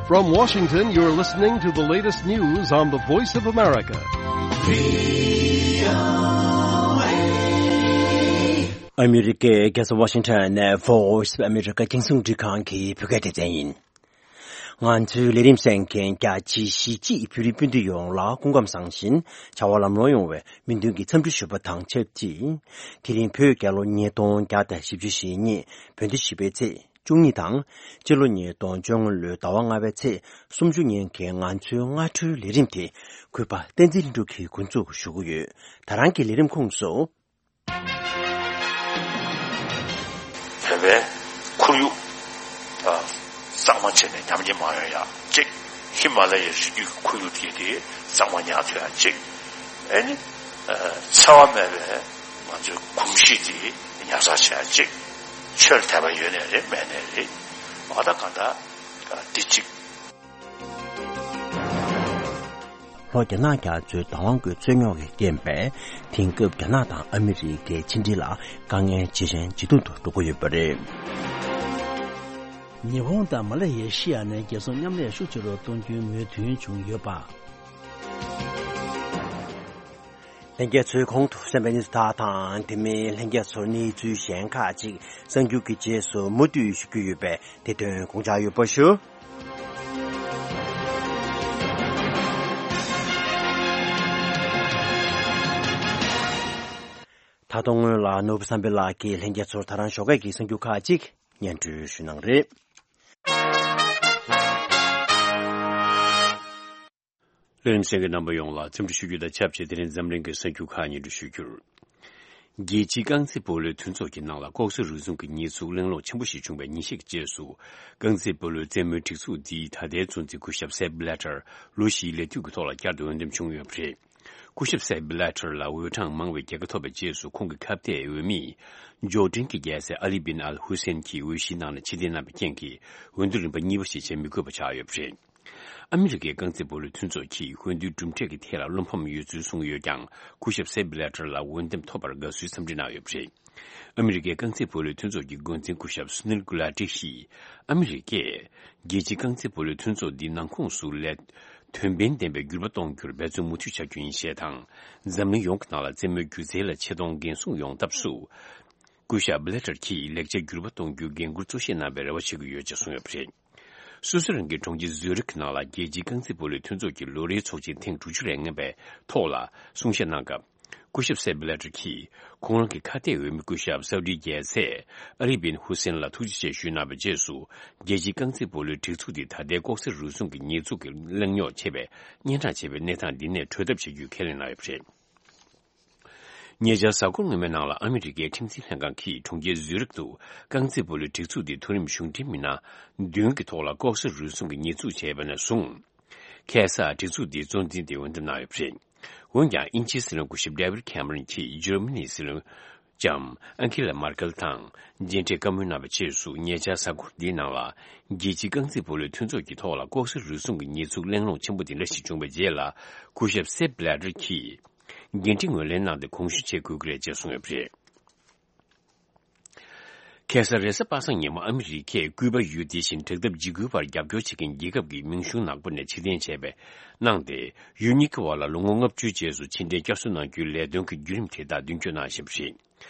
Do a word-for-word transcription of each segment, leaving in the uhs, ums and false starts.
From Washington, you're listening to the latest news on the Voice of America. ཨ་མི་རི་ཀའི་རྒྱལ་ས་ཝ་ཤིང་ཊོན་ནས་Voice of America རྒྱང་སྲིང་རླུང་འཕྲིན་ཁང་གི་བོད་སྐད་སྡེ་ཚན་ཡིན། ང་ཚོའི་ལས་རིམ་གསན་མཁན་རྒྱ་ཆེའི་གཞིས་བྱེས་བོད་རིགས་སྤུན་ཟླ་ཡོངས་ལ་སྐུ་ཁམས་བཟང་ཞིང་བྱ་བ་ལམ་ལྷོང་ཡོང་བའི་སྨོན་འདུན་གྱི་འཚམས་འདྲི་ཞུ་བ་དང་ཆབས་ཅིག་དེ་རིང་བོད་རྒྱལ་ལོ་ཉིས་སྟོང་བརྒྱ་དང་བཞི་བཅུ་ཞེ་གཉིས་བོད་ཟླ་བཞི་པའི་ཚེས་བཅུ་གཉིས་དང་། སྤྱི་ལོ་ཉིས་སྟོང་བཅོ་ལྔ་ལོའི་ཟླ་བ་ལྔ་པའི་ཚེས་སུམ་ཅུ་ཉིན་གྱི་ང་ཚོའི་སྔ་དྲོའི་ལས་རིམ་དེ་གུས་པ་བསྟན་འཛིན་ལྷུན་གྲུབ་ཀྱིས་འགོ་འཛུགས་ཞུ་གི་ཡོད། ད་རང་གི་ལས་རིམ་ཁོངས་སུ། བོད་པའི་ཁོར་ཡུག་གཙང་མ་བྱས་ནས་ཉམས་ཉེས་མ་ཡོང་ཡ་གཅིག་ཧི་མ་ལ་ཡའི་རི་རྒྱུད་ཀྱི་ཁོར་ཡུག་དེ་དེ་གཙང་མ་ཉར་ཐུབ་ཡ་གཅིག་ཨེ་ནི། འཚེ་བ་མེད་པའི་ང་ཚོའི་གོམས་གཤིས་དེ་ཉར་ཚགས་བྱེད་ཡ་གཅིག་ཆོས་ལ་དད་པ་ཡོད་ནའི་རེད་མེད་ནའི་རེད། འོ་ད་གང་ལྟར་འདི་གཅིག་ལྷོ་རྒྱ་ནག་རྒྱ་མཚོའི་བདག་དབང་གི་རྩོད་རྙོག་གི་རྐྱེན་པས། དེང་སྐབས་རྒྱ་ནག་དང་ཨ་མི་རི་ཀའི་ཕྱི་འབྲེལ་ལ་དཀའ་ངལ་ཇེ་ཞན་ཇེ་སྡུག་ཏུ་འགྲོ་གི་ཡོད་པ་རེད། ཉི་ཧོང་དང་མ་ལེ་ཡེ་ཤི་ཡ་ནས་རྒྱལ་སྲུང་མཉམ་ལས་ཤུགས་ཆེ་རུ་གཏོང་རྒྱུའི་མོས་མཐུན་བྱུང་ཡོད་པ། ལྷན་རྒྱས་ཚོས་གོང་དུ་གསན་པའི་གནས་ཚུལ་དག་དང་། དེ་མིན་ལྷན་རྒྱས་ཚོར་གནས་ཚུལ་གཞན་ཁག་ཅིག་གསར་འགྱུར་གྱི་རྗེས་སུ་མུ་མཐུད་ཞུ་རྒྱུ་ཡོད་པས། དེ་དོན་དགོངས་འཇགས་ཡོད་པ་ཞུ། ད་དུང་སྔོན་ལ་ནོར་བུ་བསམ་འཕེལ་ལགས་ཀྱིས་ལྷན་རྒྱས་ཚོར་ད་རང་ཞོགས་ཀས་ཀྱི་གསར་འགྱུར་ཁག་ཅིག་སྙན་སྒྲོན་ཞུ་གནང་རེད། ལས་རིམ་གསན་མཁན་རྣམ་པ་ཡོངས་ལ་འཚམས་འདྲི་ཞུ་རྒྱུ་དང་ཆབས་ཅིག་དེ་རིང་འཛམ་གླིང་གི་གསར་འགྱུར་ཁག་སྙན་སྒྲོན་ཞུ་རྒྱུར། རྒྱལ་སྤྱིའི་རྐང་རྩེད་སྤོ་ལོའི་མཐུན་ཚོགས་ཀྱི་ནང་ལ་ལྐོག་ཟ་རུལ་སུངས་ཀྱི་ཉེས་འཛུགས་གླེང་སློང་ཆེན་པོ་ཞིག་བྱུང་བའི་ཉིན་ཤས་ཀྱི་རྗེས་སུ། རྐང་རྩེད་སྤོ་ལོའི་རྩེད་མོའི་སྒྲིག་འཛུགས་འདིས་ད་ལྟའི་གཙོ་འཛིན་སྐུ་ཞབས་སེབ་བྷི་ལེ་ཊར་ལོ་བཞིའི་ལས་དུས་ཀྱི་ཐོག་ལ་བསྐྱར་དུ་འོས་འདེམས་བྱུང་ཡོད་པ་རེད། སྐུ་ཞབས་སེབ་བྷི་ལེ་ཊར་ལ་འོས་གྲངས་མང་བའི་རྒྱལ་ཁ་ཐོབ་པའི་རྗེས་སུ། ཁོང་གི་ཁ་གཏད་འོས་མིས་འབྱོར་འབྲིང་གི་རྒྱལ་སྲས་ཨ་ལི་བིན་ཨལ་ཧུ་སེན་གྱིས་འོས་གཞིའི་ནང་ནས་ཕྱིར་འཐེན་གནང་བའི་རྐྱེན་གྱིས། འོས་བསྡུ་རིམ་པ་གཉིས་པ་ཞིག་བྱེད་མི་དགོས་པ་ཆགས་ཡོད་པ་རེད། ཨ་མི་རི་ཀའི་རྐང་རྩེད་སྤོ་ལོའི་མཐུན་ཚོགས་ཀྱིས་འོས་བསྡུའི་གྲུབ་འབྲས་ཀྱི་ཐད་ལ་བློ་ཕམ་ཡོད་ཚུལ་གསུངས་ཡོད་ཀྱང་། སྐུ་ཞབས་སེབ་བྷི་ལེ་ཊར་ལ་འོས་འདེམས་ཐོབ་པར་དགའ་བསུའི་འཚམས་འདྲི་གནང་ཡོད་པ་རེད། ཨ་མི་རི་ཀའི་རྐང་རྩེད་སྤོ་ལོའི་མཐུན་ཚོགས་ཀྱི་འགོ་འཛིན་སྐུ་ཞབས་སུ་ནིལ་གུ་ལ་ཏི་ཡིས། ཨ་མི་རི་ཀས་རྒྱལ་སྤྱིའི་རྐང་རྩེད་སྤོ་ལོའི་མཐུན་ཚོགས་འདིའི་ནང་ཁོངས་སུ་ལས་དོན་ཕན་ལྡན་པའི་འགྱུར་བ་གཏོང་རྒྱུར་འབད་བརྩོན་མུ་མཐུད་བྱ་རྒྱུ་ཡིན་ཞེས་དང་། འཛམ་གླིང་ཡོངས་ཀྱི་ནང་ལ་རྩེད་མོའི་སྒྱུ་རྩལ་ལ་ཆེ་མཐོང་འགན་སྲུང་ཡོང་ཐབས་སུ། སྐུ་ཞབས་བྷི་ལེ་ཊར་གྱིས་ལེགས་ཆ་འགྱུར་བ་གཏོང་རྒྱུའི་འགན་འཁུར་གཙོ་ཆེ་གནང་བའི་རེ་བ་བྱེད་ཀྱི་ཡོད་ཅེས་གསུངས་ཡོད་པ་རེད། སུད་སི་རང་གི་གྲོང་ཁྱེར་ཛུ་རིག་ནང་ལ་རྒྱལ་སྤྱིའི་རྐང་རྩེད་སྤོ་ལོའི་མཐུན་ཚོགས་ཀྱི་ལོ་རེའི་ཚོགས་ཆེན་ཐེངས་དྲུག་ཅུ་རེ་ལྔ་པའི་ཐོག་ལ་གསུང་བཤད་གནང་སྐབས། སྐུ་ཞབས་སེབ་བྷི་ལེ་ཊར་གྱིས་ཁོང་རང་གི་ཁ་གཏད་འོས་མི་སྐུ་ཞབས་སའུ་ཌིའི་རྒྱལ་སྲས་ཨ་ལི་བིན་ཧུ་སེན་ལ་ཐུགས་རྗེ་ཆེ་ཞུས་གནང་བའི་རྗེས་སུ། རྒྱལ་སྤྱིའི་རྐང་རྩེད་སྤོ་ལོའི་སྒྲིག་འཛུགས་འདིས་ད་ལྟའི་ལྐོག་ཟ་རུལ་སུངས་ཀྱི་ཉེས་འཛུགས་ཀྱི་གླེང་རྙོག་ཆེ་བའི་སྙན་གྲགས་ཆེ་བའི་གནས་སྟངས་འདི་ནས་གྲོལ་ཐབས་བྱེད་རྒྱུའི་ཁས་ལེན་གནང་ཡོད་པ་རེད། ཉེ་ཆར་གཟའ་འཁོར་སྔོན་མའི་ནང་ལ་ཨ་མི་རི་ཀའི་ཁྲིམས་འཛིན་ལྷན་ཁང་གིས་གྲོང་ཁྱེར་ཛུ་རིག་ཏུ་རྐང་རྩེད་སྤོ་ལོའི་སྒྲིག་འཛུགས་འདིའི་མཐོ་རིམ་གཞུང་འབྲེལ་མི་སྣ་བདུན་གྱི་ཐོག་ལ་ལྐོག་ཟ་རུལ་སུངས་ཀྱི་ཉེས་འཛུགས་བྱས་པ་ནས་བཟུང་། ཁ་སང་སྒྲིག་འཛུགས་འདིའི་གཙོ་འཛིན་དེ་འོས་འདེམས་གནང་ཡོད་པ་རེད། འོན་ཀྱང་དབྱིན་ཇིའི་སྲིད་བློན་སྐུ་ཞབས་ཌེ་ཝིད་ཁེམ་རོན་གྱིས་འཇར་མ་ནིའི་སྲིད་བློན་ལྕམ་ཨན་ཁི་ལ་མར་ཀེལ་དང་མཇལ་འཕྲད་བཀའ་མོལ་གནང་བའི་རྗེས་སུ། ཉེ་ཆར་གཟའ་འཁོར་འདིའི་ནང་ལ་རྒྱལ་སྤྱིའི་རྐང་རྩེད་སྤོ་ལོའི་མཐུན་ཚོགས་ཀྱི་ཐོག་ལ་ལྐོག་ཟ་རུལ་སུངས་ཀྱི་ཉེས་འཛུགས་གླེང་སློང་ཆེན་པོ་འདི་འདྲ་ཞིག་བྱུང་བའི་རྗེས་ལ། སྐུ་ཞབས་སེབ་བྷི་ལེ་ཊར་གྱིས། འགན་འཁྲི་ངོས་ལེན་གནང་སྟེ་དགོངས་ཞུ་བྱེད་དགོས་ཀྱི་རེད་ཅེས་གསུངས་ཡོད་པ་རེད། ཁ་སང་རེས་གཟའ་པ་སངས་ཉིན་མོ་ཨ་མི་རི་ཀས་ཀུའུ་པ་ཡུལ་དེ་བཞིན་དྲག་འཐབ་འཇིགས་སྐུལ་བར་རྒྱབ་སྐྱོར་བྱེད་མཁན་རྒྱལ་ཁབ་ཀྱི་མིང་གཞུང་ནག་པོ་ནས་ཕྱིར་འཐེན་བྱས་པའི་གནང་སྟེ། ཡུལ་གཉིས་ཀྱི་བར་ལ་ལོ་ངོ་ལྔ་བཅུའི་རྗེས་སུ་ཕྱིར་འཐེན་བསྐྱར་གསོ་གནང་རྒྱུའི་ལས་དོན་གྱི་བརྒྱུད་རིམ་དེ་དག་མདུན་སྐྱོད་གནང་བཞིན་པ་རེད།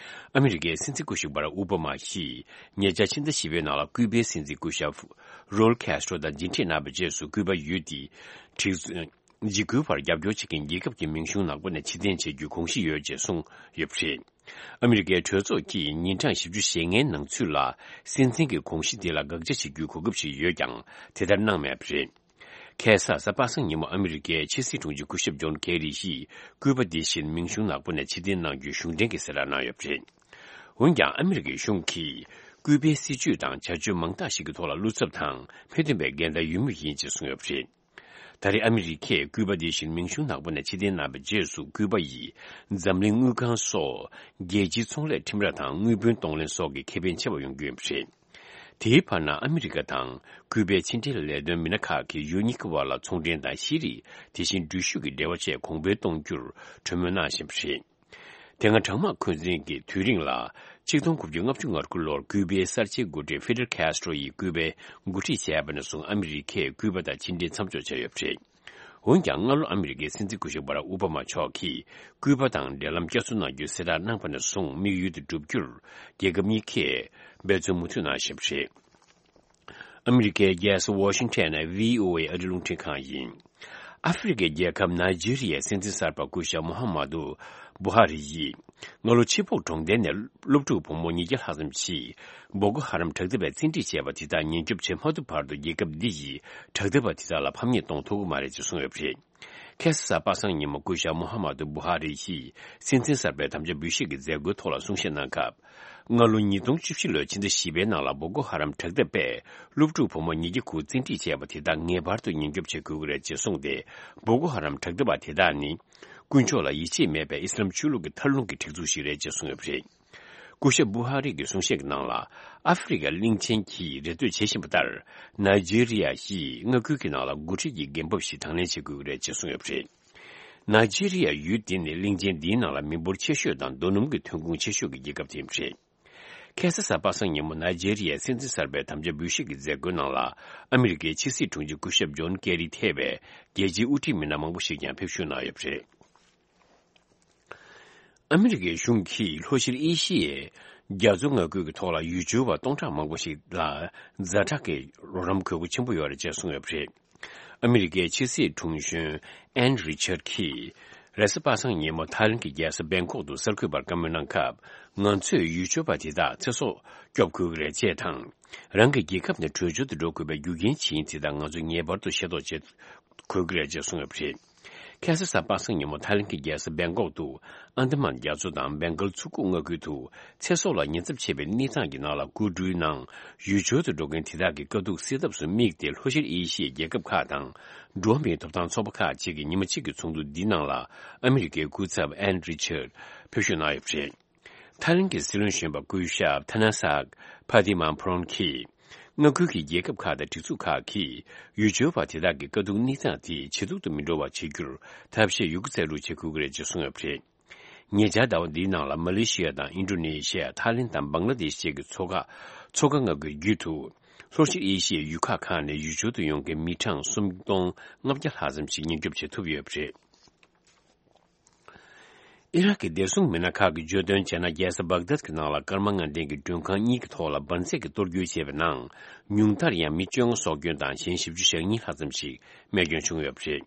ཨ་མི་རི་ཀའི་སྲིད་འཛིན་སྐུ་ཞབས་བྷ་རག་ཨོ་བྷ་མ་ཡིས་ཉེ་ཆར་ཕྱི་ཟླ་བཞི་པའི་ནང་ལ་ཀུའུ་པའི་སྲིད་འཛིན་སྐུ་ཞབས་རོལ་ཁེ་སི་ཏྲོ་དང་མཇལ་འཕྲད་གནང་བའི་རྗེས་སུ། ཀུའུ་པ་ཡུལ་དེ་འཇིགས་འཇིགས་སྐུལ་བར་རྒྱབ་སྐྱོར་བྱེད་མཁན་རྒྱལ་ཁབ་ཀྱི་མིང་གཞུང་ནག་པོ་ནས་ཕྱིར་འཐེན་བྱེད་རྒྱུའི་དགོངས་གཞི་ཡོད་ཅེས་གསུངས་ཡོད་པ་རེད། ཨ་མི་རི་ཀའི་གྲོས་ཚོགས་ཀྱིས་ཉིན་གྲངས་བཞི་བཅུ་ཞེ་ལྔའི་ནང་ཚུད་ལ་སྲིད་འཛིན་གྱི་དགོངས་གཞི་དེ་ལ་དགག་བྱ་བྱེད་རྒྱུའི་གོ་སྐབས་ཤིག་ཡོད་ཀྱང་། དེ་ལྟར་གནང་མེད་པ་རེད། ཁ་སང་གཟའ་པ་སངས་ཉིན་མོ་ཨ་མི་རི་ཀའི་ཕྱི་སྲིད་དྲུང་ཆེ་སྐུ་ཞབས་ཇོན་ཀེ་རི་ཡིས་ཀུའུ་པ་དེ་བཞིན་མིང་གཞུང་ནག་པོ་ནས་ཕྱིར་འཐེན་གནང་རྒྱུའི་གཞུང་འབྲེལ་གྱི་གསལ་བསྒྲགས་གནང་ཡོད་པ་རེད། འོན་ཀྱང་ཨ་མི་རི་ཀའི་གཞུང་གིས་ཀུའུ་པའི་སྲིད་བྱུས་དང་བྱ་སྤྱོད་མང་དག་ཞིག་གི་ཐོག་ལ་བློ་འཚབ་དང་མི་མཐུན་པའི་འགལ་ཟླ་ཡོད་མུས་ཡིན་ཅེས་གསུངས་ཡོད་པ་རེད། ད་རེས་ཨ་མི་རི་ཀས་ཀུའུ་པ་དེ་བཞིན་མིང་གཞུང་ནག་པོ་ནས་ཕྱིར་འཐེན་གནང་བའི་རྗེས་སུ། ཀུའུ་པ་ཡིས་འཛམ་གླིང་དངུལ་ཁང་སོགས་རྒྱལ་སྤྱིའི་ཚོང་ལས་ཁྲིམས་ར་དང་དངུལ་བུན་གཏོང་ལེན་སོགས་ཀྱི་ཁེ་ཕན་ཆེ་བ་ཡོང་རྒྱུ་ཡིན་པ་རེད། དེའི་བར་ན་ཨ་མི་རི་ཀ་དང་ཀུའུ་པའི་ཕྱི་འབྲེལ་ལས་དོན་མི་སྣ་ཁག་གིས་ཡུལ་གཉིས་ཀྱི་བར་ལ་ཚོང་འབྲེལ་དང་ཤེས་རིག་དེ་བཞིན་འགྲུལ་བཞུད་ཀྱི་འབྲེལ་བ་བཅས་གོང་འཕེལ་གཏོང་རྒྱུར་གྲོས་མོལ་གནང་བཞིན་པ་རེད། དེ་སྔ་གྲང་དམག་འཁོན་འཛིན་གྱི་དུས་རིང་ལ་ཆིག་སྟོང་དགུ་བརྒྱ་ལྔ་བཅུ་ང་དགུ་ལོར་ཀུའུ་པའི་གསར་བརྗེའི་འགོ་ཁྲིད་ཧྥི་ཌེལ་ཁེ་སི་ཊྲོ་ཡིས་ཀུའུ་པ་འགོ་ཁྲིད་བྱས་པ་ནས་བཟུང་ཨ་མི་རི་ཀས་ཀུའུ་པ་དང་ཕྱི་འབྲེལ་མཚམས་འཇོག་བྱས་ཡོད་པ་རེད། འོན་ཀྱང་སྔ་ལོ་ཨ་མི་རི་ཀའི་སྲིད་འཛིན་སྐུ་ཞབས་བྷ་རག་ཨོ་བྷ་མ་མཆོག་གིས་ཀུའུ་པ་དང་འབྲེལ་ལམ་བསྐྱར་གསོ་གནང་རྒྱུའི་གསལ་བསྒྲགས་གནང་བ་ནས་བཟུང་དམིགས་ཡུལ་དེ་བསྒྲུབ་རྒྱུར་རྒྱལ་ཁབ་གཉིས་ཀས་འབད་བརྩོན་མུ་མཐུད་གནང་བཞིན་པ་རེད། ཨ་མི་རི་ཀའི་རྒྱལ་ས་ཝ་ཤིང་ཊོན་ནས་བྷི་ཨོ་ཨེ་ཨ་རིའི་རླུང་འཕྲིན་ཁང་ཡིན། ཨ་ཧྥེ་རི་ཁའི་རྒྱལ་ཁབ་ནཱི་ཇི་རི་ཡའི་སྲིད་འཛིན་གསར་པ་སྐུ་ཞབས་མོ་ཧ་མ་དུ་བུ་ཧ་རི་ཡིས་སྔ་ལོ་ཕྱི་སྦོག་གྲོང་རྡལ་ནས་སློབ་ཕྲུག་བུ་མོ་ཉིས་བརྒྱ་ལྷག་ཙམ་ཞིག་བོ་ཀོ་ཧ་རམ་དྲག་འཐབ་པས་བཙན་ཁྲིད་བྱས་པ་དེ་དག་ཉེན་སྐྱོབ་བྱེད་མ་ཐུབ་བར་དུ་རྒྱལ་ཁབ་འདི་ཡིས་དྲག་འཐབ་པ་དེ་དག་ལ་ཕམ་ཉེས་གཏོང་ཐུབ་ཀྱི་མ་རེད་ཅེས་གསུངས་ཡོད་པ་རེད། ཁ་སང་གཟའ་པ་སངས་ཉིན་མོ་སྐུ་ཞབས་མོ་ཧ་མ་དུ་བུ་ཧ་རི་ཡིས་སྲིད་འཛིན་གསར་པའི་དམ་བཅའ་འབུལ་བཞེས་ཀྱི་མཛད་སྒོའི་ཐོག་ལ་གསུང་བཤད་གནང་སྐབས། སྔ་ལོ་ཉིས་སྟོང་བཅུ་བཞི་ལོའི་ཕྱི་ཟླ་བཞི་པའི་ནང་ལ་བོ་ཀོ་ཧ་རམ་དྲག་འཐབ་པས་སློབ་ཕྲུག་བུ་མོ་ཉིས་བརྒྱ་དགུ་བཙན་ཁྲིད་བྱས་པ་དེ་དག་ངེས་པར་དུ་ཉེན་སྐྱོབ་བྱེད་དགོས་ཀྱི་རེད་ཅེས་གསུངས་ཏེ། བོ་ཀོ་ཧ་རམ་དྲག་འཐབ་པ་དེ་དག་ནི། དཀོན་མཆོག་ལ་ཡིད་ཆེས་མེད་པའི་ཨི་སི་ལམ་ཆོས་ལུགས་ཀྱི་མཐར་ལྷུང་གི་སྒྲིག་འཛུགས་ཤིག་རེད་ཅེས་གསུངས་ཡོད་པ་རེད། སྐུ་ཞབས་བུ་ཧ་རི་གི་གསུང་བཤད་ཀྱི་ནང་ལ། ཨ་ཧྥེ་རི་ཁ་གླིང་ཆེན་གྱིས་རེ་ལྟོས་བྱེད་བཞིན་པ་ལྟར། ནཱི་ཇི་རི་ཡ་ཡིས་མངའ་ཁུལ་གྱི་ནང་ལ་འགོ་ཁྲིད་ཀྱི་འགན་བབ་ཞིག་དང་ལེན་བྱེད་དགོས་ཀྱི་རེད་ཅེས་གསུངས་ཡོད་པ་རེད། ནཱི་ཇི་རི་ཡ་ཡུལ་འདི་ནི་གླིང་ཆེན་འདིའི་ནང་ལ་མི་འབོར་ཆེ་ཤོས་དང་རྡོ་སྣུམ་གྱི་ཐོན་ཁུངས་ཆེ་ཤོས་ཀྱི་རྒྱལ་ཁབ་དེ་ཡིན་པ་རེད། ཁ་སང་གཟའ་པ་སངས་ཉིན་མོ་ནཱི་ཇི་རི་ཡའི་སྲིད་འཛིན་གསར་པའི་དམ་བཅའ་འབུལ་བཞེས་ཀྱི་མཛད་སྒོའི་ནང་ལ་ཨ་མི་རི་ཀའི་ཕྱི་སྲིད་དྲུང་ཆེ་སྐུ་ཞབས་ཇོན་ཀེ་རི་ཐེ་བའི་རྒྱལ་སྤྱིའི་དབུ་ཁྲིད་མི་སྣ་མང་པོ་ཞིག་ཀྱང་ཕེབས་ཞུགས་གནང་ཡོད་པ་རེད། ཨ་མི་རི་ཀའི་གཞུང་གིས་ལྷོ་ཤར་ཨེ་ཤི་ཡའི་རྒྱ་མཚོ་མངའ་ཁུལ་གྱི་ཐོག་ལ་ཡུལ་སྐྱོར་བ་སྟོང་ཕྲག་མང་པོ་ཞིག་ལ་ཛ་དྲག་གི་རོགས་རམ་དགོས་མཁོ་ཆེན་པོ་ཡོད་རེད་ཅེས་གསུངས་ཡོད་པ་རེད། ཨ་མི་རི་ཀའི་ཕྱི་སྲིད་དྲུང་གཞོན་ཨན་རི་ཆར་གྱིས་རེས་གཟའ་པ་སངས་ཉིན་མོ་ཐའི་ལེན་གྱི་རྒྱལ་ས་བེང་ཀོག་ཏུ་གསར་འགོད་པར་བཀའ་མོལ་གནང་སྐབས། ང་ཚོས་ཡུལ་སྐྱོར་བ་དེ་དག་ཚེ་སྲོག་སྐྱོབ་དགོས་ཀྱི་རེད་ཅེས་དང་། རང་གི་རྒྱལ་ཁབ་ནས་བྲོས་བྱོལ་དུ་འགྲོ་དགོས་པའི་རྒྱུ་རྐྱེན་ཇི་ཡིན་དེ་དག་ང་ཚོས་ངེས་པར་དུ་ཤེས་རྟོགས་བྱེད་དགོས་ཀྱི་རེད་ཅེས་གསུངས་ཡོད་པ་རེད། ཁ་སང་གཟའ་པ་སངས་ཉིན་མོ་ཐའི་ལེན་གྱི་རྒྱལ་ས་བེང་ཀོག་ཏུ་ཨན་ད་མན་རྒྱ་མཚོ་དང་བེང་གལ་མཚོ་ཁུག་མངའ་ཁུལ་དུ་ཚེ་སྲོག་ལ་ཉེན་ཚབས་ཆེ་བའི་གནས་སྟངས་ཀྱི་ནང་ལ་སྐུ་འཁྲུངས་ནང་ཡུལ་སྐྱོར་དུ་འགྲོ་མཁན་དེ་དག་གི་དཀའ་སྡུག་སེལ་ཐབས་སུ་དམིགས་ཏེ་ལྷོ་ཤར་ཨེ་ཤི་ཡའི་རྒྱལ་ཁབ་ཁག་དང་འགྲོ་བ་མིའི་ཐོབ་ཐང་ཚོགས་པ་ཁག་ཅིག་གིས་ཉི་མ་གཅིག་གི་ཚོགས་འདུ་འདིའི་ནང་ལ་ཨ་མི་རི་ཀའི་སྐུ་ཚབ་ཨན་རི་ཆར་ཕེབས་ཞུགས་གནང་ཡོད་པ་རེད། ཐའི་ལེན་གྱི་སྲིད་བློན་གཞོན་པ་སྐུ་ཞབས་ཐ་ན་སག་ཕ་ཏི་མ་ཕོ་རོན་གྱིས། མངའ་ཁུལ་གྱི་རྒྱལ་ཁབ་ཁག་དང་སྒྲིག་འཛུགས་ཁག་གིས་ཡུལ་སྐྱོར་བ་དེ་དག་གི་དཀའ་སྡུག་གནས་སྟངས་དེ་ཇེ་སྡུག་ཏུ་མི་འགྲོ་བ་བྱེད་རྒྱུར་ཐབས་ཤེས་ཡོད་རྒུ་རྩལ་སྤྲུགས་བྱེད་དགོས་ཀྱི་རེད་ཅེས་གསུངས་ཡོད་པ་རེད། ཉེ་ཆར་ཟླ་བ་འདིའི་ནང་ལ་མ་ལེ་ཤི་ཡ་དང་ཨིན་ཌོ་ནེ་ཤི་ཡ། ཐའི་ལེན་དང་བང་ལ་དེཤ་བཅས་ཀྱི་མཚོ་ཁ་མཚོ་ཁ་མངའ་ཁུལ་བརྒྱུད་དུ་ལྷོ་ཤར་ཨེ་ཤི་ཡའི་ཡུལ་ཁག་ཁག་ནས་ཡུལ་སྐྱོར་དུ་ཡོང་མཁན་མི་གྲངས་སུམ་སྟོང་ལྔ་བརྒྱ་ལྷག་ཙམ་ཞིག་ཉེན་སྐྱོབ་བྱེད་ཐུབ་ཡོད་པ་རེད། ཨི་རག་གི་བདེ་སྲུང་མི་སྣ་ཁག་གིས་བརྗོད་དོན་བྱས་ན། རྒྱལ་ས་བག་དད་ཀྱི་ནང་ལ་སྐར་མ་ལྔ་ལྡན་གྱི་མགྲོན་ཁང་གཉིས་ཀྱི་ཐོག་ལ་འབར་རྫས་ཀྱི་གཏོར་སྐྱོན་བྱས་པའི་ནང་། ཉུང་མཐར་ཡང་མི་བཅོ་ལྔ་སྲོག་སྐྱོན་དང་གཞན་བཞི་བཅུ་ཞེ་གཉིས་ལྷག་ཙམ་ཞིག་རྨས་སྐྱོན་བྱུང་ཡོད་པ་རེད།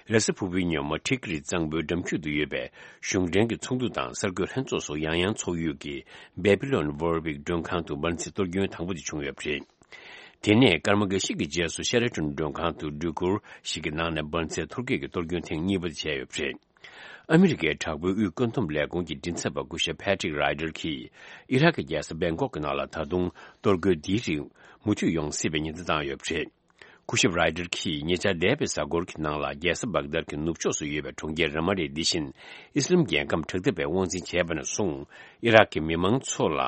རེས་གཟའ་ཕུར་བུའི་ཉིན་མོ་ཊིག་རི་གཙང་པོའི་འགྲམ་རྒྱུད་དུ་ཡོད་པའི་གཞུང་འབྲེལ་གྱི་ཚོགས་འདུ་དང་གསར་འགོད་ལྷན་ཚོགས་སོགས་ཡང་ཡང་ཚོགས་ཡུལ་གྱི་Babylon Warwick མགྲོན་ཁང་དུ་འབར་རྫས་གཏོར་སྐྱོན་དང་པོ་དེ་བྱུང་ཡོད་པ་རེད། དེ་ནས་སྐར་མ་འགའ་ཤས་ཀྱི་རྗེས་སུ་ཤེ་ར་ཊོན་མགྲོན་ཁང་དུ་སྒྲིག་སྐོར་ཞིག་གི་ནང་ནས་འབར་རྫས་གཏོར་སྐྱོན་གྱི་གཏོར་སྐྱོན་ཐེངས་གཉིས་པ་དེ་བྱས་ཡོད་པ་རེད། ཨ་མི་རི་ཀའི་དྲག་པོའི་དབུས་བཀོད་འདོམས་ལས་ཁུངས་ཀྱི་མགྲིན་ཚབ་པ་སྐུ་ཞབས་Patrick Ryder གྱིས་ཨི་རག་གི་རྒྱལ་ས་བེང་ཀོག་གི་ནང་ལ་ད་དུང་གཏོར་རྒོལ་འདིའི་རིགས་མུ་མཐུད་ཡོང་སྲིད་པའི་ཉེན་བརྡ་བཏང་ཡོད་པ་རེད། སྐུ་ཞབས་Ryder གྱིས་ཉེ་ཆར་འདས་པའི་གཟའ་འཁོར་གྱི་ནང་ལ་རྒྱལ་ས་བག་དར་གྱི་ནུབ་ཕྱོགས་སུ་ཡོད་པའི་གྲོང་ཁྱེར་ར་མ་ལིའི་འདི་བཞིན་ཨི་སི་ལམ་རྒྱལ་ཁམས་དྲག་འཐབ་པས་དབང་འཛིན་བྱས་པ་ནས་བཟུང་ཨི་རག་གི་མི་མང་ཚོ་ལ་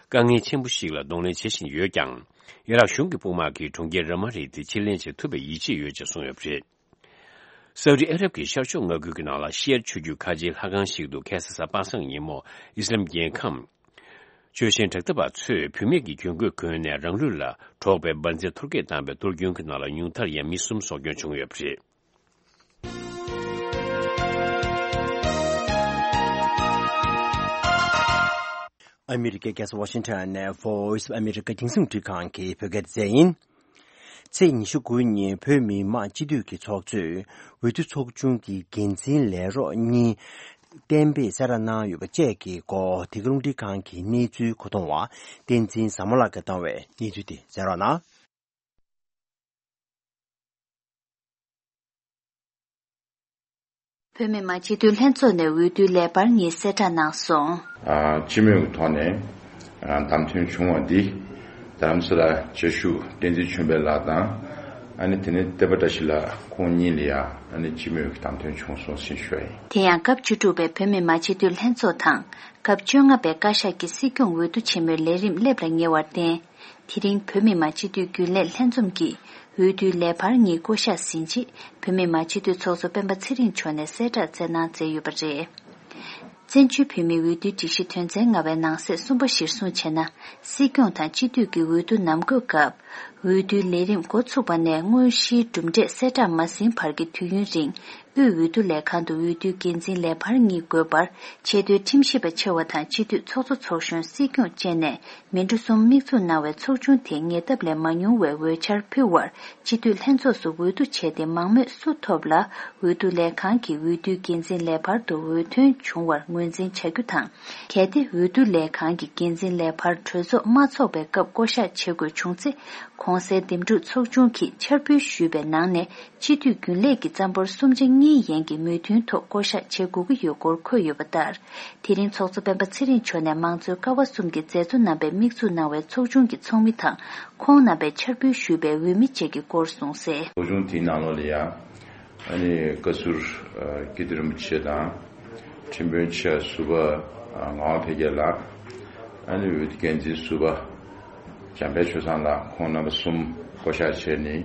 དཀའ་ངལ་ཆེན་པོ་ཞིག་ལ་གདོང་ལེན་བྱེད་བཞིན་ཡོད་ཀྱང་། ཨི་རག་གཞུང་གི་དཔུང་དམག་གིས་གྲོང་ཁྱེར་ར་མ་ལི་དེ་ཕྱིར་ལེན་བྱེད་ཐུབ་པའི་ཡིད་ཆེས་ཡོད་ཅེས་གསུངས་ཡོད་པ་རེད། སའུ་ཏི་ཨ་རབ་ཀྱི་ཤར་ཕྱོགས་མངའ་ཁུལ་གྱི་ནང་ལ་ཤི་ཡ་ཆོས་བརྒྱུད་ཁ་ཆེའི་ལྷ་ཁང་ཞིག་ཏུ་ཁ་སང་གཟའ་པ་སངས་ཉིན་མོ་ཨི་སི་ལམ་རྒྱལ་ཁམས་ཆོས་གཞན་དྲག་འཐབ་པ་ཚོས་བུད་མེད་ཀྱི་གྱོན་གོས་གོན་ནས་རང་ལུས་ལ་གྲོགས་པའི་འབར་རྫས་གཏོར་སྐྱོན་བཏང་བའི་གཏོར་སྐྱོན་གྱི་ནང་ལ་ཉུང་མཐར་ཡང་མི་གསུམ་སྲོག་སྐྱོན་བྱུང་ཡོད་པ་རེད། ཨ་མི་རི་ཀའི་རྒྱལ་ས་ཝ་ཤིང་ཊོན་ནས་Voice of America རྒྱང་སྲིང་འཕྲིན་ཁང་གི་བོད་སྐད་སྡེ་ཚན་ཡིན། ཚེས་ཉི་ཤུ་དགུ་ཉིན་བོད་མི་མང་སྤྱི་འཐུས་ཀྱི་ཚོགས་གཙོས་འོས་བསྡུ་ཚོགས་ཆུང་གི་འགན་འཛིན་ལས་རོགས་གཉིས་གཏན་འབེབས་གསལ་བསྒྲགས་གནང་ཡོད་པ་བཅས་ཀྱི་སྐོར་དེ་ག་རླུང་འཕྲིན་ཁང་གི་གནས་ཚུལ་མཁོ་གཏོང་བ་བསྟན་འཛིན་བཟང་མོ་ལགས་ཀྱིས་བཏང་བའི་གནས་ཚུལ་དེ་གསན་རོགས་གནང་། བོད་མི་མང་སྤྱི་འཐུས་ལྷན་ཚོགས་ནས་འོས་བསྡུའི་ལས་འཕར་གཉིས་གསལ་བསྒྲགས་གནང་སོང་། ཨ། སྤྱི་མོས་ཀྱི་ཐོག་ནས་ཨ་བདམས་ཐོན་བྱུང་བ་འདི་རྡ་རམ་ས་ལ་བཅའ་བཞུགས་བསྟན་འཛིན་ཆོས་འཕེལ་ལགས་དང་། ཨ་ནི་དེ་ནས་བསྟན་པ་བཀྲ་ཤིས་ལགས་ཁོང་གཉིས་ལ་ཡང་ཨ་ནི་སྤྱི་མོས་ཀྱི་བདམས་ཐོན་བྱུང་སོང་ཞེས་ཞུ་བ་ཡིན། དེ་ཡང་སྐབས་བཅུ་དྲུག་པའི་བོད་མི་མང་སྤྱི་འཐུས་ལྷན་ཚོགས་དང་། སྐབས་བཅོ་ལྔ་པའི་བཀའ་ཤག་གི་སྲིད་སྐྱོང་འོས་བསྡུ་ཆེན་མོའི་ལས་རིམ་སླེབས་ལ་ཉེ་བར་བརྟེན། དེ་རིང་བོད་མི་མང་སྤྱི་འཐུས་རྒྱུན་ལས་ལྷན་འཛོམས་ཀྱིས་འོས་བསྡུའི་ལས་འཕར་གཉིས་བསྐོ་གཞག་ཟིན་རྗེས། བོད་མི་མང་སྤྱི་འཐུས་ཚོགས་གཙོ་སྤེན་པ་ཚེ་རིང་མཆོག་ནས་གསལ་བསྒྲགས་སྩལ་གནང་མཛད་ཡོད་པ་རེད། བཙན་བྱོལ་བོད་མིའི་འོས་བསྡུའི་སྒྲིག་གཞི་དོན་ཚན་ལྔ་པའི་ནང་གསེས་གསུམ་པ་གཞིར་བཟུང་བྱས་ན། སྲིད་སྐྱོང་དང་སྤྱི་འཐུས་ཀྱི་འོས་བསྡུ་ནམ་འགོད་སྐབས། འོས་བསྡུའི་ལས་རིམ་འགོ་ཚུགས་པ་ནས་དངོས་གཞིའི་གྲུབ་འབྲས་གསལ་བསྒྲགས་མ་ཟིན་བར་གྱི་དུས་ཡུན་རིང་། དབུས་འོས་བསྡུ་ལས་ཁང་དུ་འོས་བསྡུའི་འགན་འཛིན་ལས་འཕར་གཉིས་དགོས་པར། ཆེས་མཐོའི་ཁྲིམས་ཞིབ་པ་ཆེ་བ་དང་སྤྱི་འཐུས་ཚོགས་གཙོ་ཚོགས་གཞོན། སྲིད་སྐྱོང་བཅས་ནས། མི་འགྲོ་གསུམ་དམིགས་འཛུགས་གནང་བའི་ཚོགས་ཆུང་དེས་ཉེ་འདབས་ལས་མ་ཉུང་བའི་འོས་འཆར་ཕུལ་བར། སྤྱི་འཐུས་ལྷན་ཚོགས་སུ་འོས་བསྡུ་བྱས་ཏེ། མང་མོས་སུ་ཐོབ་ལ། འོས་བསྡུ་ལས་ཁང་གིས་འོས་བསྡུའི་འགན་འཛིན་ལས་འཕར་དུ་འོས་ཐོན་བྱུང་བར་ངོས་འཛིན་བྱ་རྒྱུ་དང་། གལ་ཏེ་འོས་བསྡུ་ལས་ཁང་གི་འགན་འཛིན་ལས་འཕར་གྲོས་ཚོགས་མ་འཚོགས་པའི་སྐབས་བསྐོ་གཞག་བྱེད་དགོས་བྱུང་ཚེ། གོང་གསལ་འདེམས་སྒྲུག་ཚོགས་ཆུང་གིས་འཆར་འབུལ་ཞུས་པའི་ནང་ནས། སྤྱི་འཐུས་རྒྱུན་ལས་ཀྱི་རྩ་འབོར་གསུམ་ཆ་གཉིས་ཡན་གྱི་མོས་མཐུན་ཐོག་བསྐོ་གཞག་བྱེད་དགོས་ཀྱི་ཡོད་སྐོར་འཁོད་ཡོད་པ་ལྟར། དེ་རིང་ཚོགས་གཙོ་སྤེན་པ་ཚེ་རིང་མཆོག་ནས་མང་གཙོའི་ཀ་བ་གསུམ་གྱི་མཛད་གཙོ་རྣམ་པས་དམིགས་འཛུགས་གནང་བའི་ཚོགས་ཆུང་གི་ཚོགས་མི་དང་། ཁོང་རྣམ་པས་འཆར་འབུལ་ཞུས་པའི་འོས་མི་བཅས་ཀྱི་སྐོར་གསུངས་གསལ། ཚོགས་ཆུང་དེའི་ནང་ལོགས་ལ་ཡང་། ཨ་ནི་བཀའ་ཟུར་ཨ་སྐྱིད་སྡུག་རིན་པོ་ཆེ་དང་། ཁྲིམས་དཔོན་ཆེ་ཟུར་པ་ཨ་ངག་དབང་འཕེལ་རྒྱས་ལགས། ཨ་ནི་འོས་བསྡུ་འགན་འཛིན་ཟུར་པ་འཇམ་དཔལ་ཆོས་བཟང་ལགས། ཁོང་རྣམ་པ་གསུམ་བསྐོ་གཞག་བྱས་ནས།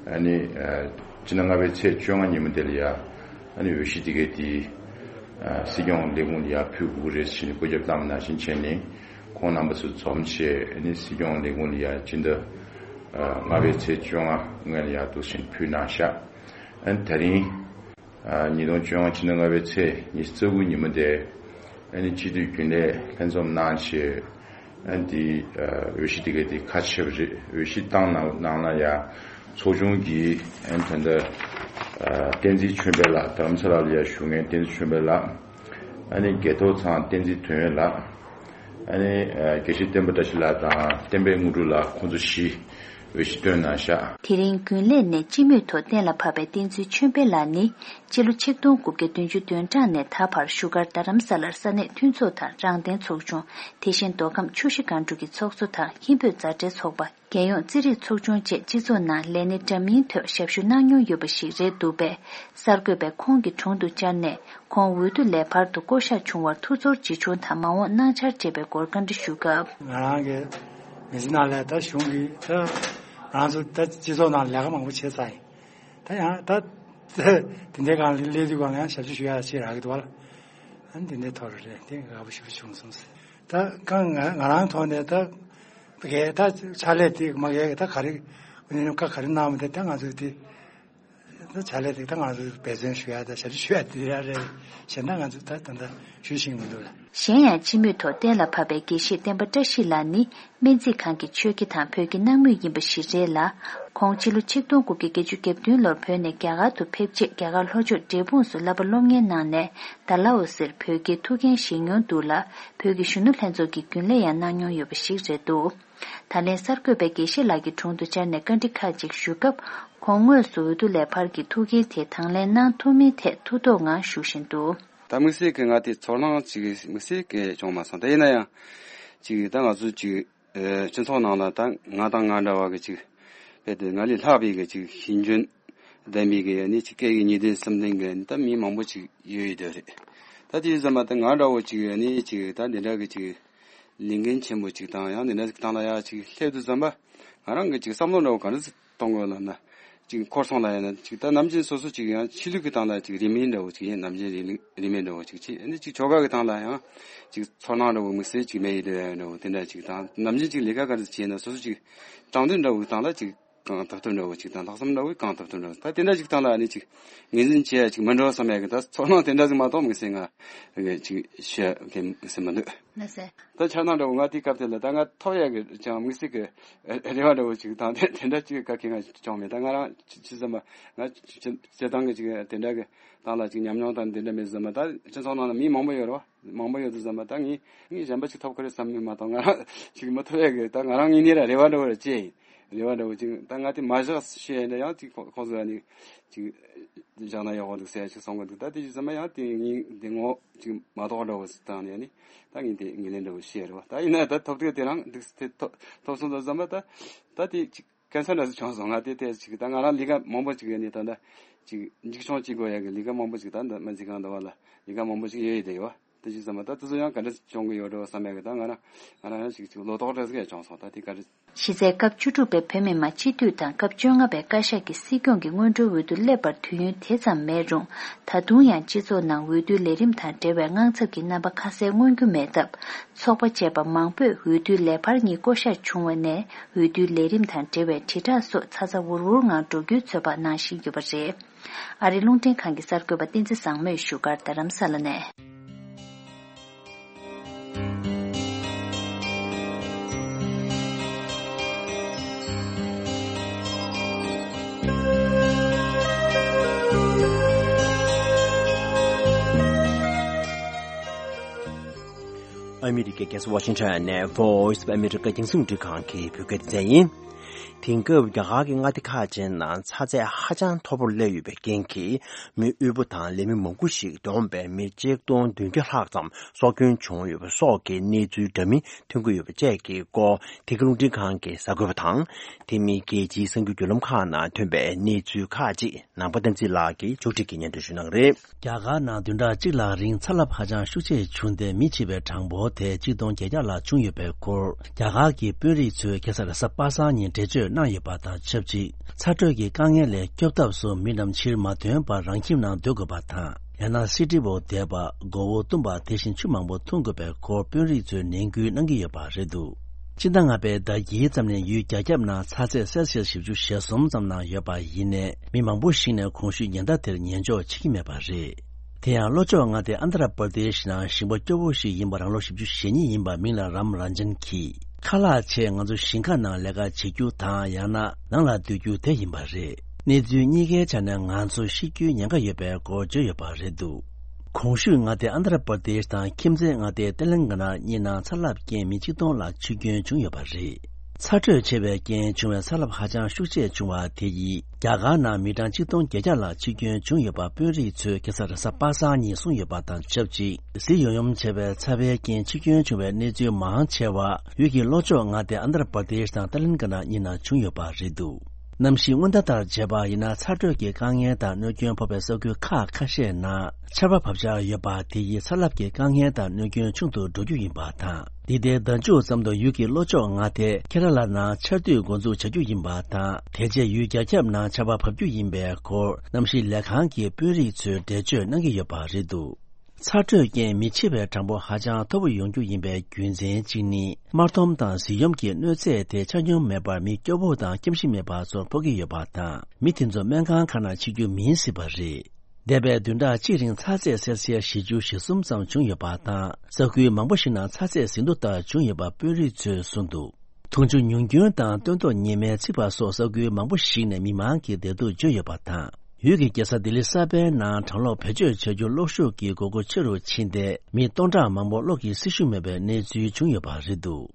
ཨ་ནི་ཨ་ཕྱི་ཟླ་ལྔ་པའི་ཚེས་བཅོ་ལྔ་ཉིན་མོ་དེ་ལ་ཡ། ཨ་ནི་འོས་གཞི་དེ་གའི་དེ་ཨ་སྲིད་སྐྱོང་ལས་ཁུངས་ལ་ཡ་ཕུལ་དགོས་ཀྱི་རེད་ཟེར་ནས་བཀོད་ཁྱབ་བཏང་བ་ནང་བཞིན་བྱས་ནས། ཁོང་རྣམ་པ་ཚོ་འཛོམས་བྱས། ཨ་ནི་སྲིད་སྐྱོང་ལས་ཁུངས་ལ་ཡ་སྤྱི་ཟླ་ཨ་ལྔ་པའི་ཚེས་བཅོ་ལྔ་སྔོན་ལ་ཡ་འདུག་བཞིན་ཕུལ་གནང་ཤག་ཨ་ནི་དེ་རིང་ཨ་ཉིས་སྟོང་བཅོ་ལྔ་ཕྱི་ཟླ་ལྔ་པའི་ཚེས་ཉི་ཤུ་རྩ་དགུ་ཉིན་མོ་དེ། ཨ་ནི་སྤྱི་འཐུས་རྒྱུན་ལས་ལྷན་འཛོམས་གནང་བྱས། ཨ་ནི་དེ་ཨ་འོས་གཞི་དེ་ག་དེ་ཁ་ཕྱེ་བ་རེད། འོས་གཞི་བཏང་གནང་གནང་ན་ཡ། ཚོགས་ཆུང་གིས་ཨ་ནི་ད་ལྟ་ཨ་བསྟན་འཛིན་ཆོས་འཕེལ་ལགས། རྡ་རམ་ས་ལ་ལ་ཡ་བཞུགས་མཁན་བསྟན་འཛིན་ཆོས་འཕེལ་ལགས། ཨ་ནི་རྒྱལ་ཐོག་ཚང་བསྟན་འཛིན་དོན་ཡོད་ལགས། ཨ་ནི་ཨ་དགེ་བཤེས་བསྟན་པ་བཀྲ་ཤིས་ལགས་དང་བསྟན་པའི་དངོས་གྲུབ་ལགས། ཁོང་ཚོ་བཞི་འོས་གཞི་བཏོན་གནང་ཤག་དེ་རིང་རྒྱུན་ལས་ནས་སྤྱི་མོས་ཐོག་གཏན་ལ་ཕབ་པའི་བསྟན་འཛིན་ཆོས་འཕེལ་ལགས་ནི། སྤྱི་ལོ་ཆིག་སྟོང་དགུ་བརྒྱ་བདུན་ཅུ་དོན་གྲངས་ནས་ད་བར་བཞུགས་སྒར་རྡ་རམ་ས་ལར་ས་གནས་མཐུན་ཚོགས་དང་རང་བདེན་ཚོགས་ཆུང་། དེ་བཞིན་མདོ་ཁམས་ཆུ་བཞི་སྒང་དྲུག་གི་ཚོགས་གཙོ་དང་ཧིན་བོད་མཛའ་འབྲེལ་ཚོགས་པ། རྒྱལ་ཡོངས་རྩེད་རིགས་ཚོགས་ཆུང་བཅས་སྤྱི་ཚོགས་ནང་ལས་སྣེ་འདྲ་མིན་ཐོག་ཞབས་ཞུ་གནང་མྱོང་ཡོད་པ་ཞིག་རེད་འདུག་པས། གསར་འགོད་པས་ཁོང་གི་དྲུང་དུ་བཅར་ནས། ཁོང་འོས་བསྡུ་ལས་འཕར་དུ་བསྐོ་གཞག་བྱུང་བར་ཐུགས་ཚོར་ཇི་བྱུང་དང་། མ་འོངས་གནང་འཆར་བཅས་པའི་སྐོར་བཀའ་འདྲི་ཞུས་སྐབས། ང་རང་གི་མི་ཚེ་ནང་ལ་ད་གཞུང་གིས་ད་ང་ཚོ་ད་སྤྱི་ཚོགས་ནང་ལས་ཀ་མང་པོ་བྱས་ཚར་ཡིན། ད་ཡང་ད་དེ་འདྲའི་སྒང་ལ་སླེབས་དུས་སྒང་ལ་ཡང་ཞབས་ཕྱི་ཞུ་ཡག་ཅིག་རག་གི་འདུག་བ་ལ། ཨ་ནི་དེ་འདྲའི་ཐོག་ལ་རེད། དེ་དགའ་པོ་ཞེ་པོ་བྱུང་སོང་ཟེར། ད་གང་ང་ང་རང་ཐོག་ནས་ད་གས་ད་ཕྱག་ལས་དེ་མ་གས་ད་ག་རེ་ཨ་ནི་བཀའ་ག་རེ་གནང་བ་དེ་ད་ང་ཚོས་དེ། ད་བྱ་ལས་དེ་ད་ང་ཚོ་འབད་བརྩོན་ཞུ་ཡ་དང་ཞབས་ཕྱི་ཞུ་ཡ་དེ་ཡ་རེད། གཞན་དག་ང་ཚོ་ད་ད་ལྟ་ཞུ་བཞིན་མི་འདུག་ལ། གཞན་ཡང་སྤྱི་མོས་ཐོག་གཏན་ལ་ཕབ་པའི་དགེ་བཤེས་བསྟན་པ་བཀྲ་ཤིས་ལགས་ནི་སྨན་རྩིས་ཁང་གི་ཆོས་དགེ་དང་བོད་ཀྱི་སྣང་མུས་ཡིན་པ་ཞིག་རེད་ལ། ཁོང་སྤྱི་ལོ་ཆིག་སྟོང་དགུ་བརྒྱ་བརྒྱད་ཅུ་གྱ་བདུན་ལོར་བོད་ནས་རྒྱ་གར་དུ་ཕེབས་རྗེས་རྒྱ་གར་ལྷོ་ཕྱོགས་འབྲས་སྤུངས་སུ་བསླབ་པ་སློབ་གཉེར་གནང་ནས། ད་ལའོ་སིར་བོད་སྐད་ཐུགས་འགན་བཞེས་མྱོང་འདུག་ལ། བོད་ཀྱི་གཞོན་ནུ་ལྷན་ཚོགས་ཀྱི་རྒྱུན་ལས་ཡང་གནང་མྱོང་ཡོད་པ་ཞིག་རེད་འདུག་ད་ལན་གསར་འགོད་པས་དགེ་བཤེས་ལགས་ཀྱི་དྲུང་དུ་བཅར་ནས་བཀའ་འདྲི་ཁག་ཅིག་ཞུས་སྐབས། ཁོང་དངོས་སུ་འོས་བསྡུ་ལས་འཕར་གྱི་ཐུགས་འགན་དེ་དང་ལེན་གནང་ཐུབ་མིན་ཐད་ཐུགས་དོགས་ངང་ཞུ་བཞིན་འདུག་ད་དམིགས་བསལ་གྱི་ང་དེ་ཚོར་སྣང་ཅིག་དམིགས་བསལ་གྱི་བྱུང་མ་སོང་། དེ་ཡིན་ན་ཡང་ཅིག་ད་ང་ཚོ་ཅིག་སྤྱི་ཚོགས་ནང་ལ་ད་ང་དང་ང་འདྲ་བ་གི་ཅིག་རྦད་དེ་ང་ལས་ལྷག་པའི་གི་ཅིག་ཤེས་འཇོན་ལྡན་པའི་གི་ནི་ཅིག་སྐད་ཡིག་ཉིས་ལྡན་གསུམ་ལྡན་གི་ད་མི་མང་པོ་ཅིག་ཡོད་ཡོད་དེ་རེད། ད་དེ་ཙམ་པ་ད་ང་འདྲ་བོ་ཅིག་ནི་ཅིག་ད་འདི་འདྲ་གི་ཅིག་ལས་འགན་ཆེན་པོ་ཅིག་དང་ཡང་འདི་འདྲ་ཅིག་སྟེང་ལ་ཡ་ཅིག་སླེབས་དུས་ཙམ་པ། ང་རང་གི་ཅིག་བསམ་བློ་འདྲ་བོ་ག་འདྲ་ཞིག་གཏོང་དགོས་ལབ་ན། ཅིག་འཁོར་སོང་ལ་ཡིན་ན་ཅིག་ད་ནམ་རྒྱུན་སོ་སོ་ཅིག་ཡང་ཆོས་ལུགས་ཀྱི་སྟེང་ལ་ཅིག་རིས་མེད་འདྲ་བོ་ཅིག་ཡིན། ནམ་རྒྱུན་རིས་རིས་མེད་འདྲ་བོ་ཅིག་བྱེད། ཨ་ནི་ཅིག་ཆོལ་ཁ་གི་སྟེང་ལ་ཡང་ཅིག་ཚོར་སྣང་འདྲ་བོ་དམིགས་བསལ་ཅིག་མེད་ཡོད་འདྲ་བོ་དེ་འདྲ་ཅིག་དང་། ནམ་རྒྱུན་ཅིག་ལས་ཀ་ག་འདྲ་ཞིག་བྱེད་ན་སོ་སོ་ཅིག་དྲང་དོན་འདྲ་བོ་གི་སྟེང་ལ་ཅིག་གང་ཐུབ་ཐུབ་འདྲ་བོ་ཅིག་དང་། ལྷག་བསམ་འདྲ་བོ་གང་ཐུབ་ཐུབ་འདྲ་བོ། ད་དེ་འདྲ་ཅིག་སྟེང་ལ་ཨ་ནི་ཅིག་ངོས་འཛིན་བྱེད་ཡ་ཅིག་མི་འགྲོ་བསམ་ཡ་གི་ད་ཚོར་སྣང་དེ་འདྲ་ཅིག་མ་གཏོགས་དམིགས་བསལ་ང་ཅིག་ཤེས་ཡ་གི་དམིགས་བསལ་མི་འདུག་ལགས་སེ། ད་འཆར་སྣང་འདྲ་བོ་ང་དེའི་སྐབས་དེ་ལ་ད་ང་ཐོབ་ཡ་གི་ཅང་དམིགས་བསལ་གི་རེ་བ་འདྲ་བོ་ཅིག་དང་དེ་དེ་འདྲ་ཅིག་ག་གེ་ང་བྱུང་མེད། ད་ང་རང་ཅི་ཅི་ཙམ་པ་ང་སྤྱི་སྤྱི་བཏང་གི་ཅིག་དེ་འདྲ་གི་སྟེང་ལ་ཅིག་ཉམས་མྱོང་དང་དེ་འདྲ་མེད་ཙམ་པ། ད་སྤྱི་ཚོགས་ནང་ལ་མི་མང་པོ་ཡོད་རེད་བ། མང་པོ་ཡོད་དུས་ཙམ་པ་ད་ངས་ངས་གཞན་པ་ཅིག་ཐོབ་ཁ་རེད་བསམ་མེད་མ་གཏོགས། ང་རང་ཅིག་མི་ཐོབ་ཡ་གི་ད་ང་རང་ངོས་ནས་ར་རེ་བ་འདྲ་བོ་ར་བྱས་ཡིན། རེ་བ་འདྲ་བོ་ཅིག་ད་ང་དེ་མ་བཞག་ཤེས་ཡ་འདྲ་ཡང་ཅིག་ཁོ་ཁོང་ཚོ་ཡ་ནི་ཅིག་བཞག་ན་ཡག་པོ་འདུག་ཟེར་ཡ་ཅིག་གསུང་གི་འདུག་ད་དེ་ཅིག་ཙམ་པ་ཡང་དེ་ངས་དེ་ངོ་ཅིག་མ་གཏོགས་འདྲ་བོ་ཅིག་བཏང་ནས་ནི་ད་ངས་དེ་ངོས་ལེན་འདྲ་བོ་ཤེས་རེད་བ། ད་ཡིན་ན་ད་ཐོབ་ཐུབ་དེ་རང་འདུག་དེ་ཐོབ་ཐོབ་སོང་ཙམ་པ་ད་ད་དེ་ཅིག་ཀན་སར་འདྲ་ཞིག་བྱུང་སོང་། ང་དེ་དེ་ཅིག་ད་ང་རང་ལས་ཀ་མང་པོ་ཅིག་ཡོད་ནི་ད་ད་ཅིག་འཇིགས་སྐྱོང་བྱེད་དགོས་ཡ་གི་ལས་ཀ་མང་པོ་ཅིག་ད་འདི་སྨན་རྩིས་ཁང་འདི་བ་ལ་ལས་ཀ་མང་པོ་ཅིག་ཡོད་ཡོད་དེ་ཡོད། དེ་བཞིན་ཟེར་མ་ད་དེ་ཚོ་ཡང་ག་འདྲ་བྱུང་གི་ཡོད་འགྲོ་བསམ་ཡག་གི་ད་ང་རང་ང་རང་ཡང་ཞིག་ཅིག་ལོ་ཏོག་འདྲ་ཟིག་ཡང་བྱུང་སོང་། ད་དེ་ག་རེ། གཞི་རྩའི་སྐབས་བཅུ་དྲུག་པའི་བོད་མི་མང་སྤྱི་འཐུས་དང་སྐབས་བཅོ་ལྔ་པའི་བཀའ་ཤག་གི་སྲིད་སྐྱོང་གི་སྔོན་འགྲོའི་འོས་བསྡུ་སླེབས་པར་དུས་ཡུན་དེ་ཙམ་མེད་རུང་། ད་དུང་ཡང་སྤྱི་ཚོགས་ནང་འོས་བསྡུའི་ལས་རིམ་དང་འབྲེལ་བའི་དངངས་འཚབ་ཀྱི་རྣམ་པ་ཁ་གསལ་མངོན་རྒྱུ་མེད་སྟབས། ཚོགས་པ་བཅས་པ་མང་པོས་འོས་བསྡུའི་ལས་འཕར་གཉིས་བསྐོ་གཞག་བྱུང་བ་ནས་འོས་བསྡུའི་ལས་རིམ་དང་འབྲེལ་བའི་དྲིལ་བསྒྲགས་སོགས་ཚ་ཚ་འུར་འུར་ངང་འགྲོ་རྒྱུའི་ཚོད་དཔག་གནང་བཞིན་ཡོད་པ་རེད། ཨ་རིའི་རླུང་འཕྲིན་ཁང་གི་གསར་འགོད་པ་བསྟན་འཛིན་བཟང་མོས་བཞུགས་སྒར་རྡ་རམ་ས་ལ་ནས། ཨ་མི་རི་ཀའི་རྒྱལ་ས་ཝ་ཤིང་ཊོན་ནས་Voice of America རྒྱང་སྲིང་རླུང་འཕྲིན་ཁང་གི་བོད་སྐད་སྡེ་ཚན་ཡིན། དེང་སྐབས་རྒྱ་གར་གྱི་མངའ་སྡེ་ཁག་ཅིག་ནང་ཚ་ཚད་ཧ་ཅང་མཐོ་པོར་སླེབས་ཡོད་པའི་རྐྱེན་གྱིས། མི་དབུལ་པོ་དང་ལས་མི་མང་པོ་ཞིག་བསྡོམས་པས་མི་གཅིག་སྟོང་བདུན་བརྒྱ་ལྷག་ཙམ་སྲོག་སྐྱོན་བྱུང་ཡོད་པ་སོགས་ཀྱི་གནས་ཚུལ་འདྲ་མིན་ཐོན་གྱི་ཡོད་པ་བཅས་ཀྱི་སྐོར། དེ་ག་རླུང་འཕྲིན་ཁང་གི་གསར་འགོད་པ་དང་། དེ་མིན་རྒྱལ་སྤྱིའི་གསར་འགྱུར་བརྒྱུད་ལམ་ཁག་ནང་ཐོན་པའི་གནས་ཚུལ་ཁག་ཅིག་ནང་པ་བསྟན་འཛིན་ལགས་ཀྱིས་ཕྱོགས་སྒྲིག་གིས་སྙན་སྒྲོན་ཞུ་གནང་གི་རེད། རྒྱ་གར་ནང་བདུན་ཕྲག་གཅིག་ལྷག་རིང་ཚ་རླབས་ཧ་ཅང་ཤུགས་ཆེ་བྱུང་སྟེ། མི་འཆི་བའི་གྲངས་འབོར་དེ་གཅིག་སྟོང་བརྒྱད་བརྒྱ་ལྷག་བྱུང་ཡོད་པའི་སྐོར། རྒྱ་གར་གྱི་དཔོན་རིགས་ཚོས་ཁ་སང་རེས་གཟའ་པ་སངས་ཉིན་འགྲེལ་བརྗོད་གནང་ཡོད་པ་དང་ཆབས་ཅིག་ཚ་དྲོད་ཀྱི་དཀའ་ངལ་ལས་སྐྱོབ་ཐབས་སུ་མི་རྣམས་ཕྱིར་མ་ཐོན་པར་རང་ཁྱིམ་ནང་སྡོད་དགོས་པ་དང་། ཡང་ན་སི་ཏི་འོག་བསྡད་པ། མགོ་བོ་བཏུམ་པ། དེ་བཞིན་ཆུ་མང་པོ་འཐུང་དགོས་པའི་སྐོར་དཔོན་རིགས་ཚོས་ནན་སྐུལ་གནང་གི་ཡོད་པ་རེད་འདུག་སྤྱི་ཟླ་ལྔ་པའི་ཟླ་དཀྱིལ་ཙམ་ནས་ཡུལ་རྒྱ་ཁྱབ་ནང་ཚ་ཚད་སེལ་སི་ཡས་བཞི་བཅུ་ཞེ་གསུམ་ཙམ་ནང་ཡོད་པ་ཡིན་ནའི། མི་མང་པོ་ཞིག་ནས་གོང་ཞུས་ཉེན་བརྡ་དེར་ཉན་འཇོག་བྱེད་ཀྱི་མེད་པ་རེད། དེ་ཡང་ལྷོ་ཕྱོགས་མངའ་སྡེ་ཨན་དྷ་ར་པར་དེ་ཤི་ནང་ཞིང་པ་སྐྱོ་བོ་ཞིག་ཡིན་པ་རང་ལོ་བཞི་བཅུ་ཞེ་གཉིས་ཡིན་པ་མིང་ལ་རམ་རན་ཇན་གྱིས། ཁ་ལག་ཆེད་ང་ཚོ་ཞིང་ཁ་ནང་ལས་ཀ་བྱེད་རྒྱུ་དང་། ཡང་ན་ནང་ལ་སྡོད་རྒྱུ་དེ་ཡིན་པ་རེད། གནས་ཚུལ་གཉིས་ཀའི་ཆ་ནས་ང་ཚོ་ཤི་རྒྱུའི་ཉེན་ཁ་ཡོད་པའི་སྐོར་བརྗོད་ཡོད་པ་རེད་འདུག་གོང་ཞུས་མངའ་སྡེ་ཨན་དྷ་ར་པར་དེཤ་དང་ཁྱིམ་མཚེས་མངའ་སྡེ་ཏེ་ལན་ག་ན་གཉིས་ནང་ཚ་རླབས་རྐྱེན་མི་གཅིག་སྟོང་ལྷག་འཆི་སྐྱོན་བྱུང་ཡོད་པ་རེད། ཚ་དྲོད་ཆེ་བའི་རྐྱེན་བྱུང་བའི་ཚ་རླབས་ཧ་ཅང་ཤུགས་ཆེ་བྱུང་བ་དེ་ཡིས་རྒྱ་གར་ནང་མི་གྲངས་གཅིག་སྟོང་བརྒྱད་བརྒྱ་ལྷག་འཆི་སྐྱོན་བྱུང་ཡོད་པ་དཔོན་རིགས་ཚོས་ཁ་སང་རེས་གཟའ་པ་སངས་ཉིན་གསུངས་ཡོད་པ་དང་ཆབས་ཅིག་གཟི་ཡོམ་ཡོམ་བྱས་པའི་ཚ་བའི་རྐྱེན་འཆི་སྐྱོན་བྱུང་བའི་གནས་ཚུལ་མང་ཆེ་བ་ཡུལ་གྱི་ལྷོ་ཕྱོགས་མངའ་སྡེ་ཨན་དྷ་ར་པར་དེཤ་དང་ཏེ་ལན་ག་ན་གཉིས་ནང་བྱུང་ཡོད་པ་རེད་འདུག་གནམ་གཤིས་སྔོན་བརྡ་ལྟར་བྱས་པ་ཡིན་ན། ཚ་དྲོད་ཀྱི་དཀའ་ངལ་དང་གནོད་སྐྱོན་ཕོག་པའི་ས་ཁུལ་ཁག་ཁ་ཤས་ནང་ཆར་པ་བབས་འཆར་ཡོད་པ་དེ་ཡིས་ཚ་རླབས་ཀྱི་དཀའ་ངལ་དང་གནོད་སྐྱོན་ཆུང་དུ་འགྲོ་རྒྱུ་ཡིན་པ་དང་། འདི་ཟླའི་ཟླ་མཇུག་ཙམ་དུ་ཡུལ་གྱི་ལྷོ་ཕྱོགས་མངའ་སྡེ་ཁེ་ར་ལ་ནང་ཆར་དུས་འགོ་འཛུགས་བྱ་རྒྱུ་ཡིན་པ་དང་། དེ་རྗེས་ཡུལ་རྒྱ་ཁྱབ་ནང་ཆར་པ་བབས་རྒྱུ་ཡིན་པའི་སྐོར་གནམ་གཤིས་ལས་ཁང་གི་དཔོན་རིགས་ཚོས་འགྲེལ་བརྗོད་གནང་གི་ཡོད་པ་རེད་འདུག་ཚ་དྲོད་རྐྱེན་མི་འཆི་བའི་གྲངས་འབོར་ཧ་ཅང་མཐོ་པོ་ཡོང་རྒྱུ་ཡིན་པའི་རྒྱུ་མཚན་གཅིག་ནི། དམར་ཐོམ་དང་གཟི་ཡོམ་གྱི་གནོད་འཚེ་དེ་ཆ་སྙོམས་མེད་པར་མི་སྐྱོ་བོ་དང་སྐྱེམས་ཤིང་མེད་པ་ཚོར་ཕོག་གི་ཡོད་པ་དང་། མི་དེ་ཚོ་སྨན་ཁང་ཁག་ནང་འཆི་རྒྱུ་མིན་སྲིད་པ་རེད། འདས་པའི་བདུན་ཕྲག་གཅིག་རིང་ཚ་ཚད་སེལ་སི་ཡས་བཞི་བཅུ་ཞེ་གསུམ་ཙམ་བྱུང་ཡོད་པ་དང་། ས་ཁུལ་མང་པོ་ཞིག་ནང་ཚ་ཚད་ཟིན་ཐོ་ལྟར་བྱུང་ཡོད་པ་དཔོན་རིགས་ཚོས་གསུངས་འདུག་འཐུང་ཆུ་ཉུང་སྐྱོན་དང་སྟོན་ཐོག་ཉི་མས་ཚིག་པ་སོགས་ས་ཁུལ་མང་པོ་ཞིག་ནས་མི་མང་གི་བདེ་སྡུག་བརྗོད་ཡོད་པ་དང་། ཡུལ་གྱི་རྒྱལ་ས་ལྡི་ལི་གསར་པའི་ནང་གྲང་གློག་བེད་སྤྱོད་བྱ་རྒྱུ་གློག་ཤུགས་ཀྱི་དགོས་མཁོ་ཆེ་རུ་ཕྱིན་ཏེ། མི་སྟོང་ཕྲག་མང་པོ་གློག་གི་སྲི་ཞུ་མེད་པའི་གནས་ཚུལ་བྱུང་ཡོད་པ་རེད་འདུག་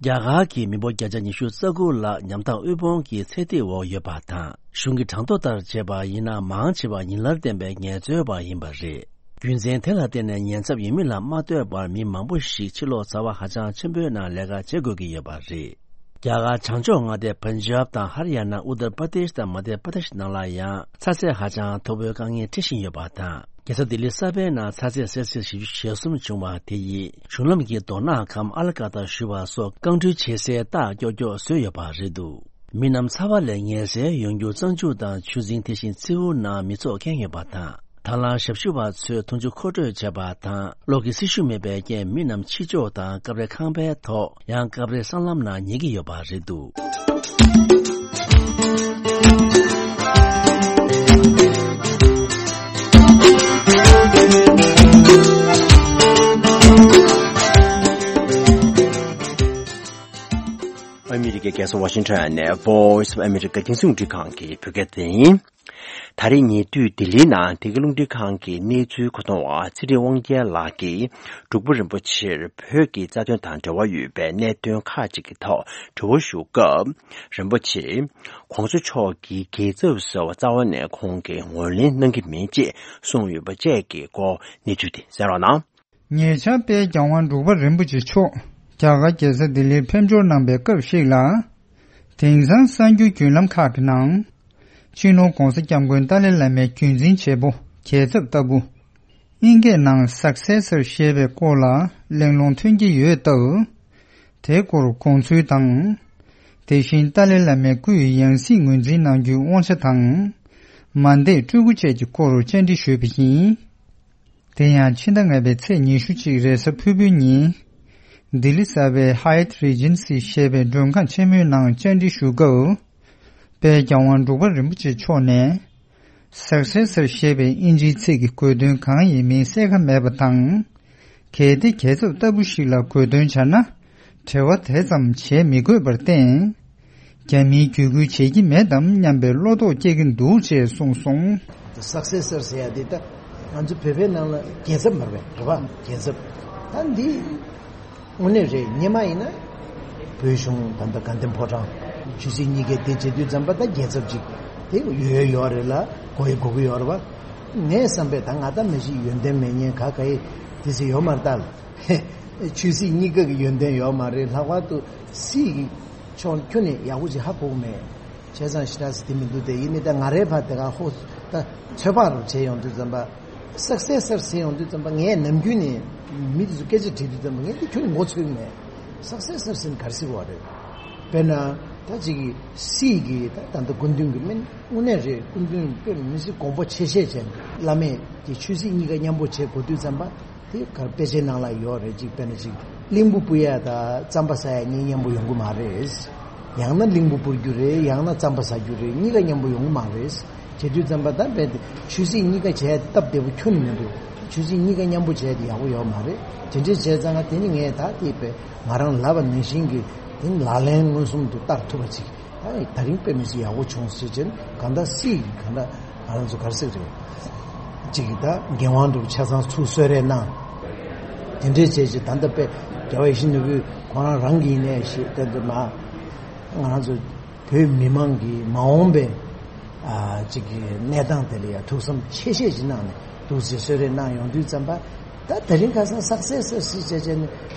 རྒྱ་གར་གྱི་མི་འབོར་བརྒྱ་ཆ་ཉི་ཤུ་རྩ་དགུ་ལྷག་ཉམ་ཐག་དབུལ་ཕོངས་ཀྱི་ཚད་ཐིག་འོག་ཡོད་པ་དང་། གཞུང་གི་གྲངས་ཐོ་ལྟར་བྱས་པ་ཡིན་ན། མང་ཆེ་བ་ཉིན་ལར་ལྡན་པའི་ངལ་རྩོལ་བ་ཡིན་པ་རེད། རྒྱུ་མཚན་དེ་ལ་བརྟེན་ནས་ཉེན་ཚབས་ཡོད་མིན་ལ་མ་ལྟོས་པར་མི་མང་པོ་ཞིག་ཕྱི་ལོགས་ཚ་བ་ཧ་ཅང་ཆེན་པོའི་ནང་ལས་ཀ་བྱེད་དགོས་ཀྱི་ཡོད་པ་རེད། རྒྱ་གར་བྱང་ཕྱོགས་མངའ་སྡེ་པན་ཇབ་དང་ཧར་ཡ་ན། ཨུ་ཏར་པར་དེཤ་དང་མ་དྷྱ་པར་དེཤ་ནང་ལ་ཡང་ཚ་ཚད་ཧ་ཅང་མཐོ་པོའི་དཀའ་ངལ་འཕྲད་བཞིན་ཡོད་པ་དང་། རྒྱལ་ས་ལྡི་ལི་གསར་པའི་ནང་ཚ་ཚད་སེལ་སི་ཡས་བཞི་བཅུ་ཞེ་གསུམ་བྱུང་བ་དེ་ཡིས་གཞུང་ལམ་གྱི་མདོ་ནག་གམ་ཨལ་ཀ་ཏ་ཞུ་བ་སོགས་རྐང་འགྲུལ་བྱེད་སའི་རྟགས་མགྱོགས་མགྱོགས་བཟོས་ཡོད་པ་རེད་འདུག་མི་རྣམས་ཚ་བ་ལས་ངལ་སེལ་ཡོང་རྒྱུར་གཙང་ཆུ་དང་ཆུ་རྫིང་དེ་བཞིན་མཚེའུ་ནང་མི་ཚོགས་ཁེངས་ཡོད་པ་དང་། ད་ལམ་ཞབས་ཞུ་བ་ཚོས་འཐུང་ཆུ་མཁོ་སྤྲོད་བྱས་པ་དང་། གློག་གི་སྲི་ཞུ་མེད་པའི་རྐྱེན་མི་རྣམས་ཕྱི་ཕྱོགས་དང་སྐབས་རེ་ཁང་པའི་ཐོག་ཡང་སྐབས་རེ་སྲང་ལམ་ནང་ཉལ་གྱི་ཡོད་པ་རེད་འདུག་ཨ་མི་རི་ཀའི་རྒྱལ་ས་ཝ་ཤིང་ཊོན་ནས་Voice of America རྒྱང་སྲིང་རླུང་འཕྲིན་ཁང་གི་བོད་སྐད་སྡེ་ཚན་ཡིན། ད་རེས་ཉེ་དུས་ལྡི་ལིའི་ནང་འདི་ག་རླུང་འཕྲིན་ཁང་གི་གནས་ཚུལ་མཁོ་གཏོང་བ་ཚེ་རིང་དབང་རྒྱལ་ལགས་ཀྱིས་འབྲུག་པ་རིན་པོ་ཆེར་བོད་ཀྱི་རྩ་དོན་དང་འབྲེལ་བ་ཡོད་པའི་གནད་དོན་ཁག་ཅིག་གི་ཐོག་དྲི་བ་ཞུ་སྐབས། རིན་པོ་ཆེས་༸གོང་ས་མཆོག་གི་རྒྱལ་ཚབ་ཟེར་བ་རྩ་བ་ནས་ཁོང་གིས་ངོས་ལེན་གནང་གི་མིན་ཅེས་གསུངས་ཡོད་པ་བཅས་ཀྱི་སྐོར་གནས་ཚུལ་དེ་གསན་རོགས་གནང་། ཉེ་ཆར་དཔལ་རྒྱལ་དབང་འབྲུག་པ་རིན་པོ་ཆེ་མཆོག་རྒྱ་གར་རྒྱལ་ས་ལྡི་ལིར་ཕེབས་འབྱོར་གནང་པའི་སྐབས་ཤིག་ལ། དེང་སང་གསར་འགྱུར་བརྒྱུད་ལམ་ཁག་གི་ནང་། སྤྱི་ནོར་༸གོང་ས་༸སྐྱབས་མགོན་ཏཱ་ལའི་བླ་མའི་རྒྱུན་འཛིན་བྱེད་པོ་རྒྱལ་ཚབ་ལྟ་བུ། དབྱིན་སྐད་ནང་Successor ཞེས་པའི་སྐོར་ལ་གླེང་སློང་ཐོན་གྱི་ཡོད་སྟབས། དེའི་སྐོར་དགོངས་ཚུལ་དང་། དེ་བཞིན་ཏཱ་ལའི་བླ་མའི་སྐུའི་ཡང་སྲིད་ངོས་འཛིན་གནང་རྒྱུའི་དབང་ཆ་དང་། མ་འདས་སྤྲུལ་སྐུ་བཅས་ཀྱི་སྐོར་བཅར་འདྲི་ཞུས་པ་ཡིན། དེ་ཡང་ཕྱི་ཟླ་ལྔ་པའི་ཚེས་ཉི་ཤུ་གཅིག་རེས་གཟའ་ཕུར་བུའི་ཉིན། ལྡི་ལི་གསར་པའི་Hyatt Regency ཞེས་པའི་མགྲོན་ཁང་ཆེན་མོའི་ནང་བཅར་འདྲི་ཞུ་སྐབས། དཔལ་རྒྱལ་དབང་འབྲུག་པ་རིན་པོ་ཆེ་མཆོག་ནས། Successor ཞེས་པའི་དབྱིན་ཇིའི་ཚིག་གི་གོ་དོན་གང་ཡིན་མིན་གསལ་ཁ་མེད་པ་དང་། གལ་ཏེ་རྒྱལ་ཚབ་ལྟ་བུ་ཞིག་ལ་གོ་དོན་བྱ་ན། འབྲེལ་བ་དེ་ཙམ་བྱེད་མི་དགོས་པར་བརྟེན། རྒྱ་མིའི་བརྒྱུད་སྐུལ་བྱེད་ཀྱི་མེད་དམ་སྙམ་པའི་བློ་དོགས་སྐྱེ་གི་འདུག་ཅེས་གསུངས་སོང་། Successor ཟེར་ཡ་དེ་ད་ང་ཚོ་བོད་པའི་ནང་ལ་རྒྱལ་ཚབ་མ་རེད་པ། རེད་པ། རྒྱལ་ཚབ། ད་འདི་དངོས་གནས་རེད། སྔོན་མ་ཡིན་ན་བོད་གཞུང་ད་ལྟ་དགའ་ལྡན་ཕོ་བྲང་ཆོས་སྲིད་གཉིས་ཀའི་དེ་བྱེད་དུས་ཙམ་པ་ད་རྒྱལ་ཚབ་ཅིག་དེ་ཡོད་ཡོད་རེད་ལ། དགོས་ཡ་དགོས་ཀྱི་ཡོད་རེད་པ། ངས་བསམ་པའི་ད་ང་ད་མི་ཞིག་ཡོན་ཏན་མེད་མཁན་ག་ག་ཡི་དེ་ཚོ་ཡོད་མ་རེད་ད། ཆོས་སྲིད་གཉིས་ཀ་གི་ཡོན་ཏན་ཡོད་མ་རེད། ལྷག་པར་དུ་སྲིད་ཀྱི་ཕྱོགས་ཁྱོན་ནས་ཡག་པོ་ཅིག་ཧ་གོ་གི་མེད། བྱས་ཙང་ཞེ་དྲག་ཟེར་དེ་མི་འདུག་དེ་ཡིན་ནའི་ད་ང་རའི་ཕར་དེ་ག་ཧོ་ད་ཚོད་དཔག་རུ་བྱས་ཡོང་དུས་ཙམ་པ། Successor ཟེར་ཡོང་དུས་ཙམ་པ་ངས་ནམ་རྒྱུན་ནས་མི་དེ་ཚོ་སྐད་ཆ་དྲིས་དུས་ཙམ་པ་ངས་དེ་ཁྱོན་ནས་མགོ་ཚོས་ཀྱི་མེད། Successor ཟེར་ན་ག་རེ་ཟེར་བ་རེད། དཔེར་ན་ད་ཅིག་གི་སྲིད་ཀྱི་ད་ད་ལྟ་སྐུ་མདུན་གྱི་མིན། དངོས་གནས་རེད། སྐུ་མདུན་དཔེ་མི་སྲིད་དགོངས་པ་ཆེ་བཞེས་བྱས་ནས་བླ་མས་དེ་ཆོས་སྲིད་གཉིས་ཀ་མཉམ་པོ་བྱེད་དགོས་དུས་ཙམ་པ། དེ་གར་དཔེ་ཆའི་ནང་ལ་ཡོད་རེད། ཅིག་དཔེར་ན་ཅིག་གླིང་བུ་སྤུ་ཡ་དང་རྩམ་པ་ཟ་ཡ་གཉིས་མཉམ་པོ་ཡོང་གི་མ་རེད། ཡང་ན་གླིང་བུ་སྤུར་རྒྱུ་རེད། ཡང་ན་རྩམ་པ་ཟ་རྒྱུ་རེད། གཉིས་ཀ་མཉམ་པོ་ཡོང་གི་མ་རེད། བྱེད་དུས་ཙམ་པ་ད་རྦད་དེ་ཆོས་སྲིད་གཉིས་ཀ་བྱས་སྟབས་བདེ་པོ་ཁྱོན་ནས་མི་འདུག་ཆོས་སྲིད་གཉིས་ཀ་མཉམ་པོ་བྱས་ཏེ་ཡག་པོ་ཡོད་མ་རེད། དེ་འདྲས་བྱས་ཙང་དེ་ནི་ངས་ད་དེ་དཔེ་ང་རང་ལབ་པ་ནང་བཞིན་གྱི་དེ་ནི་ལག་ལེན་མངོན་སུམ་དུ་བསྟར་ཐུབ་པ་ཅིག་ད་ད་རིང་དཔེ་མི་སྲིད་ཡག་པོ་བྱུང་ཟེར་བྱས་ནས་གང་ལྟར་སྲིད་ཀྱི་གང་ལྟར་ང་རང་ཚོ་ག་རེ་ཟེར་རེད། གཅིག་གིས་ད་འགན་དབང་སྒྲུབ་ཆ་ཚང་ཚུར་གསོལ་རས་གནང་། དེ་འདྲས་བྱས་རྗེས་ད་ལྟ་དཔེ་རྒྱལ་བ་ཡིད་བཞིན་ནོར་བུས་ཁོ་རང་རང་གིས་ནས་ཞེས་བསྟན་དུ་མ། ང་རང་ཚོ་བོད་མི་མང་གི་མ་འོངས་པའི་ཨ་གཅིག་གི་གནས་སྟངས་དེ་ལ་ཡང་ཐུགས་བསམ་ཆེ་བཞེས་ཤིག་གནང་ནས་འདུག་ཅེས་གསོལ་རས་གནང་ཡོང་དུས་ཙམ་པ། ད་དེ་རིང་ཁ་སང་Successor ཟེར་བྱས་བྱས་ནས་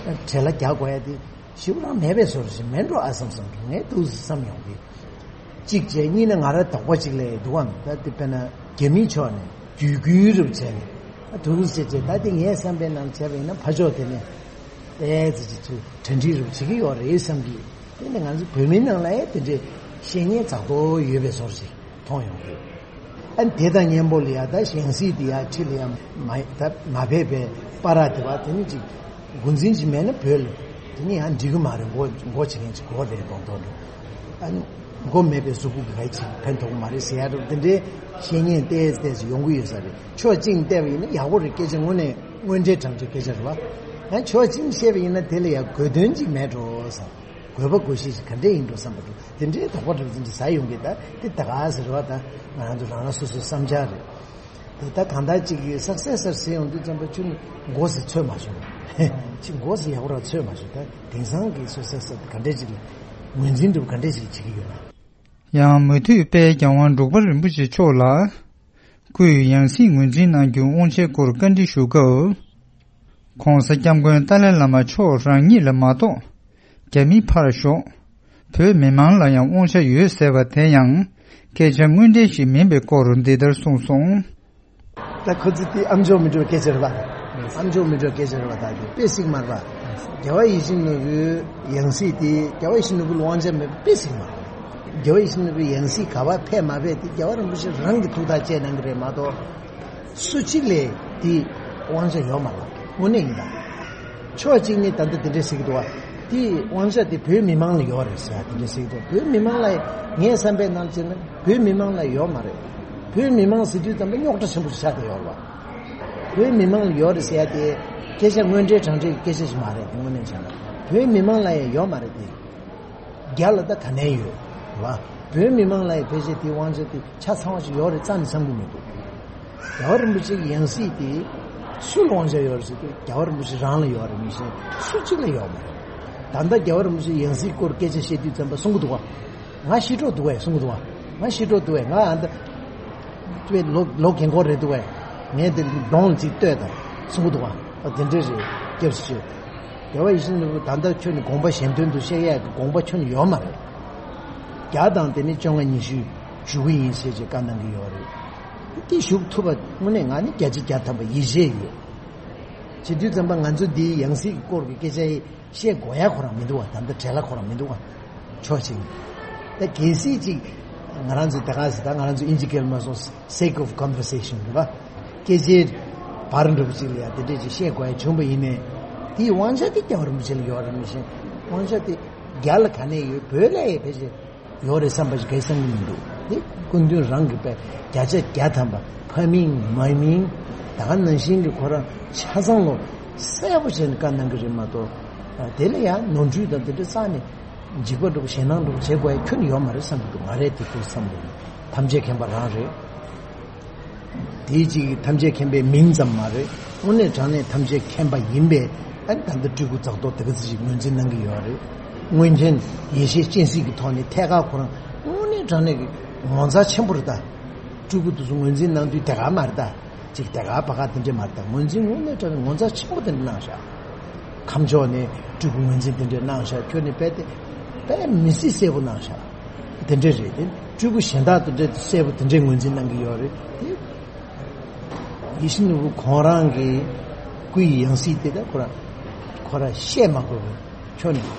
བྲེལ་བ་རྒྱག་དགོས་ཡ་དེ། ཞེ་པོ་རང་མེད་པའི་བཟོ་འདྲ་ཞིག་མེད་འགྲོ་ཨ་བསམ་བསམ་འགྲོ་ངས་འདུག་བསམ་ཡོང་གི། གཅིག་བྱས་གཉིས་ནས་ང་རང་དོགས་པ་གཅིག་ལས་འདུག་ཨང་། ད་དེ་དཔེར་ན་རྒྱ་མིའི་ཕྱོགས་ནས་བརྒྱུད་སྐུལ་རུ་བྱས་ནས་ཨ་འདུག་ཟེར་བྱས། ད་དེ་ངས་བསམ་པའི་ནང་བྱས་པ་ཡིན་ན་ཕར་ཕྱོགས་དེ་ནས་ཏོག་ཙམ་ཅིག་ཚུར་གྲ་སྒྲིག་རུ་བྱེད་ཀྱི་ཡོད་རེད་བསམ་གི། དེ་ནས་ང་ཚོ་བོད་མིའི་ནང་ལ་ཡང་དེ་འདྲའི་བཤད་མཁན་རྩ་ཏོ་ཡོད་པའི་བཟོ་འདྲ་ཞིག་མཐོང་ཡོང་གི། ཨ་ནི་དེ་དང་མཉམ་པོ་ལ་ཡ་ད་ཡང་སྲིད་དེ་ཡ་ཁྲི་ལ་ཡ་མ་ད་མ་ཕེབས་པའི་བར་དེ་བ་དེ་ནི་ཅིག་འགོ་འཛིན་ཅིག་མེད་ན་བོད་ལ་དེ་ནི་ཡང་འགྲིག་གི་མ་རེད། མགོ་མགོ་བྱེད་མཁན་ཅིག་དགོས་རེད་མདོག་མདོག་འདུག་ཨ་ནི་མགོ་མེད་པའི་གཟུགས་པོ་གི་ག་ཅིག་ཕན་ཐོགས་མ་རེད་ཟེར་ཡ་རུ་དེ་འདྲའི་བཤད་མཁན་ཏོག་ཙམ་ཡོང་གི་ཡོད་ས་རེད། ཕྱོགས་གཅིག་བལྟས་པ་ཡིན་ན་ཡག་པོ་རེད། སྐད་ཆ་དངོས་གནས་དངོས་འབྲེལ་དྲང་འབྲེལ་སྐད་ཆ་རེད་བ། ཡང་ཕྱོགས་གཅིག་བཤད་པ་ཡིན་ན་དེ་ལ་ཡ་དགོས་དོན་ཅིག་མེད་འགྲོ་བསམ། དགོས་པ་དགོས་ཤེས་ཤིག་ག་འདྲས་ཡིན་འགྲོ་བསམ་པ་འདུག་དེ་འདྲའི་དོགས་པ་འདྲ་བོ་ཅིག་ཟ་ཡོང་གི། ད་དེ་ད་ག་ཟེར་བ་ད་ང་རང་ཚོ་རང་རང་སོ་སོའི་བསམ་འཆར་རེད། དེ་ད་གང་ལྟར་ཅིག་གི་Successor ཟེར་ཡོང་དུས་ཙམ་པ་ཁྱོད་ནི་མགོ་ཟེར་ཚོད་མ་བྱུང་། ཅིག་མགོ་ཟེར་ཡག་པོ་རང་ཚོད་མ་བྱུང་། ད་དེང་སང་གི་Successor དེ་ག་འདྲས་ཅིག་ལ་ངོས་འཛིན་འདྲ་བོ་ག་འདྲས་ཅིག་བྱེད་ཀྱི་ཡོད་ན། ཡང་མུ་མཐུད་དཔལ་རྒྱལ་དབང་འབྲུག་པ་རིན་པོ་ཆེ་མཆོག་ལ། སྐུའི་ཡང་སྲིད་ངོས་འཛིན་གནང་རྒྱུའི་དབང་ཆའི་སྐོར་བཀའ་འདྲི་ཞུ་སྐབས། ༸གོང་ས་༸སྐྱབས་མགོན་ཏཱ་ལའི་བླ་མ་མཆོག་རང་ཉིད་ལ་མ་གཏོགས། རྒྱ་མི་ཕར་ཞོག་བོད་མི་མང་ལ་ཡང་དབང་ཆ་ཡོད་ཟེར་བ་དེ་ཡང་སྐད་ཆ་དངོས་འབྲེལ་ཞིག་མིན་པའི་སྐོར་འདི་ལྟར་གསུངས་སོང་། ད་ཁོ་ཚོ་དེ་ཨམ་ཅོག་མི་འགྲོ་སྐད་ཆ་རེད་པ། ཨམ་ཅོག་མི་འགྲོ་སྐད་ཆ་རེད་པ། ད་དེ་དཔེ་སྲིད་མ་རེད་པ། རྒྱལ་བ་ཡིད་བཞིན་ནོར་བུའི་ཡང་སྲིད་དེ་རྒྱལ་བ་ཡིད་བཞིན་ནོར་བུ་ལ་དབང་ཆ་མེད་པ་དཔེ་སྲིད་མ་རེད། རྒྱལ་བ་ཡིད་བཞིན་ནོར་བུའི་ཡང་སྲིད་ག་པར་ཕེབས་མ་ཕེབས་དེ་རྒྱལ་བ་རིན་པོ་ཆེ་རང་གི་ཐུགས་ཐག་བཅད་གནང་གི་རེད་མ་གཏོགས། སུ་གཅིག་ལས་དེ་དབང་ཆ་ཡོད་མ་རེད། དངོས་གནས་ཡིན་ད། ཕྱོགས་གཅིག་ནས་ད་ལྟ་དེ་འདྲས་ཟེར་གྱི་འདུག་བ། དེ་དབང་ཆ་དེ་བོད་མི་མང་ལ་ཡོད་རེད་ཟེར་ཡ་དེ་འདྲས་ཟེར་གྱི་འདུག་བོད་མི་མང་ལ་ངའི་བསམ་པའི་ནང་བྱས་ན་བོད་མི་མང་ལ་ཡོད་མ་རེད། བོད་མི་མང་ཟེར་དུས་ཙམ་པ་རྙོག་དྲ་ཆེན་པོ་ཞིག་ཆགས་བསྡད་ཡོད་རེད་བ། བོད་མི་མང་ལ་ཡོད་རེད་ཟེར་ཡ་དེ་སྐད་ཆ་དངོས་འབྲེལ་དྲང་འབྲེལ་གྱི་སྐད་ཆ་ཞིག་མ་རེད། དེ་དངོས་གནས་བྱས་ན་བོད་མི་མང་ལ་ཡང་ཡོད་མ་རེད་དེ། རྒྱ་ལ་ད་ག་ནས་ཡོད་རེད་བ། བོད་མི་མང་ལ་ཡང་ཕལ་ཆེར་དེའི་དབང་ཆ་དེ་ཆ་ཚང་བ་ཞིག་ཡོད་རེད་རྩ་ནས་བསམ་གྱི་མི་འདུག་རྒྱལ་བ་རིན་པོ་ཆེ་གི་ཡང་སྲིད་དེ་སུ་ལ་དབང་ཆ་ཡོད་རེད་ཟེར་དུས་རྒྱལ་བ་རིན་པོ་ཆེ་རང་ལ་ཡོད་རེད། མི་གཞན་སུ་གཅིག་ལ་ཡོད་མ་རེད། ད་ལྟ་རྒྱལ་བ་རིན་པོ་ཆེ་ཡང་སྲིད་སྐོར་སྐད་ཆ་བཤད་དུས་ཙམ་པ་གསུང་གི་འདུག་བ། ང་ཤི་གྲོགས་འདུག་བས་གསུང་གི་འདུག་བ། ང་ཤི་གྲོགས་འདུག་བས། ང་ཨ་ད་དཔེ་ལོ་ལོ་རྒན་འཁོགས་རེད་འདུག་བས། ངས་དེ་གདོང་ལ་ཅིག་ལྟོས་དང་གསུང་གི་འདུག་བ། ཨ་དེ་འདྲས་རེད། སྐྱབས་སུ་མཆི། རྒྱལ་བ་ཡིད་བཞིན་ནོར་བུ་ད་ལྟ་ཁྱོད་ནི་དགོངས་པ་གཞན་དོན་དུ་བཤད་ཡས་ཀྱི་དགོངས་པ་ཁྱོད་ནི་ཡོད་མ་རེད། བརྒྱ་དང་དེ་ནི་བཅོ་ལྔ་ཉི་ཤུ་བཞུགས་ཀྱི་ཡིན་ཞེས་ཀྱི་བཀའ་གནང་གི་ཡོད་རེད། དེ་ཞུགས་ཐུབ་པ་དངོས་གནས་ང་ནི་བརྒྱ་ཆ་བརྒྱ་ཐམ་པ་ཡིད་ཆེས་ཡོད། བྱེད་དུས་ཙམ་པ་ང་ཚོ་འདིའི་ཡང་སྲིད་ཀྱི་སྐོར་གྱི་སྐད་ཆ་ཡི་བཤད་དགོས་ཡ་ཁོ་རང་མི་འདུག་བ། ད་ལྟ་བྲེལ་བ་ཁོ་རང་མི་འདུག་བ། ཕྱོགས་གཅིག་ནས། ད་གལ་སྲིད་ཅིག་ང་རང་ཚོ་ད་ག་ཟེར། ད་ང་རང་ཚོ་ཨིན་ཇི་སྐད་ལ་མ་སོང་sake of conversation རེད་པ། སྐད་ཆའི་བར་འགྲོ་བ་ཅིག་ལ་ཡ་དེ་འདྲས་ཅིག་བཤད་དགོས་ཡ་བྱུང་པ་ཡིན་ནའི། དེའི་དབང་ཆ་དེ་རྒྱལ་བ་རིན་པོ་ཆེ་ལ་ཡོད་རེད། མི་ཤེས། དབང་ཆ་དེ་རྒྱ་ལ་ག་ནས་ཡོད། བོད་ལ་ཡ་ཕལ་ཆེར་ཡོད་རེད་བསམ་པ་ཞིག་གས་བསམ་གྱི་མི་འདུག་དེ་སྐུ་མདུན་རང་གིས་པས་བརྒྱ་ཆ་བརྒྱ་ཐམ་པ་ཕ་མིང་མ་མིང་ད་ག་ནང་བཞིན་གྱི་ཁོ་རང་ཆ་ཚང་ལོ་གསལ་པོ་བྱས་ནས་བཀའ་གནང་གི་རེད་མ་གཏོགས། དེ་ལ་ཡང་ནོར་འཁྲུལ་དང་དེ་འདྲ་རྩ་ནས་འཇིགས་པ་འགྲོ་ཞེད་སྣང་འགྲོ་བྱེད་དགོས་ཡ་ཁྱོན་ནས་ཡོད་མ་རེད་བསམ་གྱི་འདུག་ང་རའི་དེ་ཚོ་བསམ་བློ་ནི་ཐམས་ཅད་མཁྱེན་པ་རང་རེད། དེའི་གཅིག་ཐམས་ཅད་མཁྱེན་པའི་མིང་ཙམ་མ་རེད། དངོས་གནས་དྲང་གནས་ཐམས་ཅད་མཁྱེན་པ་ཡིན་པས། ཨ་ནི་ད་ལྟ་སྤྲུལ་སྐུ་རྫོགས་ཐོག་དེ་ག་ཚོད་ཅིག་ངོས་འཛིན་གནང་གི་ཡོད་རེད། མངོན་མཁྱེན་ཡེ་ཤེས་སྤྱན་གཟིགས་ཀྱི་ཐོག་ནས་ཐད་ཀར་ཁོ་རང་དངོས་གནས་དྲང་གནས་ཀྱི་ངོ་མཚར་ཆེན་པོ་རེད་ད། སྤྲུལ་སྐུ་དེ་ཚོ་ངོས་འཛིན་གནང་དུས་དེ་ག་མ་རེད་ད། ཅིག་དེ་ག་བ་ག་དེ་འདྲས་མ་རེད་ད། ངོས་འཛིན་དངོས་གནས་དྲང་གནས་ངོ་མཚར་ཆེན་པོ་དེ་འདྲས་གནང་ཤག་ཁམས་ཕྱོགས་ནས་སྤྲུལ་སྐུ་ངོས་འཛིན་དེ་འདྲས་གནང་ཤག་ཁྱོད་ནི་དཔེ་དེ་དཔེ་མི་སྲིད་གསལ་པོ་གནང་ཤག་དེ་འདྲས་རེད་དེ། སྤྲུལ་སྐུ་གཞན་དག་དེ་འདྲས་གསལ་པོ་དེ་འདྲས་ངོས་འཛིན་གནང་གི་ཡོད་རེད་དེ། ཡིད་བཞིན་ནོར་བུ་ཁོང་རང་གི་སྐུ་ཡི་ཡང་སྲིད་དེ་ད་ཁོ་རང་ཁོ་རང་བཤད་མ་དགོས་པའི་ཁྱོན་ནས་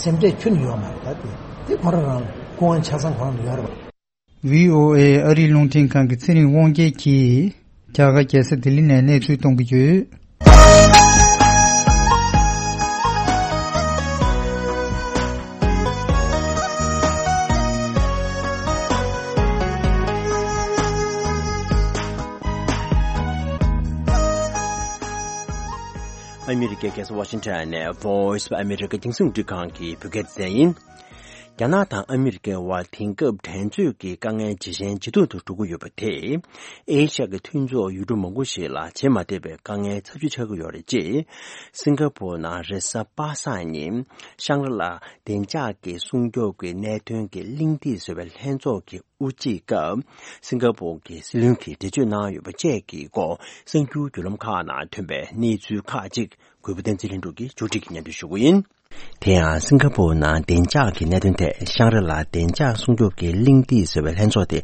སེམས་ཁྲལ་ཁྱོན་ནས་ཡོད་མ་རེད་ད། དེ་དེ་ཁོ་རང་རང་ལ་སྐུ་དབང་ཆ་ཚང་ཁོ་རང་ལ་ཡོད་རེད་པ། བྷི་ཨོ་ཨེ་ཨ་རིའི་རླུང་འཕྲིན་ཁང་གི་ཚེ་རིང་དབང་རྒྱལ་གྱིས་རྒྱ་གར་རྒྱལ་ས་ལྡི་ལི་ནས་གནས་ཚུལ་གཏོང་གི་ཡོད། ཨ་མི་རི་ཀའི་རྒྱལ་ས་ཝ་ཤིང་ཊོན་ནས་Voice of America་རྒྱང་སྲིང་རླུང་འཕྲིན་ཁང་གི་བོད་སྐད་སྡེ་ཚན་ཡིན། རྒྱ་ནག་དང་ཨ་མི་རི་ཀའི་དབར་དེང་སྐབས་འགྲན་རྩོད་ཀྱི་དཀའ་ངལ་ཇེ་ཞན་ཇེ་སྡུག་ཏུ་འགྲོ་གི་ཡོད་པ་དེས་ཨེ་ཤ་ཡ་གི་མཐུན་ཕྱོགས་ཡུལ་གྲུ་མང་པོ་ཞིག་ལ་བྱེད་མ་བདེ་བའི་དཀའ་ངལ་ཚབས་ཆེ་ཆགས་ཀྱི་ཡོད་རེད་ཅེས། སིང་ག་པུར་ནང་རེས་གཟའ་པ་སངས་ཉིན་ཤང་རི་ལ་བདེ་འཇགས་ཀྱི་སྲུང་སྐྱོབ་ཀྱི་གནད་དོན་གྱི་གླེང་སྟེགས་ཟེར་བའི་ལྷན་ཚོགས་ཀྱི་དབུ་འབྱེད་སྐབས། སིང་ག་པུར་གྱི་སྲིད་བློན་གྱིས་འགྲེལ་བརྗོད་གནང་ཡོད་པ་བཅས་ཀྱི་སྐོར་གསར་འགྱུར་བརྒྱུད་ལམ་ཁག་ནང་ཐོན་པའི་གནས་ཚུལ་ཁག་ཅིག་གུས་པ་བསྟན་འཛིན་ལྷུན་གྲུབ་ཀྱིས་མཇུག་སྒྲིལ་གྱིས་སྙན་སྒྲོན་ཞུ་གི་ཡིན། དེ་ཡང་སིང་ག་པུར་ནང་བདེ་འཇགས་ཀྱི་གནད་དོན་ཐད་ཤང་རི་ལ་བདེ་འཇགས་སྲུང་སྐྱོབ་ཀྱི་གླེང་སྟེགས་ཟེར་བའི་ལྷན་ཚོགས་དེ་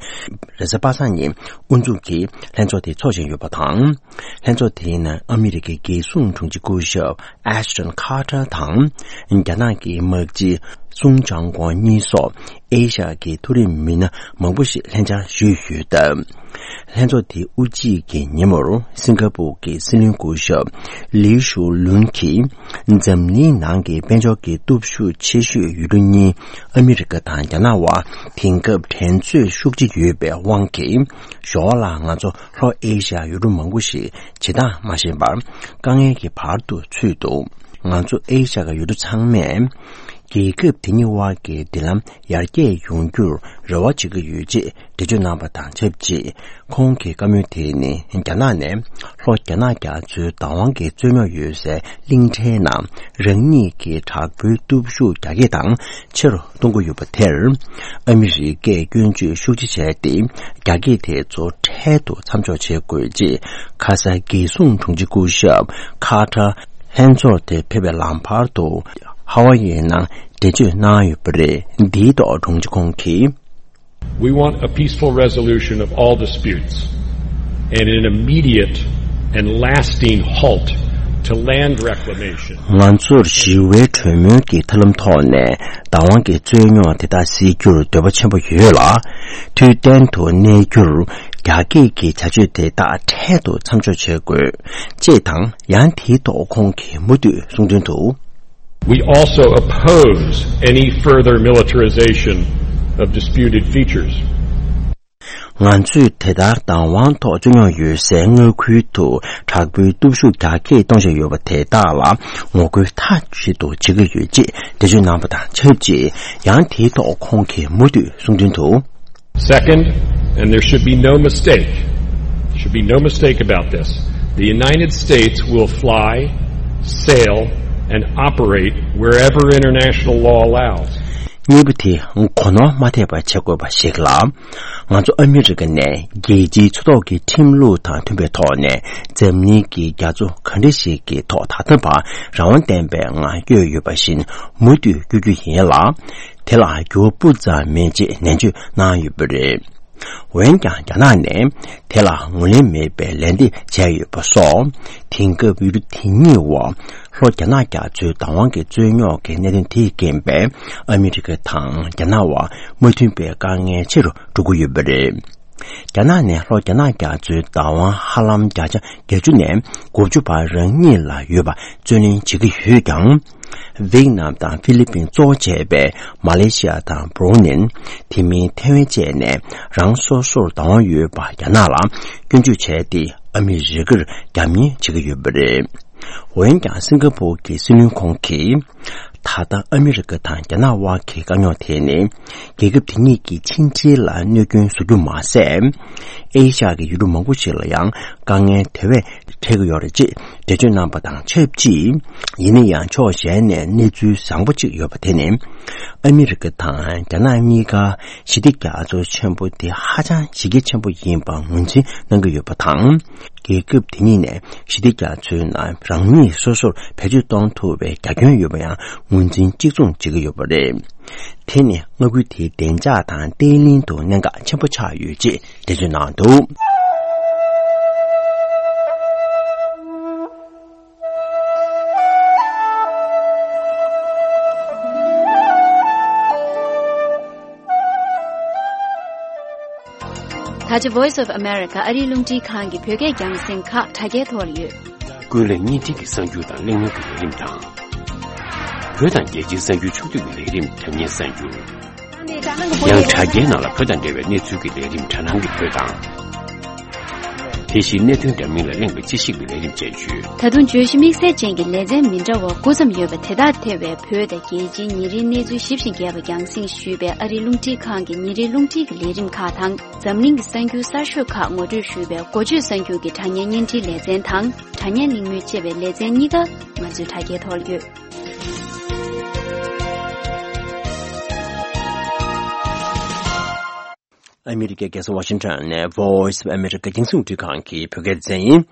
རེས་གཟའ་པ་སངས་ཉིན་དབུ་འཛུགས་ཀྱིས་ལྷན་ཚོགས་དེ་འཚོགས་བཞིན་ཡོད་པ་དང་། ལྷན་ཚོགས་དེའི་ནང་ཨ་མི་རི་ཀའི་རྒྱལ་སྲུང་དྲུང་ཆེ་སྐུ་ཞབས་ཨེཤ་ཊོན་ཁ་ཏར་དང་། རྒྱ་ནག་གི་དམག་སྤྱི་སུང་ཅང་ཀོང་གཉིས་སོགས་ཨེ་ཤ་ཡ་གི་མཐོ་རིམ་མི་སྣ་མང་པོ་ཞིག་ལྷན་བཅར་ཞུས་ཡོད་སྟབས། ལྷན་ཚོགས་དེའི་དབུ་འབྱེད་ཀྱི་ཉིན་མོར་སིང་ག་པུར་གྱི་སྲིད་བློན་སྐུ་ཞབས་ལི་ཤུ་ལུན་གྱིས། འཛམ་གླིང་ནང་གི་དཔལ་འབྱོར་གྱི་སྟོབས་ཤུགས་ཆེ་ཤོས་ཡུལ་གྲུ་གཉིས་ཨ་མི་རི་ཀ་དང་རྒྱ་ནག་དབར་དེང་སྐབས་འགྲན་རྩོད་ཤུགས་ཆེ་ཡོད་པའི་དབང་གིས། ཞོར་ལ་ང་ཚོ་ལྷོ་ཨེ་ཤ་ཡ་ཡུལ་གྲུ་མང་པོ་ཞིག་བྱེད་སྟངས་མ་ཤེས་པར་དཀའ་ངལ་གྱི་བར་དུ་ཚུད་འདུག་ང་ཚོ་ཨེ་ཤ་ཡ་ཡུལ་གྲུ་ཚང་མས་རྒྱལ་ཁབ་དེ་གཉིས་དབར་གྱི་མདུན་ལམ་ཡར་རྒྱས་ཡོང་རྒྱུར་རེ་བ་བྱེད་ཀྱི་ཡོད་ཅེས་འགྲེལ་བརྗོད་གནང་པ་དང་ཆབས་ཅིག་ཁོང་གི་བཀའ་མོལ་དེ་ནི་རྒྱ་ནག་ནས་ལྷོ་རྒྱ་ནག་རྒྱ་མཚོའི་བདག་དབང་གི་རྩོད་རྙོག་ཡོད་སའི་གླིང་ཕྲན་ནང་རང་ཉིད་ཀྱི་དྲག་པོའི་སྟོབས་ཤུགས་རྒྱ་སྐྱེད་དང་ཆེ་རུ་གཏོང་གི་ཡོད་པ་དེར། ཨ་མི་རི་ཀས་སྐྱོན་བརྗོད་ཤུགས་ཆེ་བྱས་ཏེ། རྒྱ་སྐྱེད་དེ་ཚོ་འཕྲལ་དུ་མཚམས་འཇོག་བྱེད་དགོས་ཅེས། ཁ་སང་རྒྱལ་སྲུང་དྲུང་ཆེ་སྐུ་ཞབས་ཁ་ཏར་ལྷན་ཚོགས་དེར་ཕེབས་པའི་ལམ་བར་དུ། ཧ་ཝ་ཡའི་ནང་འགྲེལ་བརྗོད་གནང་ཡོད་པ་རེད། འདིའི་ཐོག་དྲུང་ཆེ་ཁོང་གིས། We want a peaceful resolution of all disputes and an immediate and lasting halt to land reclamation. ང་ཚོར་ཞི་བའི་གྲོས་མོལ་གྱི་ཐབས་ལམ་ཐོག་ནས་བདག་དབང་གི་རྩོད་རྙོག་དེ་དག་སེལ་རྒྱུར་འདོད་པ་ཆེན་པོ་ཡོད་ལ། དུས་གཏན་དུ་གནས་རྒྱུར་རྒྱ་སྐྱེད་ཀྱི་བྱ་སྤྱོད་དེ་དག་འཕྲལ་དུ་མཚམས་འཇོག་བྱེད་དགོས། ཅེས་དང་། ཡང་དེའི་ཐོག་ཁོང་གིས་མུ་མཐུད་གསུང་དོན་དུ། We also oppose any further militarization of disputed features. ང་ཚོས་དེ་ལྟར་བདག་དབང་ཐོག་རྩོད་རྙོག་ཡོད་སའི་མངའ་ཁུལ་དུ་དྲག་པོའི་སྟོབས་ཤུགས་རྒྱ་སྐྱེད་གཏོང་བཞིན་ཡོད་པ་དེ་དག་ལ་ངོ་རྒོལ་མཐའ་གཅིག་ཏུ་བྱེད་ཀྱི་ཡོད་ཅེས་འགྲེལ་བརྗོད་གནང་པ་དང་ཆབས་ཅིག་ཡང་དེའི་ཐོག་ཁོང་གིས་མུ་མཐུད་གསུང་དོན་དུ། Second, and there should be no mistake, should be no mistake about this. The United States will fly, sail, and operate wherever international law allows. གཉིས་པ་དེ་གོ་ནོར་མ་ཐེབས་པ་བྱེད་དགོས་པ་ཞིག་ལ། ང་ཚོ་ཨ་མི་རི་ཀ་ནས་རྒྱལ་སྤྱིའི་ཕྱི་ཐོག་གི་ཁྲིམས་ལུགས་དང་མཐུན་པའི་ཐོག་ནས་འཛམ་གླིང་གི་རྒྱ་མཚོ་ག་འདྲ་ཞིག་གི་ཐོག་ད་ལྟ་བར་རང་དབང་ལྡན་པའི་ངང་བསྐྱོད་ཡོད་པ་བཞིན་མུ་མཐུད་བསྐྱོད་རྒྱུ་ཡིན་ལ། དེ་ལ་འགྱུར་བ་སྤུ་ཙམ་མེད་ཅེས་ནན་བརྗོད་གནང་ཡོད་པ་རེད། འོན་ཀྱང་རྒྱ་ནག་ནས་དེ་ལ་ངོས་ལེན་མེད་པའི་ལན་འདེབས་བྱས་ཡོད་པ་སོགས། དེང་སྐབས་ཡུལ་གྲུ་དེ་གཉིས་བར་ལྷོ་རྒྱ་ནག་རྒྱ་མཚོའི་བདག་དབང་གི་རྩོད་རྙོག་གི་གནད་དོན་དེས་རྐྱེན་པས། ཨ་མི་རི་ཀ་དང་རྒྱ་ནག་བར་མ་མཐུན་པའི་དཀའ་ངལ་ཆེ་རུ་འགྲོ་གི་ཡོད་པ་རེད། རྒྱ་ནག་ནས་ལྷོ་རྒྱ་ནག་རྒྱ་མཚོའི་བདག་དབང་ཧ་ལམ་བརྒྱ་ཆ་བརྒྱད་ཅུ་ནས་དགུ་བཅུ་བར་རང་ཉིད་ལ་ཡོད་པ་རྩོད་ལེན་བྱེད་ཀྱི་ཡོད་ཀྱང་། ཝེ་ཏི་ནམ་དང་ཧྥི་ལི་པིན་གཙོ་བོ་བྱས་པའི་མ་ལེ་ཤི་ཡ་དང་བྷུ་རུ་ནེ། དེ་མིན་ཐའེ་ཝན་བཅས་ནས་རང་སོ་སོར་བདག་དབང་ཡོད་པ་རྒྱ་ནག་ལ་སྐྱོན་བརྗོད་བྱས་ཏེ། ཨ་མི་རི་ཀར་རྒྱབ་གཉེར་བྱེད་ཀྱི་ཡོད་པ་རེད། འོན་ཀྱང་སིང་ག་པུར་གྱི་སྲིད་བློན་ཁོང་གིས། ད་ལྟ་ཨ་མི་རི་ཀ་དང་རྒྱ་ནག་དབར་གྱི་དཀའ་རྙོག་དེ་ནི། རྒྱལ་ཁབ་དེ་གཉིས་ཀྱི་ཕྱི་འབྲེལ་ལ་གནོད་སྐྱོན་བཟོ་རྒྱུ་མ་ཟད། ཨེ་ཤ་ཡ་གི་ཡུལ་གྲུ་མང་པོ་ཞིག་ལ་ཡང་དཀའ་ངལ་དེ་བས་འཕྲད་ཀྱི་ཡོད་རེད་ཅེས་འགྲེལ་བརྗོད་གནང་པ་དང་ཆབས་ཅིག། ཡིན་ན་ཡང་ཕྱོགས་གཞན་ནས་གནས་ཚུལ་བཟང་པོ་གཅིག་ཡོད་པ་དེ་ནི། ཨ་མི་རི་ཀ་དང་རྒྱ་ནག་གཉིས་ཀ་ཞི་བདེ་རྒྱ་མཚོ་ཆེན་པོ་དེ་ཧ་ཅང་གཞི་རྒྱ་ཆེན་པོ་ཡིན་པ་ངོས་འཛིན་གནང་གི་ཡོད་པ་དང་། རྒྱལ་ཁབ་དེ་གཉིས་ནས་ཞི་བདེ་རྒྱ་མཚོའི་ནང་རང་ཉིད་སོ་སོར་བེད་སྤྱོད་གཏོང་ཐུབ་པའི་རྒྱ་ཁྱོན་ཡོད་པ་ཡང་ངོས་འཛིན་གཅིག་མཚུངས་བྱེད་ཀྱི་ཡོད་པ་རེད། དེ་ནི་མངའ་ཁུལ་དེའི་བདེ་འཇགས་དང་བརྟན་ལྷིང་དུ་གནད་འགག་ཆེན་པོ་ཆགས་ཡོད་ཅེས་འགྲེལ་བརྗོད་གནང་འདུག། ད་ཆ་Voice of America ཨ་རིའི་རླུང་འཕྲིན་ཁང་གི་བོད་སྐད་རྒྱང་སྲིང་ཁག་དྲ་རྒྱའི་ཐོག་ལ་ཡོད། ཀུན་གླེང་བརྙན་འཕྲིན་གྱི་གསར་འགྱུར་དང་གླེང་མོལ་གྱི་ལས་རིམ་དང་། བོད་དང་རྒྱལ་སྤྱིའི་གསར་འགྱུར་ཕྱོགས་བསྡུས་ཀྱི་ལས་རིམ་དྲ་བརྙན་གསར་འགྱུར། ཡང་དྲ་རྒྱའི་ནང་ལ་བོད་དང་འབྲེལ་བའི་གནས་ཚུལ་གྱི་ལས་རིམ་དྲ་སྣང་གི་བོད་དང་། དེ་བཞིན་གནད་དོན་འདྲ་མིན་ལ་གླེང་བའི་དཔྱད་ཞིབ་ཀྱི་ལས་རིམ་བཅས་ཡོད། ད་དུང་བརྗོད་གཞི་དམིགས་བསལ་ཅན་གྱི་ལེ་ཚན་མི་འདྲ་བ་དགུ་ཙམ་ཡོད་པ་དེ་དག་ཐེ་བའི་བོད་དང་རྒྱལ་སྤྱིའི་ཉིན་རེའི་གནས་ཚུལ་ཞིབ་ཅིང་རྒྱས་པ་རྒྱང་སྲིང་ཞུས་པའི་ཨ་རིའི་རླུང་འཕྲིན་ཁང་གི་ཉིན་རེའི་རླུང་འཕྲིན་གྱི་ལས་རིམ་ཁག་དང་། འཛམ་གླིང་གི་གསར་འགྱུར་གསར་ཤོས་ཁག་ངོ་སྤྲོད་ཞུས་པའི་འགོ་བརྗོད་གསར་འགྱུར་གྱི་དྲ་བརྙན་བརྙན་འཕྲིན་ལེ་ཚན་དང་། དྲ་བརྙན་གླེང་མོལ་ཅེས་པའི་ལེ་ཚན་གཉིས་ཀ་ང་ཚོའི་དྲ་རྒྱའི་ཐོག་ཡོད། ཨ་མི་རི་ཀའི་རྒྱལ་ས་ཝ་ཤིང་ཊོན་ནས་Voice of America རྒྱང་སྲིང་རླུང་འཕྲིན་ཁང་གི་བོད་སྐད་སྡེ་ཚན་ཡིན།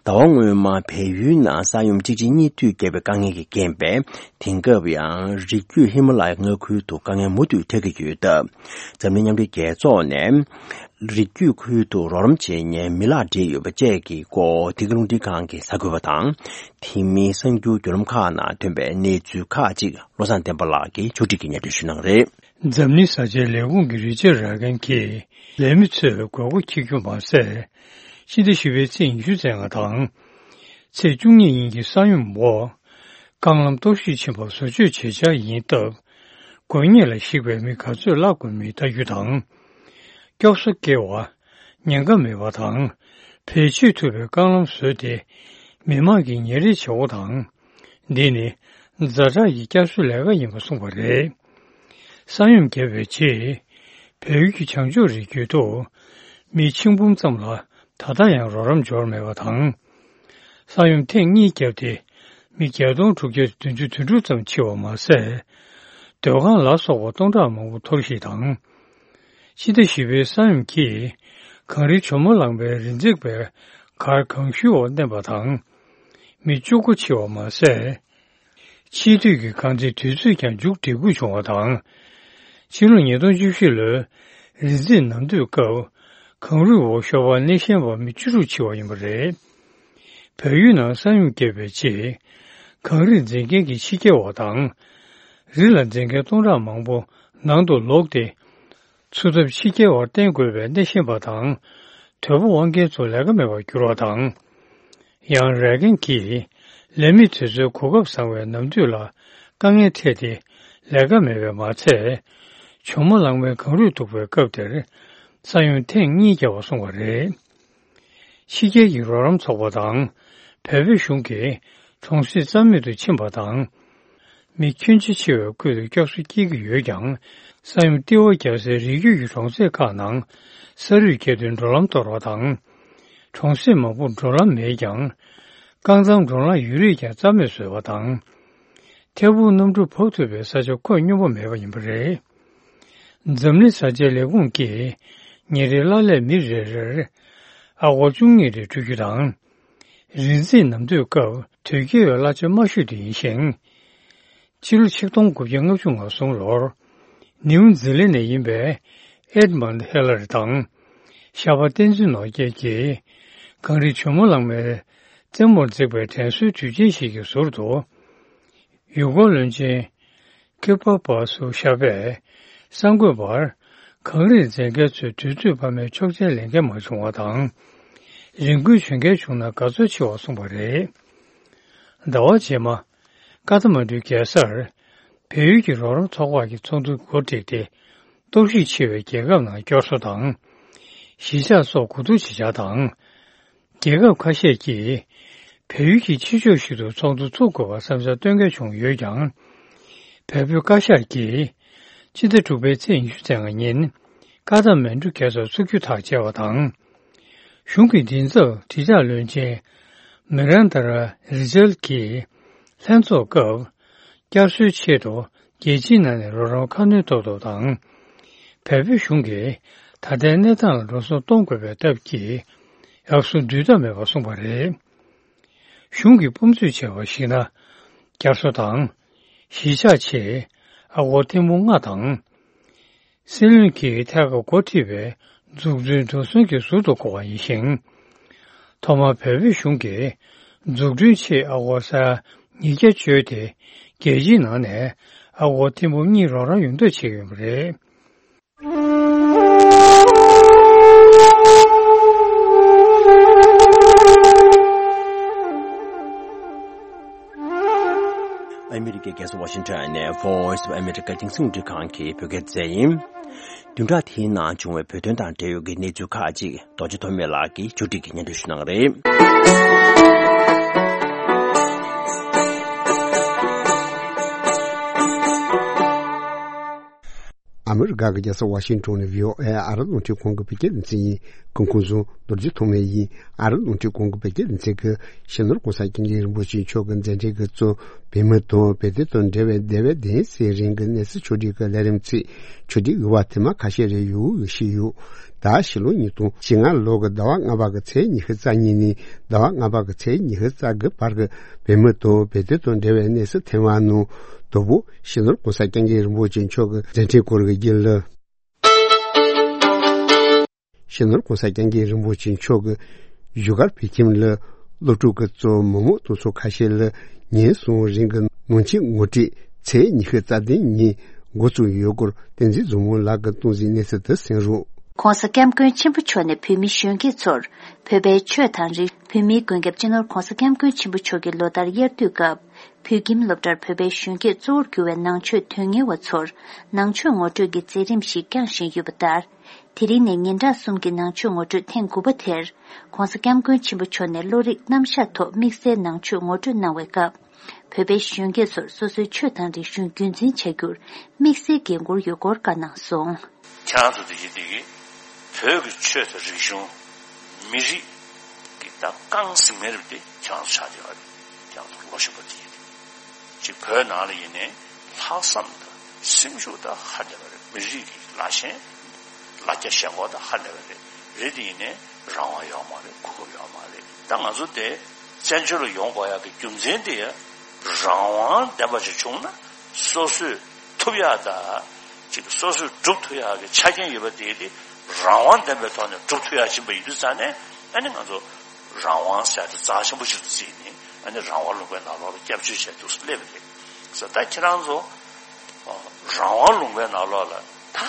ཟླ་བ་སྔོན་མ་བལ་ཡུལ་ནང་ས་ཡོམ་གཅིག་རྗེས་གཉིས་མཐུད་བརྒྱབ་པའི་དཀའ་ངལ་གྱི་རྐྱེན་པས། དེང་སྐབས་ཡང་རི་རྒྱུད་ཧི་མ་ལ་ཡའི་མངའ་ཁུལ་དུ་དཀའ་ངལ་མུ་མཐུད་འཕྲད་ཀྱི་ཡོད་སྟབས། འཛམ་གླིང་མཉམ་འབྲེལ་རྒྱལ་ཚོགས་ནས་རི་རྒྱུད་ཁུལ་དུ་རོགས་རམ་བྱེད་མཁན་མི་ལག་བྲིས་ཡོད་པ་བཅས་ཀྱི་སྐོར་འདི་ག་རླུང་འཕྲིན་ཁང་གིས་གསར་འགོད་པ་དང་། དེ་མིན་གསར་འགྱུར་བརྒྱུད་ལམ་ཁག་ནང་ཐོན་པའི་གནས་ཚུལ་ཁག་ཅིག་བློ་བཟང་བསྟན་པ་ལགས་ཀྱིས་ཕྱོགས་སྒྲིག་གིས་སྙན་སྒྲོན་ཞུ་གནང་གི་རེད། འཛམ་གླིང་བཟའ་བཅའི་ལས་ཁུངས་ཀྱི་རི་ཅར་ར་གན་གྱིས། ལས་མི་ཚོས་དགོས་མཁོ་འཁྱེར་རྒྱུ་མ་ཟད། ཕྱི་ཟླ་བཞི་པའི་ཚེས་ཉི་ཤུ་རྩ་ལྔ་དང་། ཚེས་བཅུ་གཉིས་ཉིན་གྱི་ས་ཡོམ་འོག་རྐང་ལམ་གཏོར་བཤིག་ཕྱིན་པ་བཟོ་བཅོས་བྱེད་འཆར་ཡིན་སྟབས། དགོས་ངེས་ལ་གཞིགས་པའི་མི་ག་ཚོད་བརླག་དགོས་མིན་ལྟ་རྒྱུ་དང་། སྐྱོབ་གསོ་སྐྱེལ་བ། ཉེན་ཁ་མེད་པ་དང་། བེད་སྤྱོད་ཐུབ་པའི་རྐང་ལམ་བཟོས་ཏེ། མི་དམངས་ཀྱི་ཉིན་རེའི་བྱེད་སྒོ་དང་། འདི་ནི་ཛ་དྲག་གི་བསྐྱར་གསོའི་ལས་ཀ་ཡིན་པ་གསུངས་པ་རེད། ས་ཡོམ་བརྒྱབ་པའི་རྗེས། བལ་ཡུལ་གྱི་བྱང་ཕྱོགས་རི་རྒྱུད་དུ། མི་ཆིག་འབུམ་ཙམ་ལ་ད་ལྟ་ཡང་རོགས་རམ་འབྱོར་མེད་པ་དང་། ས་ཡོམ་ཐེངས་གཉིས་བརྒྱབ་སྟེ། མི་བརྒྱད་སྟོང་དྲུག་བརྒྱ་བདུན་ཅུ་དོན་དྲུག་ཙམ་འཆི་བ་མ་ཟད། སྡོད་ཁང་ལ་སོགས་པ་སྟོང་ཕྲག་མང་པོ་འཐོར་ཞིག་དང་། ཕྱི་ཟླ་བཞི་པའི་ས་ཡོམ་གྱིས། གངས་རིའི་ཇོ་མོ་གླང་པའི་རི་འཛེག་པའི་གར་གངས་ཤུལ་འོག་མནན་པ་དང་། མི་བཅུ་དགུ་འཆི་བ་མ་ཟད། ཆེས་མཐོའི་གི་གངས་རྩེའི་དུས་ཚོད་ཀྱང་མཇུག་སྒྲིལ་དགོས་བྱུང་བ་དང་། ཕྱི་ལོ་ཉིས་སྟོང་བཅུ་བཞི་ལོའི་རི་འཛེག་ནམ་དུས་སྐབས། གངས་རུད་འོག་ཤོར་བར་གནས་གཞན་པ་མི་བཅུ་དྲུག་འཆི་བ་ཡིན་པ་རེད། བལ་ཡུལ་ནང་ས་ཡོམ་བརྒྱབ་པའི་རྗེས། གངས་རིར་འཛེག་མཁན་གྱི་ཕྱི་རྒྱལ་བ་དང་། རི་ལ་འཛེག་མཁན་སྟོང་ཕྲག་མང་པོ་ནང་དུ་ལོག་སྟེ། འཚོ་ཐབས་ཕྱི་རྒྱལ་བར་བརྟེན་དགོས་པའི་གནས་གཞན་པ་དང་། དོལ་པོ་དབང་མཁན་ཚོ་ལས་ཀ་མེད་པར་གྱུར་བ་དང་། ཡང་ར་གན་གྱིས་ལས་མི་དེ་ཚོའི་གོ་སྐབས་བཟང་བའི་ནམ་དུས་ལ་དཀའ་ངལ་འཕྲད་དེ་ལས་ཀ་མེད་པས་མ་ཚད། ཇོ་མོ་གླང་མའི་གངས་རུད་གཏུག་པའི་སྐབས་དེར་ས་ཡོམ་ཐེངས་གཉིས་བརྒྱབ་པ་གསུངས་པ་རེད། ཕྱི་རྒྱལ་གྱི་རོགས་རམ་ཚོགས་པ་དང་བལ་པོའི་གཞུང་གིས་གྲོང་གསེབ་རྩ་མེད་དུ་ཕྱིན་པ་དང་། མི་ཁྱོན་ཆེ་ཆེ་བའི་ཁུལ་དུ་སྐྱོབ་གསོ་སྐྱེལ་གྱི་ཡོད་ཀྱང་། ས་ཡོམ་ལྟེ་བ་བརྒྱབ་སའི་རི་རྒྱུད་ཀྱི་གྲོང་གསེབ་ཁག་ནང་ས་རུད་བརྒྱབ་སྟེ་འགྲོ་ལམ་གཏོར་བ་དང་། གྲོང་གསེབ་མང་པོར་འགྲོ་ལམ་མེད་ཀྱང་། རྐང་ཚང་འགྲོ་ལམ་ཡོད་རིགས་ཀྱང་རྩ་མེད་བཟོས་པ་དང་། ཐད་འཕུར་གནམ་གྲུ་བབས་ཐུབ་པའི་ས་ཆ་ཁོད་སྙོམས་པོ་མེད་པ་ཡིན་པ་རེད། འཛམ་གླིང་བཟའ་བཅའི་ལས་ཁུངས་ཀྱིས་ཉིན་རེའི་གླ་ལས་མི་རེ་རེར་ཨ་སྒོར་བཅུ་གཉིས་རེ་སྤྲོད་རྒྱུ་དང་། རི་འཛེག་ནམ་དུས་སྐབས་དོས་སྐྱེལ་བའི་གླ་ཆ་དམའ་ཤོས་དེ་ཡིན་ཞིང་། ཕྱི་ལོ་ཆིག་སྟོང་དགུ་བརྒྱ་ལྔ་བཅུ་ང་གསུམ་ལོར་ནིའུ་ཛི་ལན་ནས་ཡིན་པའི་ ཨེཌ་མོན་ཧི་ལ་རི་དང་། ཤར་པ་བསྟན་འཛིན་ནོར་རྒྱས་ཀྱིས་གངས་རི་ཇོ་མོ་གླང་མའི་རྩེ་མོར་བརྩེགས་པའི་དྲན་གསོའི་དུས་ཆེན་ཞིག་གི་ཟུར་དུ། ཡུལ་སྐོར་བློན་ཆེན་ཁི་པ་པ་སུ་ཤ་པས་གསར་འགོད་པར། གངས་རིར་འཛེག་མཁན་ཚོས་དུས་ཚོད་སྤར་མའི་ཆོག་མཆན་ལེན་མཁན་མ་བྱུང་བ་དང་། རི་འགོས་བྱོན་མཁན་བྱུང་ན་དགའ་ཚོར་ཆེ་བ་གསུངས་པ་རེད། ཟླ་བ་རྗེས་མ། ཀ་ཐ་མན་གྲུའི་རྒྱལ་སར། བལ་ཡུལ་གྱི་རོགས་རམ་ཚོགས་ཁག་གི་ཚོགས་འདུ་འགོ་བསྒྲིགས་ཏེ། གཏོར་བཤིག་ཆེ་བའི་རྒྱལ་ཁབ་ནང་སྐྱོར་གསོ་དང་། གཞིས་ཆགས་སོགས་གོ་བསྡུར་བྱེད་འཆར་དང་། རྒྱལ་ཁབ་ཁ་ཤས་ཀྱིས་བལ་ཡུལ་གྱི་ཕྱི་ཕྱོགས་ཤིག་ཏུ་ཚོགས་འདུ་ཚུགས་དགོས་པར་བསམ་འཆར་བཏོན་མཁན་བྱུང་ཡོད་ཀྱང་། བལ་པོའི་བཀའ་ཤག་གིས་སྤྱི་ཟླ་དྲུག་པའི་ཚེས་ཉི་ཤུ་རྩ་ལྔ་ཉིན་ཀ་ཐ་མན་གྲུ་རྒྱལ་སར་ཚུགས་རྒྱུ་ཐག་བཅད་པ་དང་། གཞུང་གི་མགྲིན་ཚབ་དྲིལ་བསྒྲགས་བློན་ཆེན་མི་རན་ད་ར་རི་ཇལ་གྱིས་ལྷན་ཚོགས་སྐབས། བསྐྱར་གསོའི་ཆེད་དུ་རྒྱལ་སྤྱིའི་ནང་ནས་རོགས་རམ་ཁ་སྣོན་ཐོབ་ཐབས་དང་། བལ་པོའི་གཞུང་གིས་ད་ལྟའི་གནས་སྟངས་ལ་འགྲོ་སོང་གཏོང་དགོས་པའི་སྟབས་ཀྱིས་ཡག་སོང་འདུས་ཐབས་མེད་པ་གསུངས་པ་རེད། གཞུང་གིས་སྤོམ་ཚུལ་བྱས་པར་གཞིགས་ན། བསྐྱར་གསོ་དང་། གཞིས་ཆགས་ཆེད་ཨ་སྒོར་ཐེར་འབུམ་ལྔ་དང་། སྲིད་བློན་གྱིས་ཐད་ཀར་འགོ་ཁྲིད་པའི་འཛུགས་སྐྲུན་འགྲོ་སོང་གི་ཟུར་དུ་བགོ་བ་ཡིན་ཞིང་། ཐོག་མར་བལ་པོའི་གཞུང་གིས་འཛུགས་སྐྲུན་ཆེད་ཨ་སྒོར་ས་ཉིས་བརྒྱ་བཅོལ་ཏེ། རྒྱལ་སྤྱིའི་ནང་ནས་ཨ་སྒོར་ཐེར་འབུམ་གཉིས་རོགས་རམ་ཡོང་ཐབས་བྱེད་ཀྱི་ཡོད་པ་རེད། ཨ་མི་རི་ཀའི་རྒྱལ་ས་ཝ་ཤིང་ཊོན་ནས་Voice of America རྒྱང་སྲིང་རླུང་འཕྲིན་ཁང་གི་བོད་སྐད་སྡེ་ཚན་ཡིན། བདུན་ཕྲག་དེའི་ནང་བྱུང་བའི་བོད་དོན་དང་འབྲེལ་ཡོད་ཀྱི་གནས་ཚུལ་ཁག་ཅིག་རྡོ་རྗེ་ཐོགས་མེད་ལགས་ཀྱིས་ཕྱོགས་སྒྲིག་གིས་སྙན་སྒྲོན་ཞུ་གནང་གི་རེད། ཨ་མི་རི་ཀ་གི་རྒྱལ་ས་ཝ་ཤིང་ཊོན་ནས་བྷི་ཨོ་ཨེ་ཨ་རི་རླུང་འཕྲིན་ཁང་གི་བོད་སྐད་སྡེ་ཚན་ཡིན། སྐུ་ཁམས་བཟང་། རྡོ་རྗེ་ཐོགས་མེད་ཡིན། ཨ་རི་རླུང་འཕྲིན་ཁང་གི་བོད་སྐད་སྡེ་ཚན་གྱིས་སྤྱི་ནོར་༸གོང་ས་༸སྐྱབས་མགོན་རིན་པོ་ཆེ་མཆོག་གི་མཛད་འཕྲིན་གྱི་གཙོ། བོད་མི་དང་བོད་དོན་དང་འབྲེལ་བའི་འདས་པའི་གདན་སའི་རིང་གི་གནས་ཚུལ་ཕྱོགས་སྒྲིག་གི་ལས་རིམ་ཚིག་ཕྱོགས་སྒྲིག་ཡོད་པ་དེ་མ་ཁ་ཤས་རེ་ཡོད་ཞུས་ཡོད། ད་ཕྱི་ལོ་ཉིས་སྟོང་བཅོ་ལྔ་ལོ་གི་ཟླ་བ་ལྔ་པ་གི་ཚེས་ཉི་ཤུ་རྩ་གཉིས་ནས་ཟླ་བ་ལྔ་པ་གི་ཚེས་ཉི་ཤུ་རྩ་དགུ་བར་གྱི་བོད་མི་དང་བོད་དོན་དང་འབྲེལ་བའི་གནས་ཚུལ་ཐེངས་མ་ནང་དང་པོ་སྤྱི་ནོར་༸གོང་ས་༸སྐྱབས་མགོན་རིན་པོ་ཆེ་མཆོག་གི་མཛད་འཕྲིན་སྐོར་གྱི་རྒྱུན་ལས། སྤྱི་ནོར་༸གོང་ས་༸སྐྱབས་མགོན་རིན་པོ་ཆེ་མཆོག་གིས་བཞུགས་སྒར་བོད་ཁྱིམ་ལ་སློབ་ཕྲུག་གི་གཙོ་བོ་མི་མང་དང་ཚོགས་ཁ་ཤས་ལ་ཉིན་གསུམ་རིང་གི་ནང་ཆེན་ངོ་སྤྲོད་ཚེས་ཉི་ཤུ་རྩ་བདུན་ཉིན་འགོ་བཙུགས་ཡོད་སྐོར་བསྟན་འཛིན་བཟང་མོ་ལགས་ཀྱིས་གཏོང་གཟིགས་གནས་ཚུལ་དུ་གསན་རོགས། ༸གོང་ས་༸སྐྱབས་མགོན་ཆེན་པོ་མཆོག་ནས་བོད་མི་གཞོན་སྐྱེས་ཚོར་བོད་པའི་ཆོས་དང་རིག་བོད་མིའི་མགོན་སྐྱབས་སྤྱི་ནོར་༸གོང་ས་༸སྐྱབས་མགོན་ཆེན་པོ་མཆོག་གི་ལོ་ལྟར་དབྱར་དུས་སྐབས། བོད་ཁྱིམ་སློབ་གྲྭར་བོད་པའི་གཞོན་སྐྱེས་གཙོ་བོར་གྱུར་བའི་ནང་ཆོས་དོན་གཉེར་བ་ཚོར་ནང་ཆོས་ངོ་སྤྲོད་ཀྱི་མཛད་རིམ་ཞིག་བསྐྱངས་བཞིན་ཡོད་པ་ལྟར། དེ་རིང་ནས་ཉིན་གྲངས་གསུམ་གྱི་ནང་ཆོས་ངོ་སྤྲོད་ཐེངས་དགུ་པ་དེར། ༸གོང་ས་༸སྐྱབས་མགོན་ཆེན་པོ་མཆོག་ནས་བློ་རིག་རྣམ་གཞག་ཐོག་དམིགས་བསལ་ནང་ཆོས་ངོ་སྤྲོད་གནང་བའི་སྐབས། བོད་པའི་གཞོན་སྐྱེས་ཚོར་སོ་སོའི་ཆོས་དང་རིག་གཞུང་རྒྱུན་འཛིན་བྱ་རྒྱུར་དམིགས་བསལ་འགན་འཁུར་ཡོད་སྐོར་བཀའ་གནང་སོང་། ཁྱེད་རང་ཚོ་འདི་ཡིན་འདི་གི་བོད་ཀྱི་ཆོས་དང་རིག་གཞུང་། མི་རིགས་ཀྱི་ད་རྐང་ཟིན་མཁན་རེད་དེ་ཁྱེད་རང་ཚོ་ཆགས་བསྡད་པ་རེད། ཁྱེད་རང་ཚོ་ལོ་གཞོན་པ་དེ་ཡིན་དེ། ཅིག་བོད་ནང་ལ་ཡིན་ནའི་ལྷག་བསམ་དང་སེམས་ཤུགས་ད་ཧ་ལས་པ་རེད། མི་རིགས་ཀྱི་ལ་ཞེན་ལ་རྒྱ་ཞེན་ཁོག་ད་ཧ་ལས་པ་རེད། རེད་དེ་ཡིན་ནའི་རང་དབང་ཡོད་མ་རེད། གོ་སྐབས་ཡོད་མ་རེད། ད་ང་ཚོ་དེ་བཙན་བྱོལ་ལ་ཡོང་དགོས་ཡག་གི་རྒྱུ་མཚན་དེ་ཡ་རང་དབང་ལྡན་པ་ཅིག་བྱུང་ན་སོ་སོས་ཐུབ་ཡག་ད། ཅིག་སོ་སོས་སྒྲུབ་ཐུབ་ཡག་གི་ཆ་རྐྱེན་ཡོད་པ་དེ་དེ་རང་དབང་ལྡན་པའི་ཐོག་ནས་སྒྲུབ་ཐུབ་ཡག་ཕྱིན་པ་ཡིན་དུས་ཙང་ནས་ཨ་ནི་ང་ཚོ་རང་དབང་ཟེར་དེ་རྩ་ཆེན་པོ་ཞིག་ཏུ་བརྩིས་ནས་ཨ་ནི་རང་དབང་ལུང་པའི་ནང་ལོགས་ལ་སྐྱབས་བཅོལ་བྱས་འདུག་སེ་སླེབས་པ་རེད་ཟེར། ད་ཁྱེད་རང་ཚོ་རང་དབང་ལུང་པའི་ནང་ལོགས་ལ་ད་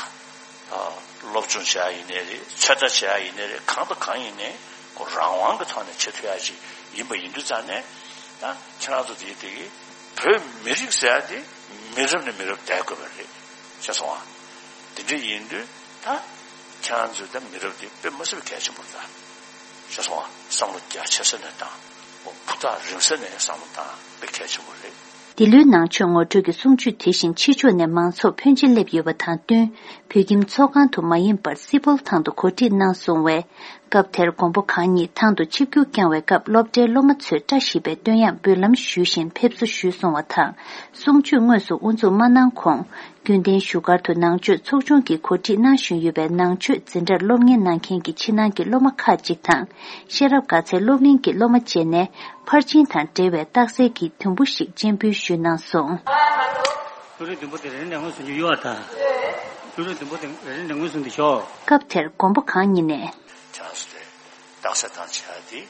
སློབ་སྦྱོང་བྱེད་ཡག་ཡིན་ནའི་རེད། ཚོད་ལྟ་བྱེད་ཡག་ཡིན་ནའི་རེད། གང་དང་གང་ཡིན་ནའི་ཁོ་རང་དབང་གི་ཐོག་ནས་བྱེད་ཐུབ་ཡག་ཅིག་ཡིན་པ་ཡིན་དུས་ཙང་ནས་ད་ཁྱེད་རང་ཚོ་དེ་དེ་གི་བོད་མི་རིགས་ཟེར་ཡག་དེ་མི་རབས་ནས་མི་རབས་བསྡད་དགོས་པ་རེད། ཤེས་སོང་ཨ། དེ་འདྲ་ཡིན་དུས་ད་ཁྱེད་རང་ཚོའི་ད་མི་རབས་དེ་དཔེ་མི་སྲིད་པའི་གལ་ཆེན་པོ་རེད་ད། ཤེས་སོང་ཨ། བསམ་བློ་རྒྱ་ཆེ་ས་ནས་བཏང་། འོ་ཕུ་ཐག་རིང་ས་ནས་བསམ་བློ་བཏང་དཔེ་གལ་ཆེན་པོ་རེད། འདི་ལོའི་ནང་ཆོས་ངོ་སྤྲོད་ཀྱི་གསུང་ཆོས་དེ་བཞིན་ཕྱི་ཕྱོགས་ནས་མང་ཚོགས་ཕོན་ཆེ་སླེབས་ཡོད་པ་དང་བསྟུན། བོད་ཁྱིམ་ཚོགས་ཁང་དུ་མ་ཡིན་པར་སི་པོལ་ཐང་དུ་གོ་སྒྲིག་གནང་སོང་བས། སྐབས་དེར་མགོན་པོ་གང་ཉིད་ཐང་དུ་ཆིབས་བསྒྱུར་བསྐྱངས་བའི་སྐབས་སློབ་གྲྭའི་སློབ་མ་ཚོས་བཀྲ་ཤིས་པའི་བསྟོད་དབྱངས་འབུལ་ལམ་ཞུས་བཞིན་ཕེབས་བསུ་ཞུས་སོང་བ་དང་། གསུང་ཆོས་དངོས་སུ་དབུ་འཛུགས་མ་གནང་གོང་། རྒྱུན་ལྡན་བཞུགས་སྒར་དུ་ནང་ཆོས་ཚོགས་ཆུང་གིས་གོ་སྒྲིག་གནང་བཞིན་ཡོད་པའི་ནང་ཆོས་འཛིན་གྲྭར་སློབ་གཉེར་གནང་མཁན་གྱི་ཕྱི་ནང་གི་སློབ་མ་ཁག་ཅིག་དང་། ཤེས་རབ་དགའ་ཚལ་སློབ་གླིང་གི་སློབ་མ་བཅས་ནས་ཕར་ཕྱིན་དང་འབྲེལ་བའི་རྟགས་གསལ་གྱི་དུམ་བུ་ཞིག་སྤྱན་འབུལ་ཞུས་གནང་སོང་། བློ་རིག་བདུན་པོ་དེ་རེ་རེ་ནས་དངོས་སུ་འཇུག་ཡོད་པ་དང་། ཀླུ་སྒྲུབ་བདུན་པོ་དེ་རེ་རེ་འདྲ་མངོན་སུམ་དུ་ཤོག་སྐབས་དེར་མགོན་པོ་གང་ཉིད་ནས། ཁྱེད་རང་ཚོ་དེ་རྟགས་གསལ་བཏང་བྱས་ཏེ།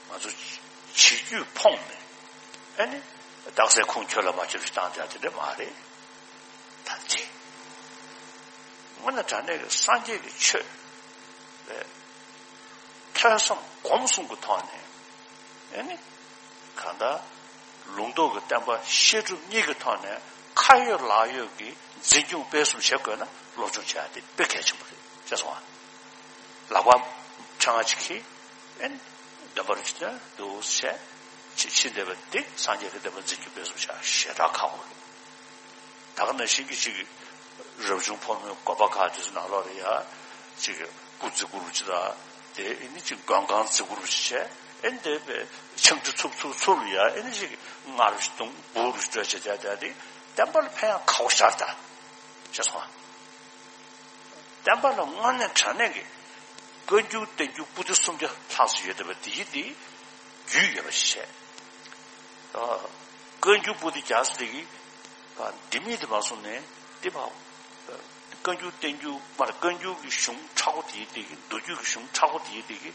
ང་ཚོ་བྱེད་རྒྱུས་ཕོངས་ནས། ཨ་ནི། རྟགས་གསལ་ཁུངས་འཁྱོལ་ལ་མ་འཁྱོལ་ཞིག་བཏང་བསྡད་དེ་འདྲ་མ་རེད། ད་ཅི། དངོས་གནས་དྲང་གནས་ཀྱི་སངས་རྒྱས་ཀྱི་ཆོས། རེད། ཐོས་བསམ་སྒོམ་གསུམ་གྱི་ཐོག་ནས། ཨ་ནི། གང་ལྟར། ལུང་རྟོགས་ཀྱི་བསྟན་པ་བཤད་སྒྲུབ་གཉིས་ཀྱི་ཐོག་ནས་ཁ་ཡོད་ལག་ཡོད་ཀྱི་འཛིན་སྐྱོང་སྤེལ་གསུམ་བྱེད་དགོས་ན་སློབ་སྦྱོང་བྱ་ཡ་དེ་དཔེ་གལ་ཆེན་པོ་རེད་ཅེས་གསུངས་པ། ལག་པ་ཕྲེང་བ་གཅིག་གིས་ཨེ་འདོན་པར་བྱེད་དུ་བྱས། ཕྱི་ཕྱི་འདོན་པ་འདི་སངས་རྒྱས་ཀྱི་བསྟན་པ་འཛིན་སྐྱོང་སྤེལ་གསུམ་བྱ་ཞེ་དྲག་ཁག་པོ་རེད། ད་ག་ནང་བཞིན་གྱི་ཅིག་རབ་བྱུང་ཕོ་མོའི་དགོན་པ་ཁག་དེ་ཚོ་ནང་ལོགས་ལ་ཡ་ཅིག་སྐུ་བརྩི་བཀུར་བྱེད་ད་དེ་ཨེ་ནི་ཅིག་མགོན་ཁང་བརྩི་བཀུར་བྱེད་ཨེ་འདས་པའི་ཆང་དུ་ཚུབ་ཚུབ་ཚུབ་ལ་ཡ་ཨེ་ནི་ཅིག་མངར་བྱེད་དུང་འབུར་བྱེད་བྱེད་བྱེད་དེ་བསྟན་པ་ལ་ཕན་ཡང་ཁག་པོ་ཞར་ད་ཅེས་སོང་། བསྟན་པ་ལ་དངོས་གནས་དྲང་གནས་ཀྱི་བཀའ་འགྱུར་བསྟན་འགྱུར་པོ་ཏི་སུམ་བརྒྱ་ལྷག་ཙམ་ཡོད་བསྡད་པ་དེ་ཡི་དེ་རྒྱུས་ཡོད་པ་ཞིག་བྱས། བཀའ་འགྱུར་པོ་ཏི་རྒྱག་ས་དེ་གི་འདི་མིན་དེ་མ་སོང་ནས་དེ་བ། བཀའ་འགྱུར་བསྟན་འགྱུར་མར་བཀའ་འགྱུར་གྱི་གཞུང་མཁྲེགས་པོ་དེ་ཡི་དེ་གི་མདོ་རྒྱུད་ཀྱི་གཞུང་མཁྲེགས་པོ་དེ་ཡི་དེ་གི་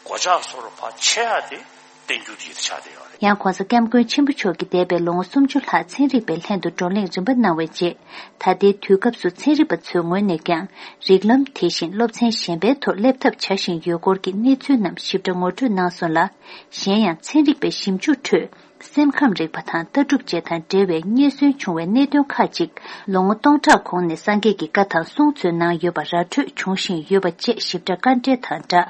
གོ་ཆ་སོར་ཕར་ཆེ་ཡ་དེ། བསྟན་འགྱུར་དེ་ཡི་དེ་ཆགས་བསྡད་ཡོད་རེད། ཡང་༧གོང་ས་༧སྐྱབས་མགོན་ཆེན་པོ་མཆོག་གིས་འདས་པའི་ལོ་ངོ་སུམ་ཅུ་ལྷག་ཚན་རིག་པའི་ལྷན་དུ་བགྲོ་གླེང་རིམ་པ་གནང་བའི་རྗེས། ད་ལྟའི་དུས་སྐབས་སུ་ཚན་རིག་པ་ཚོའི་ངོས་ནས་ཀྱང་རིགས་ལམ་དེ་བཞིན་སློབ་ཚན་གཞན་པའི་ཐོག་སླེབས་ཐབས་བྱ་བཞིན་ཡོད་སྐོར་གྱི་གནས་ཚུལ་རྣམས་ཞིབ་ཕྲ་ངོ་སྤྲོད་གནང་སོང་ལ། གཞན་ཡང་ཚན་རིག་པའི་ཞིབ་འཇུག་ཁྲོད་སེམས་ཁམས་རིག་པ་དང་ལྟ་གྲུབ་བཅས་དང་འབྲེལ་བའི་རྙེད་སོན་བྱུང་བའི་གནད་དོན་ཁག་ཅིག་ལོ་ངོ་སྟོང་ཕྲག་གོང་ནས་སངས་རྒྱས་ཀྱི་བཀའ་དང་གསུང་ཚུལ་ནང་ཡོད་པ་ར་འཕྲོད་བྱུང་བཞིན་ཡོད་པ་བཅས་ཞིབ་ཕྲ་བཀའ་འགྲེལ་དང་སྦྲགས།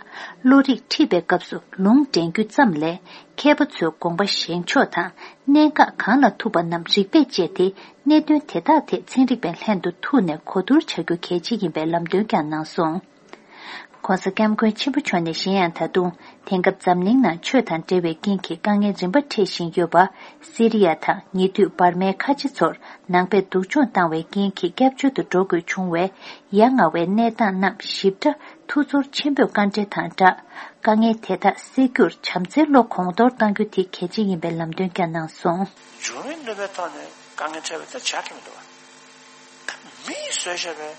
བློ་རིག་ཁྲིད་པའི་སྐབས་སུ་ལུང་འདྲེན་རྒྱུ་ཙམ་ལས། མཁས་པ་ཚོའི་དགོངས་པ་བཞེངས་ཕྱོགས་དང་གནད་འགག་གང་ལ་ཐུག་པ་རྣམས་རིགས་པས་དཔྱད་དེ། གནད་དོན་དེ་དག་ཐད་ཚན་རིག་པའི་ལྷན་དུ་ཐུག་ནས་གོ་བསྡུར་བྱ་རྒྱུ་གལ་ཆེ་ཡིན་པའི་ལམ་སྟོན་ཀྱང་གནང་སོང་། ༸གོང་ས་༸སྐྱབས་མགོན་ཆེན་པོ་མཆོག་ནས་གཞན་ཡང་ད་དུང་དེང་སྐབས་འཛམ་གླིང་ནང་ཆོས་དང་འབྲེལ་བའི་རྐྱེན་གྱིས་དཀའ་ངལ་རིམ་པ་འཕྲད་བཞིན་ཡོད་པ། སི་རི་ཡ་དང་ཉེ་དུས་འབར་མའི་ཁ་ཆེ་ཚོར་ནང་པས་སྡུག་སྦྱོང་བཏང་བའི་རྐྱེན་གྱིས་སྐྱབས་བཅོལ་དུ་འགྲོ་དགོས་བྱུང་བའི་ཡ་ང་བའི་གནས་སྟངས་རྣམས་ཞིབ་ཕྲ་ཐུགས་ཚོར་ཆེན་པོས་བཀའ་འགྲེལ་དང་སྦྲགས། དཀའ་ངལ་དེ་དག་སེལ་རྒྱུར་བྱམས་བརྩེའི་བློ་གོང་མཐོར་གཏང་རྒྱུ་དེ་གལ་ཆེ་ཡིན་པའི་ལམ་སྟོན་ཀྱང་གནང་སོང་། འབྱུང་བའི་གནོད་པའི་ཐོག་ནས་དཀའ་ངལ་འཕྲད་པ་དེ་བྱ་གི་མི་འདུག་བ། ད་མིས་བཟོས་བཞག་པའི་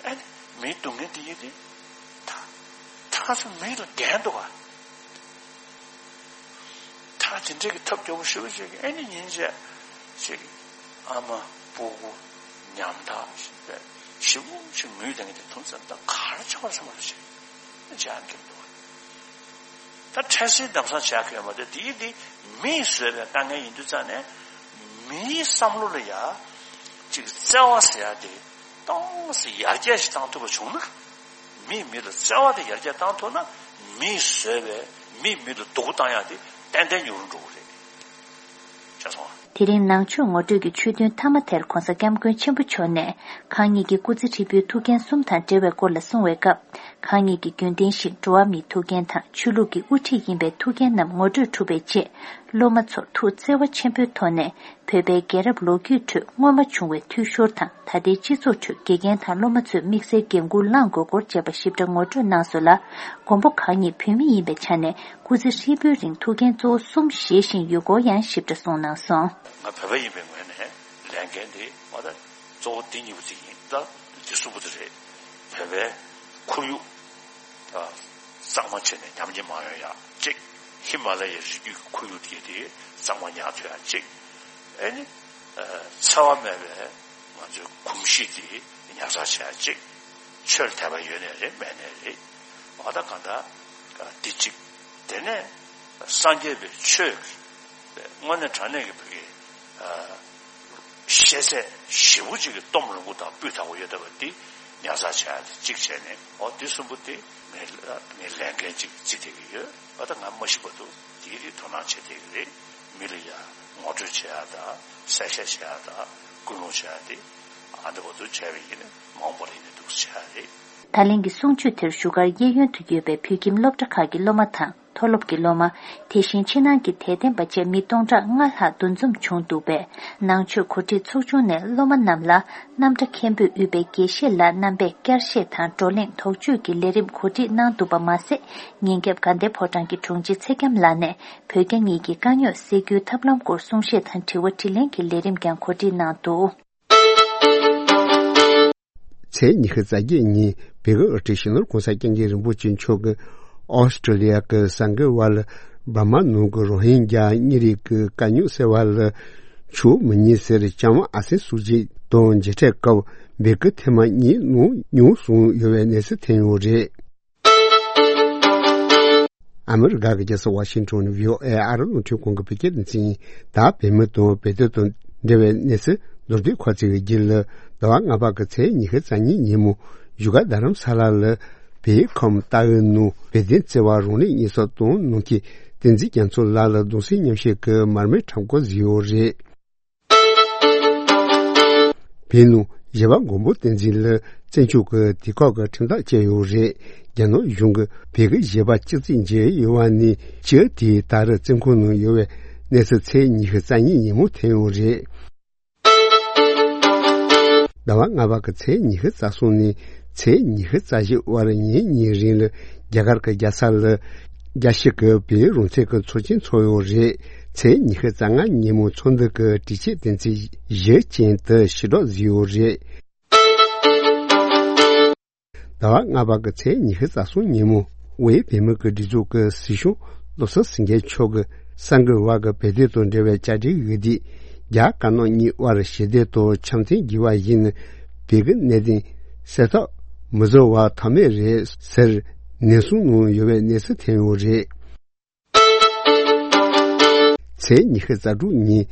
ཨ་ནི་མིའི་སྡུག་བསྔལ་དེ་ཡིན་ཏེ། ད་ད་ཚོ་མི་ལ་འགན་འདུག་བ། ད་དེ་འདྲའི་གི་ཐབས་སྐྱོ་པོ་ཞེ་པོ་ཅིག་གི་ཨ་ནི་ཉིན་བྱས་ཅིག་ཨ་མ་སྤུ་གུ་ཉམ་ཐག་ཞིག་ཞེ་པོ་ཅིག་ངུས་བསྡད་མཁན་དེ་མཐོང་ཙང་ད་ག་རེ་བྱ་བར་བྱ་བར་བྱེད་ཅེས་ཨ་ནི་སྐྱེ་འདུག་བ། ད་འཕྲལ་སེལ་དམ་སྲུང་བྱ་གི་ཡོད་མ་རེད། དེ་ཡིན་དེ་མིས་བཟོས་པའི་དཀའ་ངལ་ཡིན་དུས་ཙང་ནས་མིའི་བསམ་བློ་ལ་ཡ་ཅིག་བརྩེ་བ་ཟེར་ཡ་དེ་ཏོག་ཙམ་ཡར་རྒྱས་ཤིག་བཏང་ཐུབ་པ་བྱུང་ན། མིས་མི་ལ་བརྩེ་བ་དེ་ཡར་རྒྱས་བཏང་ཐུབ་ན། མིས་བཟོས་པའི་མིས་མི་ལ་སྡུག་པོ་བཏང་ཡག་དེ་ཏན་ཏན་ཉུང་རུ་འགྲོ་གི་རེད། ཤེས་སོང་ང་། དེ་རིང་ནང་ཆོས་ངོ་སྤྲོད་ཀྱི་ཆོས་ཐུན་མཐའ་མ་དེར་༸གོང་ས་༸སྐྱབས་མགོན་ཆེན་པོ་མཆོག་ནས་གང་ཉིད་ཀྱི་སྐུ་ཚེ་ཧྲིལ་པོའི་ཐུགས་འགན་གསུམ་དང་འབྲེལ་བའི་སྐོར་ལ་གསུང་བའི་སྐབས། གང་ཉིད་ཀྱི་རྒྱུན་ལྡན་ཞིང་འགྲོ་བ་མིའི་ཐུགས་འགན་དང་ཆོས་ལུགས་ཀྱི་དབུ་ཁྲིད་ཡིན་པའི་ཐུགས་འགན་རྣམས་ངོ་སྤྲོད་གྲུབ་པའི་རྗེས། སློབ་མ་ཚོར་ཐུགས་བརྩེ་བ་ཆེན་པོའི་ཐོག་ནས། བོད་པའི་རྒྱལ་རབས་ལོ་རྒྱུས་ཁྲོད་སྔོན་མ་བྱུང་བའི་འཐུས་ཤོར་དང་ད་ལྟའི་སྤྱི་ཚོགས་ཁྲོད་དགེ་རྒན་དང་སློབ་མ་ཚོས་དམིགས་བསལ་འགན་འཁུར་བླངས་དགོས་སྐོར་བཅས་པ་ཞིབ་ཕྲ་ངོ་སྤྲོད་གནང་སོང་ལ། མགོན་པོ་གང་ཉིད་བོད་མི་ཡིན་པའི་ཆ་ནས་སྐུ་ཚེ་ཧྲིལ་པོའི་རིང་ཐུགས་འགན་གཙོ་བོ་གསུམ་བཞེས་བཞིན་ཡོད་སྐོར་ཡང་ཞིབ་ཕྲ་གསུངས་གནང་སོང་། ང་བོད་པ་ཡིན་པའི་ངོས་ནས་ལས་འགན་དེ་ང་ད་གཙོ་བོ་དེ་གཉིས་པོ་དེ་ཡིན། ད་དེ་གསུམ་པོ་དེ་རེད། བོད་པའི་ཁོར་ཡུག་ད་གཙང་མ་བྱས་ནས་ཉམས་ཉེས་མ་ཡོང་ཡག་གཅིག། ཧི་མ་ལ་ཡའི་རི་རྒྱུད་ཀྱི་ཁོར་ཡུག་དེ་དེ་གཙང་མ་ཉར་ཐུབ་ཡག་གཅིག། ཨེ་ནི། འཚེ་བ་མེད་པའི་ང་ཚོའི་གོམས་གཤིས་དེ་ཉར་ཚགས་བྱེད་ཡག་གཅིག། ཆོས་ལ་དད་པ་ཡོད་ནའི་རེད་མེད་ནའི་རེད། འོ་ད་གང་ལྟར་འདི་གཅིག། དེ་ནས་སངས་རྒྱས་པའི་ཆོས་ཀྱི་དངོས་གནས་དྲང་གནས་ཀྱི་བོད་ཀྱི་ཤེས་ཚད་ཞེ་པོ་ཅིག་གི་སྟོབས་རིན་པོ་དང་སྤུས་དག་པོ་ཡོད་བསྡད་པ་འདི་ཉར་ཚགས་བྱེད་ཡག་དེ་གཅིག་བྱས་ནས། འོ་འདི་གསུམ་པོ་དེ་ངའི་ངའི་ལས་འགན་ཅིག་བརྩིས་བསྡད་ཀྱི་ཡོད། འོ་ད་ང་མ་ཤི་བར་དུ་དེའི་རིགས་དོ་སྣང་བྱེད་བསྡད་ཀྱི་རེད། མི་ལ་ཡ་ངོ་སྤྲོད་བྱེད་ཡག་དང་གསལ་བཤད་བྱེད་ཡག་དང་སྐུལ་སློང་བྱེད་ཡག་དེ་ཨ་འདྲ་བར་དུ་བྱས་པ་ཡིན་ན་མ་འོངས་པར་ཡིན་ན་འདུག་སེ་བྱེད་ཡག་རེད། ད་ལན་གྱི་གསུང་ཆོས་དེར་བཞུགས་སྒར་གཡས་གཡོན་དུ་ཡོད་པའི་བོད་ཁྱིམ་སློབ་གྲྭ་ཁག་གི་སློབ་མ་དང་མཐོ་སློབ་ཀྱི་སློབ་མ། དེ་བཞིན་ཕྱི་ནང་གི་དད་ལྡན་པ་བཅས་མི་སྟོང་ཕྲག་ལྔ་ལྷག་འདུ་འཛོམས་བྱུང་འདུག་པས། ནང་ཆོས་གོ་སྒྲིག་ཚོགས་ཆུང་ནས་སློབ་མ་རྣམས་ལ་རྣམ་གྲྭ་མཁན་པོས་དབུས་པའི་དགེ་བཤེས་ལགས་རྣམ་པས་བསྐྱར་བཤད་དང་བགྲོ་གླེང་དོགས་གཅོད་ཀྱི་ལས་རིམ་གོ་སྒྲིག་གནང་འདུག་པ་མ་ཟད། ཉིན་རྒྱབ་དགའ་ལྡན་ཕོ་བྲང་གི་དྲུང་ཆེ་ཚེ་རྒྱམ་ལགས་ནས་བོད་རྒྱ་གཉིས་ཀྱི་དཀའ་རྙོག་སེལ་རྒྱུའི་ཐབས་ལམ་སྐོར་གསུང་བཤད་དང་དྲི་བ་དྲིས་ལན་གྱི་ལས་རིམ་ཀྱང་གོ་སྒྲིག་གནང་འདུག། ཚེས་ཉི་ཤུ་རྩ་བརྒྱད་ཉིན་བོད་ཀྱི་དབུ་ཁྲིད་སྤྱི་ནོར་གོང་ས་སྐྱབས་མགོན་རིན་པོ་ཆེ་མཆོག་གིས་ཨོ་སི་ཀྲི་ལི་ཡ་གི་གསར་འགོད་པ་ལ་འབར་མ་ནང་གི་རོ་ཧིན་རྒྱ་གཉེར་རིགས་ཀྱི་དཀའ་རྙོག་སེལ་བ་ལ་ཆོག་མི་ཉན་ཟེར་ལྕམ་ཨ་སན་སུ་ཅི་དང་མཇལ་འཕྲད་སྐབས་བོད་ཀྱི་ཐེངས་མ་གཉིས་གནང་མྱོང་གསུངས་ཡོད་པའི་གནས་ཚུལ་ཐོན་ཡོད་རེད། ཨ་མི་རི་ཀ་གི་རྒྱལ་ས་ཝ་ཤིང་ཊོན་ནས་བྷི་ཨོ་ཨེ་ཨ་རི་རླུང་འཕྲིན་ཁང་གི་བོད་སྐད་སྡེ་ཚན་ཡིན། ད་བོད་མི་དང་བོད་དོན་དང་འབྲེལ་བའི་གནས་ཚུལ་མདོར་བསྡུས་ཁ་ཚིག་གི་རྒྱུད་ལ། ཟླ་བ་ལྔ་པ་གི་ཚེས་ཉི་ཤུ་རྩ་གཉིས་ཉིན་མོ་བཞུགས་སྒར་རྡ་རམ་ས་ལ་ལ་བོད་ཁམས་ཏང་ཨུའི་ནང་བོད་དོན་བརྩེ་བ་རང་ལུས་སྙིང་སྟོབས་དང་ནང་ཁུལ་བསྟན་འཛིན་རྒྱ་མཚོ་ལགས་ལ་གདུང་སེམས་མཉམ་སྐྱེད་ཀྱི་མར་མེ་ཁྲོམ་སྐོར་བཟོས་ཡོད་རེད། བོད་ནང་གཞས་པ་མགོན་པོ་བསྟན་འཛིན་ལ་བཙན་བྱོལ་གྱི་དུས་བཀག་གི་ཁྲིམས་ཐག་བཅད་ཡོད་རེད། རྒྱ་ནག་གཞུང་གིས་བོད་ཀྱི་གཞས་པ་བཅུ་གཅིག་མཇལ་ཡོད་པ་ནས་བཅུ་དེ་ད་རེས་བཙོན་ཁང་ནང་ཡོད་པའི་གནས་ཚུལ་ཚེས་ཉི་ཤུ་རྩ་གཉིས་ཉིན་མོ་ཐོན་ཡོད་རེད། ཟླ་བ་ལྔ་པ་གི་ཚེས་ཉི་ཤུ་རྩ་གསུམ་ནས་ཚེས་ཉི་ཤུ་རྩ་བཞི་བར་ཉིན་གཉིས་རིང་ལ་རྒྱ་གར་གྱི་རྒྱལ་ས་ལ་རྒྱལ་སྤྱི་གི་བོད་རང་བཙན་གྱི་ཚོགས་ཆེན་ཚོགས་ཡོད་རེད། ཚེས་ཉི་ཤུ་རྩ་ལྔ་ཉིན་མོ་ཚོགས་འདུ་གི་གྲོས་ཆོད་དོན་ཚན་བཞི་ཅན་དེ་ཕྱིར་སྒྲོག་བཟོས་ཡོད་རེད། ཟླ་བ་ལྔ་པ་གི་ཚེས་ཉི་ཤུ་རྩ་གསུམ་ཉིན་མོ་དབུས་བོད་མི་གི་སྒྲིག་འཛུགས་ཀྱི་སྲིད་སྐྱོང་བློ་བཟང་སེང་གེ་མཆོག་གིས་གསར་འགོད་པ་གི་བོད་དོན་དང་འབྲེལ་བའི་བཅར་འདྲིའི་འོས་བསྡུ། རྒྱ་དཀར་ནག་གཉིས་དབར་ཞི་བདེ་དང་འཆམ་མཐུན་བརྒྱུད་པ་ཡིན་ན་བོད་ཀྱི་གནད་དོན་སེལ་ཐབས་མི་བཟོ་བ་ཐབས་མེད་རེད་ཟེར་ནན་གསུང་གནང་ཡོད་པའི་གནས་ཚུལ་ཐོན་ཡོད་རེད། ཚེས་ཉི་ཤུ་རྩ་དྲུག་ཉིན་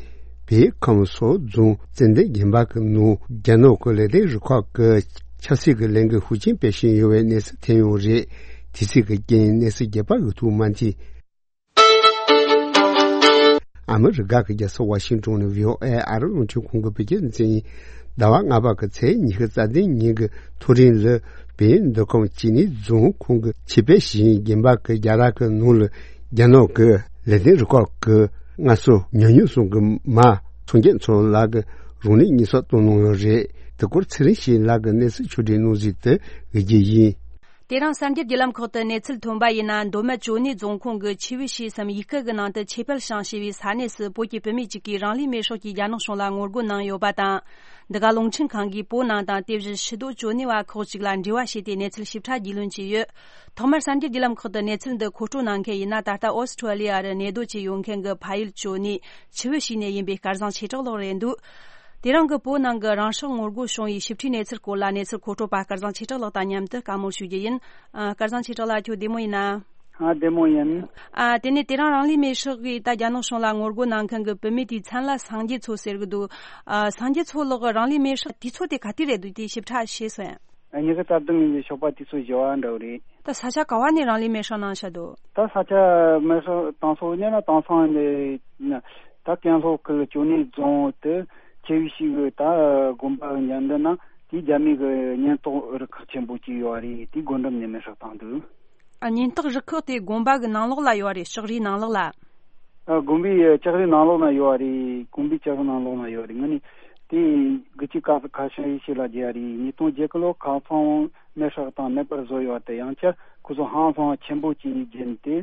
བོད་ཁམས་སོག་རྫོང་ཙན་དན་དགོན་པ་གི་ནང་རྒྱ་ནག་གི་ལེགས་ལྡན་རུ་ཁག་གི་ཆབ་སྲིད་ཀྱི་ལས་འགུལ་ཤུགས་ཆེན་སྤེལ་བཞིན་ཡོད་པའི་གནས་ཚུལ་ཐོན་ཡོད་རེད། དུས་ཚོད་ཀྱི་རྐྱེན་གནས་ཚུལ་རྒྱས་པ་འུ་ཐུག་མ་མཐུན། ཨ་མི་རི་ཀ་གི་རྒྱལ་ས་ཝ་ཤིང་ཊོན་ནས་བྷི་ཨོ་ཨེ་ཨ་རི་རླུང་འཕྲིན་ཁང་གི་བོད་སྐད་སྡེ་ཚན་ཡིན། ཟླ་བ་ལྔ་པ་གི་ཚེས་ཉི་ཤུ་རྩ་བདུན་ཉིན་གྱི་མཐོ་རིམ་ལ་བོད་མདོ་ཁམས་སྐྱེ་གནས་རྫོང་ཁོངས་ཀྱི་ཆེད་སྤེལ་ཞིང་རྒན་པ་གི་རྒྱ་ར་གི་ནང་ལ་རྒྱ་ནག་གི་ལེགས་ལྡན་རུ་ཁག་གི་ལྔ་སོ་ཉུང་ཉུང་གསུམ་གྱི་མ་སངས་རྒྱས་མཚོ་ལགས་ཀྱིས་རང་ལུས་སྙིང་སྲོག་བཏང་གནང་ཡོད་རེད། དེ་སྐོར་ཚེ་རིང་སྐྱིད་ལགས་ཀྱིས་གནས་ཚུལ་ཕྱོགས་སྒྲིག་གནང་གཟིགས་དུ་འོས་རྒྱུ་ཡིན། དེ་རིང་གསར་འགྱུར་བརྒྱུད་ལམ་ཁག་ཏུ་གནས་ཚུལ་ཐོན་པ་ཡིན་ན། མདོ་སྨད་ཅོ་ནེ་རྫོང་ཁོངས་ཀྱི་ཆུ་བོ་ཞེས་སམ་ཡུལ་སྐད་ཀྱི་ནང་དུ་ཆེ་འཕེལ་ཞང་ཞེས་པའི་ས་གནས་སུ་བོད་ཀྱི་བུད་མེད་ཅིག་གིས་རང་ལུས་མེར་སྲེག་གིས་རྒྱ་ནག་གཞུང་ལ་ངོ་རྒོལ་གནང་ཡོད་པ་དང་། འདི་ག་རླུང་འཕྲིན་ཁང་གིས་བོད་ནང་དང་དེ་བཞིན་ཕྱི་སྡོད་ཅོ་ནེ་བ་ཁག་ཅིག་ལ་འབྲེལ་བ་བྱས་ཏེ་གནས་ཚུལ་ཞིབ་ཕྲ་རྒྱུས་ལོན་བྱས་ཡོད། ཐོག་མར་གསར་འགྱུར་བརྒྱུད་ལམ་ཁག་ཏུ་གནས་ཚུལ་འདི་མཁོ་སྤྲོད་གནང་མཁན་ཡིན་ན། ད་ལྟ་ཨོ་སི་ཁྲུ་ལི་ཡ་རུ་གནས་སྡོད་བྱས་ཡོད་མཁན་གྱི་ཕ་ཡུལ་ཅོ་ནེ་ཆུ་བོ་ཞིག་ནས་ཡིན་པའི་སྐལ་བཟང་ཆོས་གྲགས་ལགས་རེད་འདུག་དེ་རིང་གི་བོད་ནང་གི་རང་སྲོག་ངོ་རྒོལ་བྱུང་བའི་ཞིབ་ཕྲའི་གནས་ཚུལ་སྐོར་ལ་གནས་ཚུལ་མཁོ་སྤྲོད་པ་སྐལ་བཟང་ཆོས་གྲགས་ལགས་དང་མཉམ་དུ་བཀའ་མོལ་ཞུ་རྒྱུ་ཡིན། ཨ། སྐལ་བཟང་ཆོས་གྲགས་ལགས། ཁྱོད་བདེ་མོ་ཡིན་ན། ཨ། བདེ་མོ་ཡིན། ཨ། དེ་ནས་དེ་རིང་རང་ལུས་མེར་སྲེག་གིས་ད་རྒྱ་ནག་གཞུང་ལ་ངོ་རྒོལ་གནང་མཁན་གྱི་བུད་མེད་དེའི་མཚན་ལ་སངས་རྒྱས་མཚོ་ཟེར་གི་འདུག་ཨ། སངས་རྒྱས་མཚོ་ལགས་ཀྱི་རང་ལུས་མེར་སྲེག་དུས་ཚོད་དེ་ག་དུས་རེད་འདུག་དེ་ཞིབ་ཕྲ་ཤེས་སོང་ཡ། ཉི་ཤུ་རྩ་བདུན་ཉིན་གྱི་ཞོགས་པ་དུས་ཚོད་བཞི་པ་འདྲ་བོ་རེད། ད་ས་ཆ་ག་བ་ནས་རང་ལུས་མེར་སྲེག་གནང་བཞག་འདུག་ད་ས་ཆ་མེར་སྲེག་བཏང་ས་ཉེ་ལ་བཏང་ས་ནས་ད་ཀན་ལྷོ་ཁུལ་ཅོ་ནེ་རྫོང་དུ་ཆེ་བའི་ཞིག་གི་ད་དགོན་པ་ཉམས་འདི་ན་དེའི་རྒྱ་མི་གི་ཉེན་རྟོག་རུ་ཁག་ཆེན་པོ་ཅིག་ཡོད་རེད། དེའི་སྒོ་འགྲམ་ནས་མེར་སྲེག་བཏང་འདུག་ཨ། ཉེན་རྟོག་རུ་ཁག་དེ་དགོན་པ་གི་ནང་ལོགས་ལ་ཡོད་རེད། ལྕགས་རིའི་ནང་ལོགས་ལ། ཨ། དགོན་པའི་ལྕགས་རིའི་ནང་ལོགས་ན་ཡོད་རེད། དགོན་པའི་ལྕགས་རིའི་ནང་ལོགས་ན་ཡོད་རེད། ངས་ནི་དེ་དགུ་བཅུ་ཁ་ཁ་ཤས་ཤིག་ལ་བརྗེ་ཡ་རེད། ཉིས་སྟོང་བརྒྱད་ལོ་ཁ་སང་མེར་སྲེག་བཏང་མེད་པར་བཟོ་ཡོད་དེ། ཡང་བསྐྱར་ཁོ་ཚོ་ཧང་སང་ཆེན་པོ་ཅིག་བརྒྱབ་སྟེ་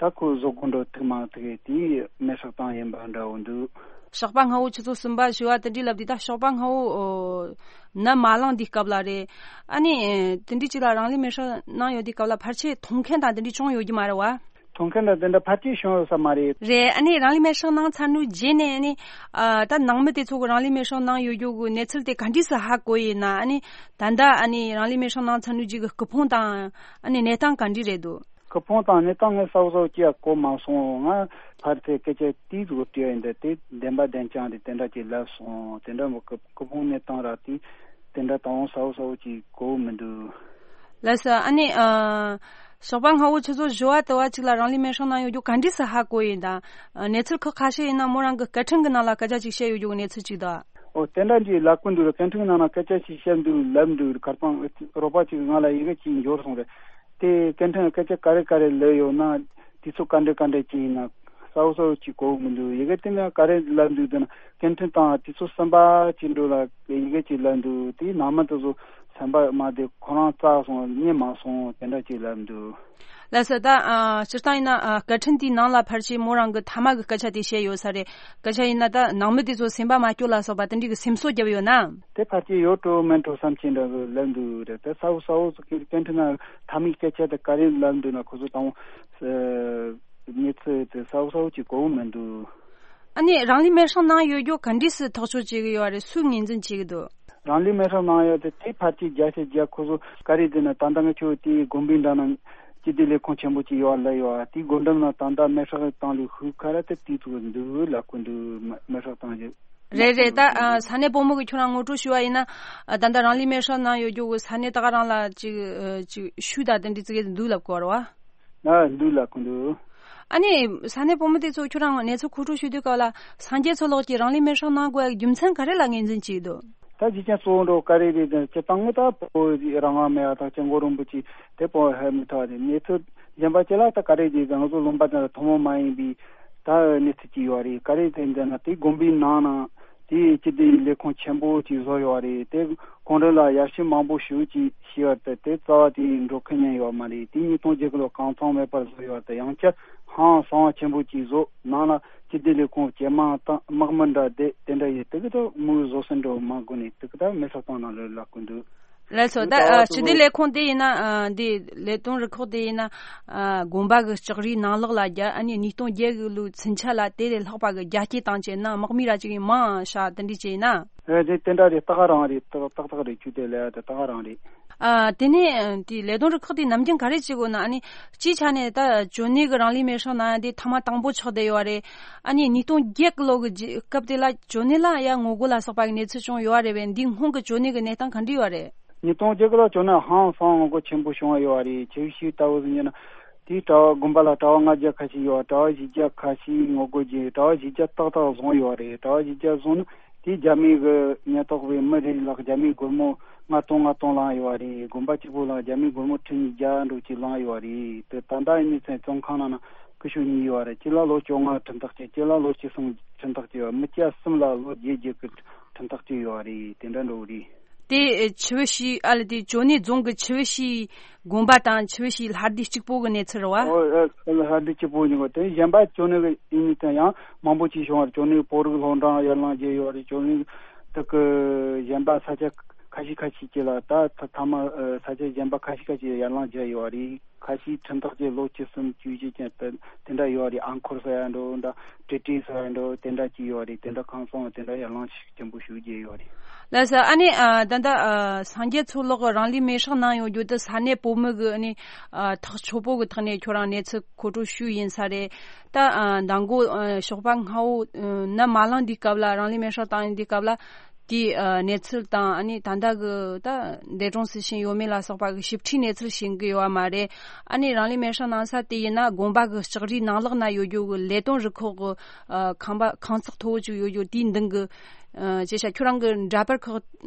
ད་ཁོ་བཟོ་དགོས་འགྲོ་ཐུག་མ་ཐུག་དེ་མེར་སྲེག་བཏང་ཡིན་པ་འདྲ་བོ་འདུག་ཞོགས་པ་སྔ་པོ་ཆུ་ཚོད་གསུམ་པ་བཞི་པ་དེ་འདྲའི་ལབ་དུས། ད་ཞོགས་པ་སྔ་པོ་ནམ་མ་ལངས་དུས་སྐབས་ལ་རེད། ཨ་ནི་དེ་འདྲའི་ཅིག་ལ་རང་ལུས་མེར་སྲེག་གནང་ཡོད་དུས་སྐབས་ལ་ཕལ་ཆེར་མཐོང་མཁན་དང་དེ་འདྲའི་བྱུང་ཡོད་ཀྱི་མ་རེད་བ། མཐོང་མཁན་དང་དེ་འདྲ་ཕལ་ཆེར་བྱུང་ཡོད་ས་མ་རེད། རེད། ཨ་ནི་རང་ལུས་མེར་སྲེག་གནང་ཚར་ནུས་རྗེས་ནས་ཨ་ནི་ཨ། ད་ནང་མི་དེ་ཚོ་གི་རང་ལུས་མེར་སྲེག་གནང་ཡོད་རྒྱུ་གི་གནས་ཚུལ་དེ་ག་འདྲས་སུ་ཧ་གོ་ཡིན་ན། ཨ་ནི་ད་ལྟ་ཨ་ནི་རང་ལུས་མེར་སྲེག་གནང་ཚར་ནུས་རྒྱུ་གི་སྐུ་ཕུང་དང་ཨ་ནི་གནས་སྟངས་ག་འདྲས་རེད་འདུག་སྐུ་ཕུང་དང་གནས་སྟངས་ངས་གསལ་པོ་ཅི་ཡང་གོ་མ་སོང་། ང་ཕར་དེ་སྐད་ཆ་དེའི་གཟུགས་བྲིས་ཡིན་དེ་དེ་བདེན་པ་བདེན་རྐྱང་རེད། དེ་འདྲ་ཅིག་ལབ་སོང་། དེ་འདྲ་མོ་སྐུ་སྐུ་ཕུང་གནས་སྟངས་ར་དེ་དེ་འདྲ་དང་གསལ་པོ་གསལ་པོ་ཅིག་གོ་མི་འདུག་ལགས་སོ། ཨ་ནི་ཨ། ཞོགས་པ་སྔ་པོ་ཆུ་ཚོད་བཞི་པ་དུ་བ་ཅིག་ལ་རང་ལུས་མེར་སྲེག་གནང་ཡོད་རྒྱུ་ག་འདྲས་སུ་ཧ་གོ་ཡིན་དང་། གནས་ཚུལ་ཁག་ཁ་ཤས་ཡིན་ན་མོ་རང་གི་སྐད་འཕྲིན་གི་ནང་ལ་སྐད་ཆ་ཅིག་བཤད་ཡོད་རྒྱུ་གི་གནས་ཚུལ་ཅིག་དང་། ཨོ་དེ་འདྲ་ཅིག་ལབ་གི་འདུག་སྐད་འཕྲིན་ནང་ན་སྐད་ཆ་ཞིག་བཤད་འདུག་ལབ་འདུག་ཁར་སང་རོགས་པ་ཅིག་ང་ལ་ཡི་གེ་ཅིག་འབྱོར་སོང་རེད། དེ་སྐད་འཕྲིན་སྐད་ཆ་ག་རེ་ག་རེ་ལབ་ཡོད་ན་དུས་ཚོད་ག་འདྲ་ག་འདྲ་ཅིག་ཡིན་ན་གསལ་པོ་གསལ་པོ་ཅིག་གོ་གི་མི་འདུག་ཡི་གེ་དེ་ནས་ག་རེ་ལབ་འདུག་དེ་ན་སྐད་འཕྲིན་དང་དུས་ཚོད་གསུམ་པ་ཅིག་འགྲོ་ལ་ཡི་གེ་ཅིག་ལབ་འདུག་དེའི་ནང་མི་དེ་ཚོ་ སེམས་པ་མ་བདེ། ཁོ་རང་རྩ་སོང་། གཉིད་མ་སོང་། དེ་འདྲ་ཅིག་ལབ་འདུག། ལགས་སོ། ད་ཨ་སྤྱིར་བཏང་ཡིན་ན་ཨ་སྐད་འཕྲིན་དེའི་ནང་ལ་ཕལ་ཆེར་མོ་རང་གི་ཐ་མ་གི་སྐད་ཆ་དེ་བཤད་ཡོད་ས་རེད། སྐད་ཆ་ཡིན་ན་ད་ནང་མི་དེ་ཚོ་སེམས་པ་མ་སྐྱོ་ལ་སོགས་པ་དེ་འདྲའི་གི་སེམས་གསོ་བརྒྱབ་ཡོད་ན། དེ་ཕལ་ཆེར་ཡོད་འགྲོ་མེད་འགྲོ་བསམ་གྱི་འདྲ་གི་ལབ་འདུག་རེད། དེ་གསལ་པོ་གསལ་པོ་ཟིག་གི་སྐད་འཕྲིན་ནང་ཐ་མའི་སྐད་ཆ་དེ་ག་རེ་ལབ་འདུག་ན། ཁོ་ཚོ་དང་པོ་གནས་ཚུལ་དེ་གསལ་པོ་གསལ་པོ་ཅིག་གོ་གི་མི་འདུག། ཨ་ནི་རང་ལུས་མེར་སྲེག་གནང་ཡོད་རྒྱུ་ག་འདྲས་སུ་ཐག་གཅོད་བྱེད་གི་ཡོད་རེད། སུས་ངོས་འཛིན་བྱེད་གི་འདུག། རང་ལུས་མེར་སྲེག་གནང་ཡོད་དེ་དེ་ཕལ་ཆེར་བརྒྱ་ཆ་བརྒྱ་ཁོ་ཚོ་ག་རེ་ཟེར་ན། ད་ལྟ་ང་ཚོ་དེའི་དགོན་པའི་འགྲམ་ན་སྤྱི་བདེ་ལས་ཁུངས་ཆེན་པོ་ཅིག་ཡོད་ལ་ཡོད། དེའི་སྒོ་འགྲམ་ན་ད་ལྟ་མེར་སྲེག་བཏང་ལུགས་ཤུགས་ཁ་ར་དེ་དེ་ཚོ་འདུག་ལབ་གི་འདུག། མེ་མེར་སྲེག་བཏང་རྒྱུ། རེད་རེད། ད་ཨ་ས་གནས་བུ་མོ་གི་ཁྱོད་རང་ངོ་སྤྲོད་ཞུ་བ་ཡིན་ན། ཨ་ད་ལྟ་རང་ལུས་མེར་སྲེག་གནང་ཡོད་རྒྱུ་གི་ས་གནས་ད་ག་རང་ལ་ཅིག་ཨ་ཅིག་ཤུལ་དང་དེ་འདྲའི་ཙི་གེ་འདུག་ལབ་དགོས་རེད་བ། ན་འདུག་ལབ་གི་འདུག། ཨ་ནི་ས་གནས་བུ་མོ་དེ་ཚོ་ཁྱོད་རང་གནས་ཚུལ་མཁོ་སྤྲོད་ཞུ་དུས་སྐབས་ལ་སངས་རྒྱས་མཚོ་ལགས་ཀྱིས་རང་ལུས་མེར་སྲེག་གནང་དགོས་ཡ་རྒྱུ་མཚན་ག་རེ་ལ་ངོས་འཛིན་བྱས་འདུག། ད་གཞི་རྐྱེན་གཙོ་བོ་འདྲ་བོ་ག་རེ་རེད་ཟེར་ན། སྤྱིར་བཏང་ངི་ད་བོད་རང་དབང་མེད་པ་དང་སྐྱབས་མགོན་རིན་པོ་ཆེ་དེ་བོད་ཧེ་མི་ཐོག་རེད། གནས་ཚུལ་གཞན་པ་ཅི་ལ་ད་ག་རེ་རེད་ཟེར་ན། ང་ཚོ་ལུང་པ་དེ་ལ་ཐུན་མོང་མ་ཡིན་པའི་ད་གནས་ཚུལ་ཅིག་ཡོད་རེད། ག་རེ་རེད་ཟེར་ན། དེ་དགོན་པའི་ནང་ན་དེའི་སྤྱི་བདེའི་ལས་ཁུངས་ཆེན་པོ་ཅིག་བཟོ་ཡོད་རེད། དེ་གུང་ཁྲན་ལ་ཡར་ཞུ་མང་པོ་ཞུ་ཅིག་ཞུས་པ་དེ་དེ་རྩ་བ་དེ་འགྲོ་མཁན་ཉན་ཡོད་མ་རེད། དེ་ཉིས་སྟོང་བརྒྱད་གི་ལོ་གང་ཚང་མེད་པར་བཟོ་ཡོད་རེད། ཡང་བསྐྱར་ཧང་སང་བ་ཆེན་པོ་ཅིག་བཟོ། ནང་ལ་སྤྱི་བདེ་ལས་ཁུངས་ཇེ་མང་དང་དམག་མི་འདྲ་བསྡད། དེ་འདྲ་ཡོད། དེ་གི་ད་མུ་བཟོ་སྲིད་འགྲོ་མ་དགོས་ནས་དེ་གི་ད་མེར་སྲེག་བཏང་ན་ལོས་ལབ་གི་འདུག། ལགས་སོ། ད་ཨ་སྤྱི་བདེ་ལས་ཁུངས་དེ་ཡིན་ན། ཨ་འདི་ལས་དོན་རུ་ཁག་དེ་ཡིན་ན། ཨ་དགོན་པ་གི་ལྕགས་རིའི་ནང་ལོགས་ལ་རྒྱ། ཨ་ནི་ཉིས་སྟོང་བརྒྱད་གི་ལོའི་ཚུན་ཆད་ལ་དེ་ལས་ལྷག་པ་གི་རྒྱ་སྐྱེད་བཏང་བྱས་ན་དམག་མི་ར་ཅིག་ཡིན་མང་ཤ་དེ་འདྲ་བྱས་ན། ཨེ་དེ་དེ་འདྲ་རེད། ཏག་རང་རེད། ཏག་ཏག་ཏག་རེད། ཁྱོད་དེ་ལས་དེ་ཏག་རང་རེད། ཨ་དེ་ནས་དེ་ལས་དོན་རུ་ཁག་དེ་ནམ་རྒྱུན་ག་རེ་བྱེད་དགོས་ན། ཨ་ནི་སྤྱིའི་ཆ་ནས་ད་ཇོ་ནེ་གི་རང་ལུས་མེར་སྲེག་གནང་ཡ་དེ་ཐེངས་མ་དང་པོ་ཆགས་བསྡད་ཡོད་རེད། ཨ་ནི་ཉིས་སྟོང་བརྒྱད་གི་ལོ་གི་རྗེས་སྐབས་དེ་ལ་ཇོ་ནེ་ལ་ཡ་ངོ་རྒོལ་ལ་སོགས་པ་གི་གནས་ཚུལ་བྱུང་ཡོད་རེད་པས། འདིའི་སྔོན་གི་ཇོ་ནེ་གི་གནས་སྟངས་ག་འདྲ་ཡོད་རེད། ཉིས་སྟོང་བརྒྱད་གི་ལོ་ཇོ་ནེ་ཧང་སང་ངོ་རྒོལ་ཆེན་པོ་བྱུང་བ་ཡོད་རེད། ཆེ་བཞི་ལྟ་བུ་ཟིན་ཡོད་ན། དེའི་གྲྭ་བ་དགོན་པ་ལ་གྲྭ་བ་ལྔ་བརྒྱ་ཁ་ཤས་ཡོད། གྲྭ་བ་བཞི་བརྒྱ་ཁ་ཤས་ངོ་རྒོལ་གྱིས་གྲྭ་བ་བཞི་བརྒྱ་ཏག་ཏག་བཟུང་ཡོད་རེད། གྲྭ་བ་བཞི་བརྒྱ་བཟུང་ནས་དེའི་རྒྱ་མི་གི་ཉེན་རྟོག་པའི་མི་རེ་ལ་རྒྱ་མིའི་སྒོར་མོ་ལྔ་སྟོང་ལྔ་སྟོང་བླངས་ཡོད་རེད། དགོན་པ་གཅིག་པོ་ལ་རྒྱ་མིའི་སྒོར་མོ་ཁྲི་ཉིས་བརྒྱ་འགྲོ་ཅིག་བླངས་ཡོད་རེད། དེ་ད་ལྟ་ཡིན་ནའི་ཚན་བཙོན་ཁང་ནང་ན་སྐུ་ཞབས་གཉིས་ཡོད་རེད། གཅིག་ལ་ལོ་བཅོ་ལྔ་ཁྲིམས་ཐག་བཅད། གཅིག་ལ་ལོ་བཅུ་གསུམ་ཁྲིམས་ཐག་བཅད་ཡོད། མི་སྐྱ་གསུམ་ལ་ལོ་བརྒྱད་བརྒྱད་ཀྱི་ཁྲིམས་ཐག་བཅད་ཡོད་རེད། དེ་འདྲ་འགྲོ་གི་རེད། དེ་ཆི་བི་ཤི་ཨ་ལ་དེ་ཇོ་ནེ་རྫོང་གི་ཆི་བི་ཤི་དགོན་པ་དང་ཆི་བི་ཤི་ལྷ་སྡེ་གཅིག་པོ་གི་གནས་ཚུལ་རེད་བ། ཨོ་ཨ་ལྷ་སྡེ་གཅིག་པོ་ཡིན་གོ། དེ་གཞན་པ་ཇོ་ནེ་གི་ཡིན་ནི་དེ་ཡང་མང་པོ་ཅིག་བྱུང་བ་རེད། ཇོ་ནེ་བོད་རིགས་སློབ་འབྲིང་ཡར་ལངས་བྱས་ཡོད་རེད། ཇོ་ནེ་དེ་གི་གཞན་པ་ས་ཆ་ཁ་ཤས་ཁ་ཤས་ཅིག་ལ་ད་ཐ་མ་ས་ཆ་གཞན་པ་ཁ་ཤས་ཁ་ཤས་ཡར་ལངས་བྱས་ཡོད་རེད། ཁ་ཤས་ཁྲིམས་ཐག་བཅད་ལོ་བཅུ་གསུམ་བཅུ་བཞི་ཅན་དེ་དེ་འདྲ་ཡོད་རེད། ཨ་འཁོར་ཟེར་ཡ་འགྲོ་འདྲ། ཏྲི་ཏྲི་ཟེར་ཡ་འགྲོ། དེ་འདྲ་ཅིག་ཡོད་རེད། དེ་འདྲ་ཁང་ཚང་དེ་འདྲ་ཡར་ལངས་ཤིག་ཆེན་པོ་ཞུ་རྒྱུ་ཡོད་རེད། ལགས་སོ། ཨ་ནི་ཨ་ད་ལྟ་ཨ་སངས་རྒྱས་མཚོ་ལགས་རང་ལུས་མེར་སྲེག་གནང་ཡོང་རྒྱུ་དེ་ས་གནས་བོད་མི་གི་ཨ་ནི་ཨ་ཐག་ཆོད་པོ་གི་ཐོག་ནས་ཁྱོད་རང་གནས་ཚུལ་མཁོ་སྤྲོད་ཞུས་ཡིན་ས་རེད། ད་ཨ་མདང་དགོང་ཨ་ཞོགས་པ་སྔ་བོ་ཨ་ནམ་མ་ལངས་དུས་སྐབས་ལ། རང་ལུས་མེར་སྲེག་བཏང་ཡོང་དུས་སྐབས་ལ། དེའི་ཨ་གནས་ཚུལ་དང་། ཨ་ནི་ད་ལྟ་གི་ད་འདས་གྲོངས་སུ་ཕྱིན་ཡོད་མེད་ལ་སོགས་པ་གི་ཞིབ་ཕྲའི་གནས་ཚུལ་ཤེས་ཀྱི་ཡོད་པ་མ་རེད། ཨ་ནི་རང་ལུས་མེར་སྲེག་གནང་ས་དེ་ཡིན་ན་དགོན་པ་གི་ལྕགས་རིའི་ནང་ལོགས་ན་ཡོད་རྒྱུ་གི་ལས་དོན་རུ་ཁག་གི་ཨ་ཁང་པ་ཁང་བརྩེགས་མཐོ་བོ་ཅིག་ཡོད་རྒྱུ་དེའི་མདུན་གི། ཨ་ཅེ་ཤ་ཁྱོད་རང་གི་འདྲ་པར་ཁག་ཨ་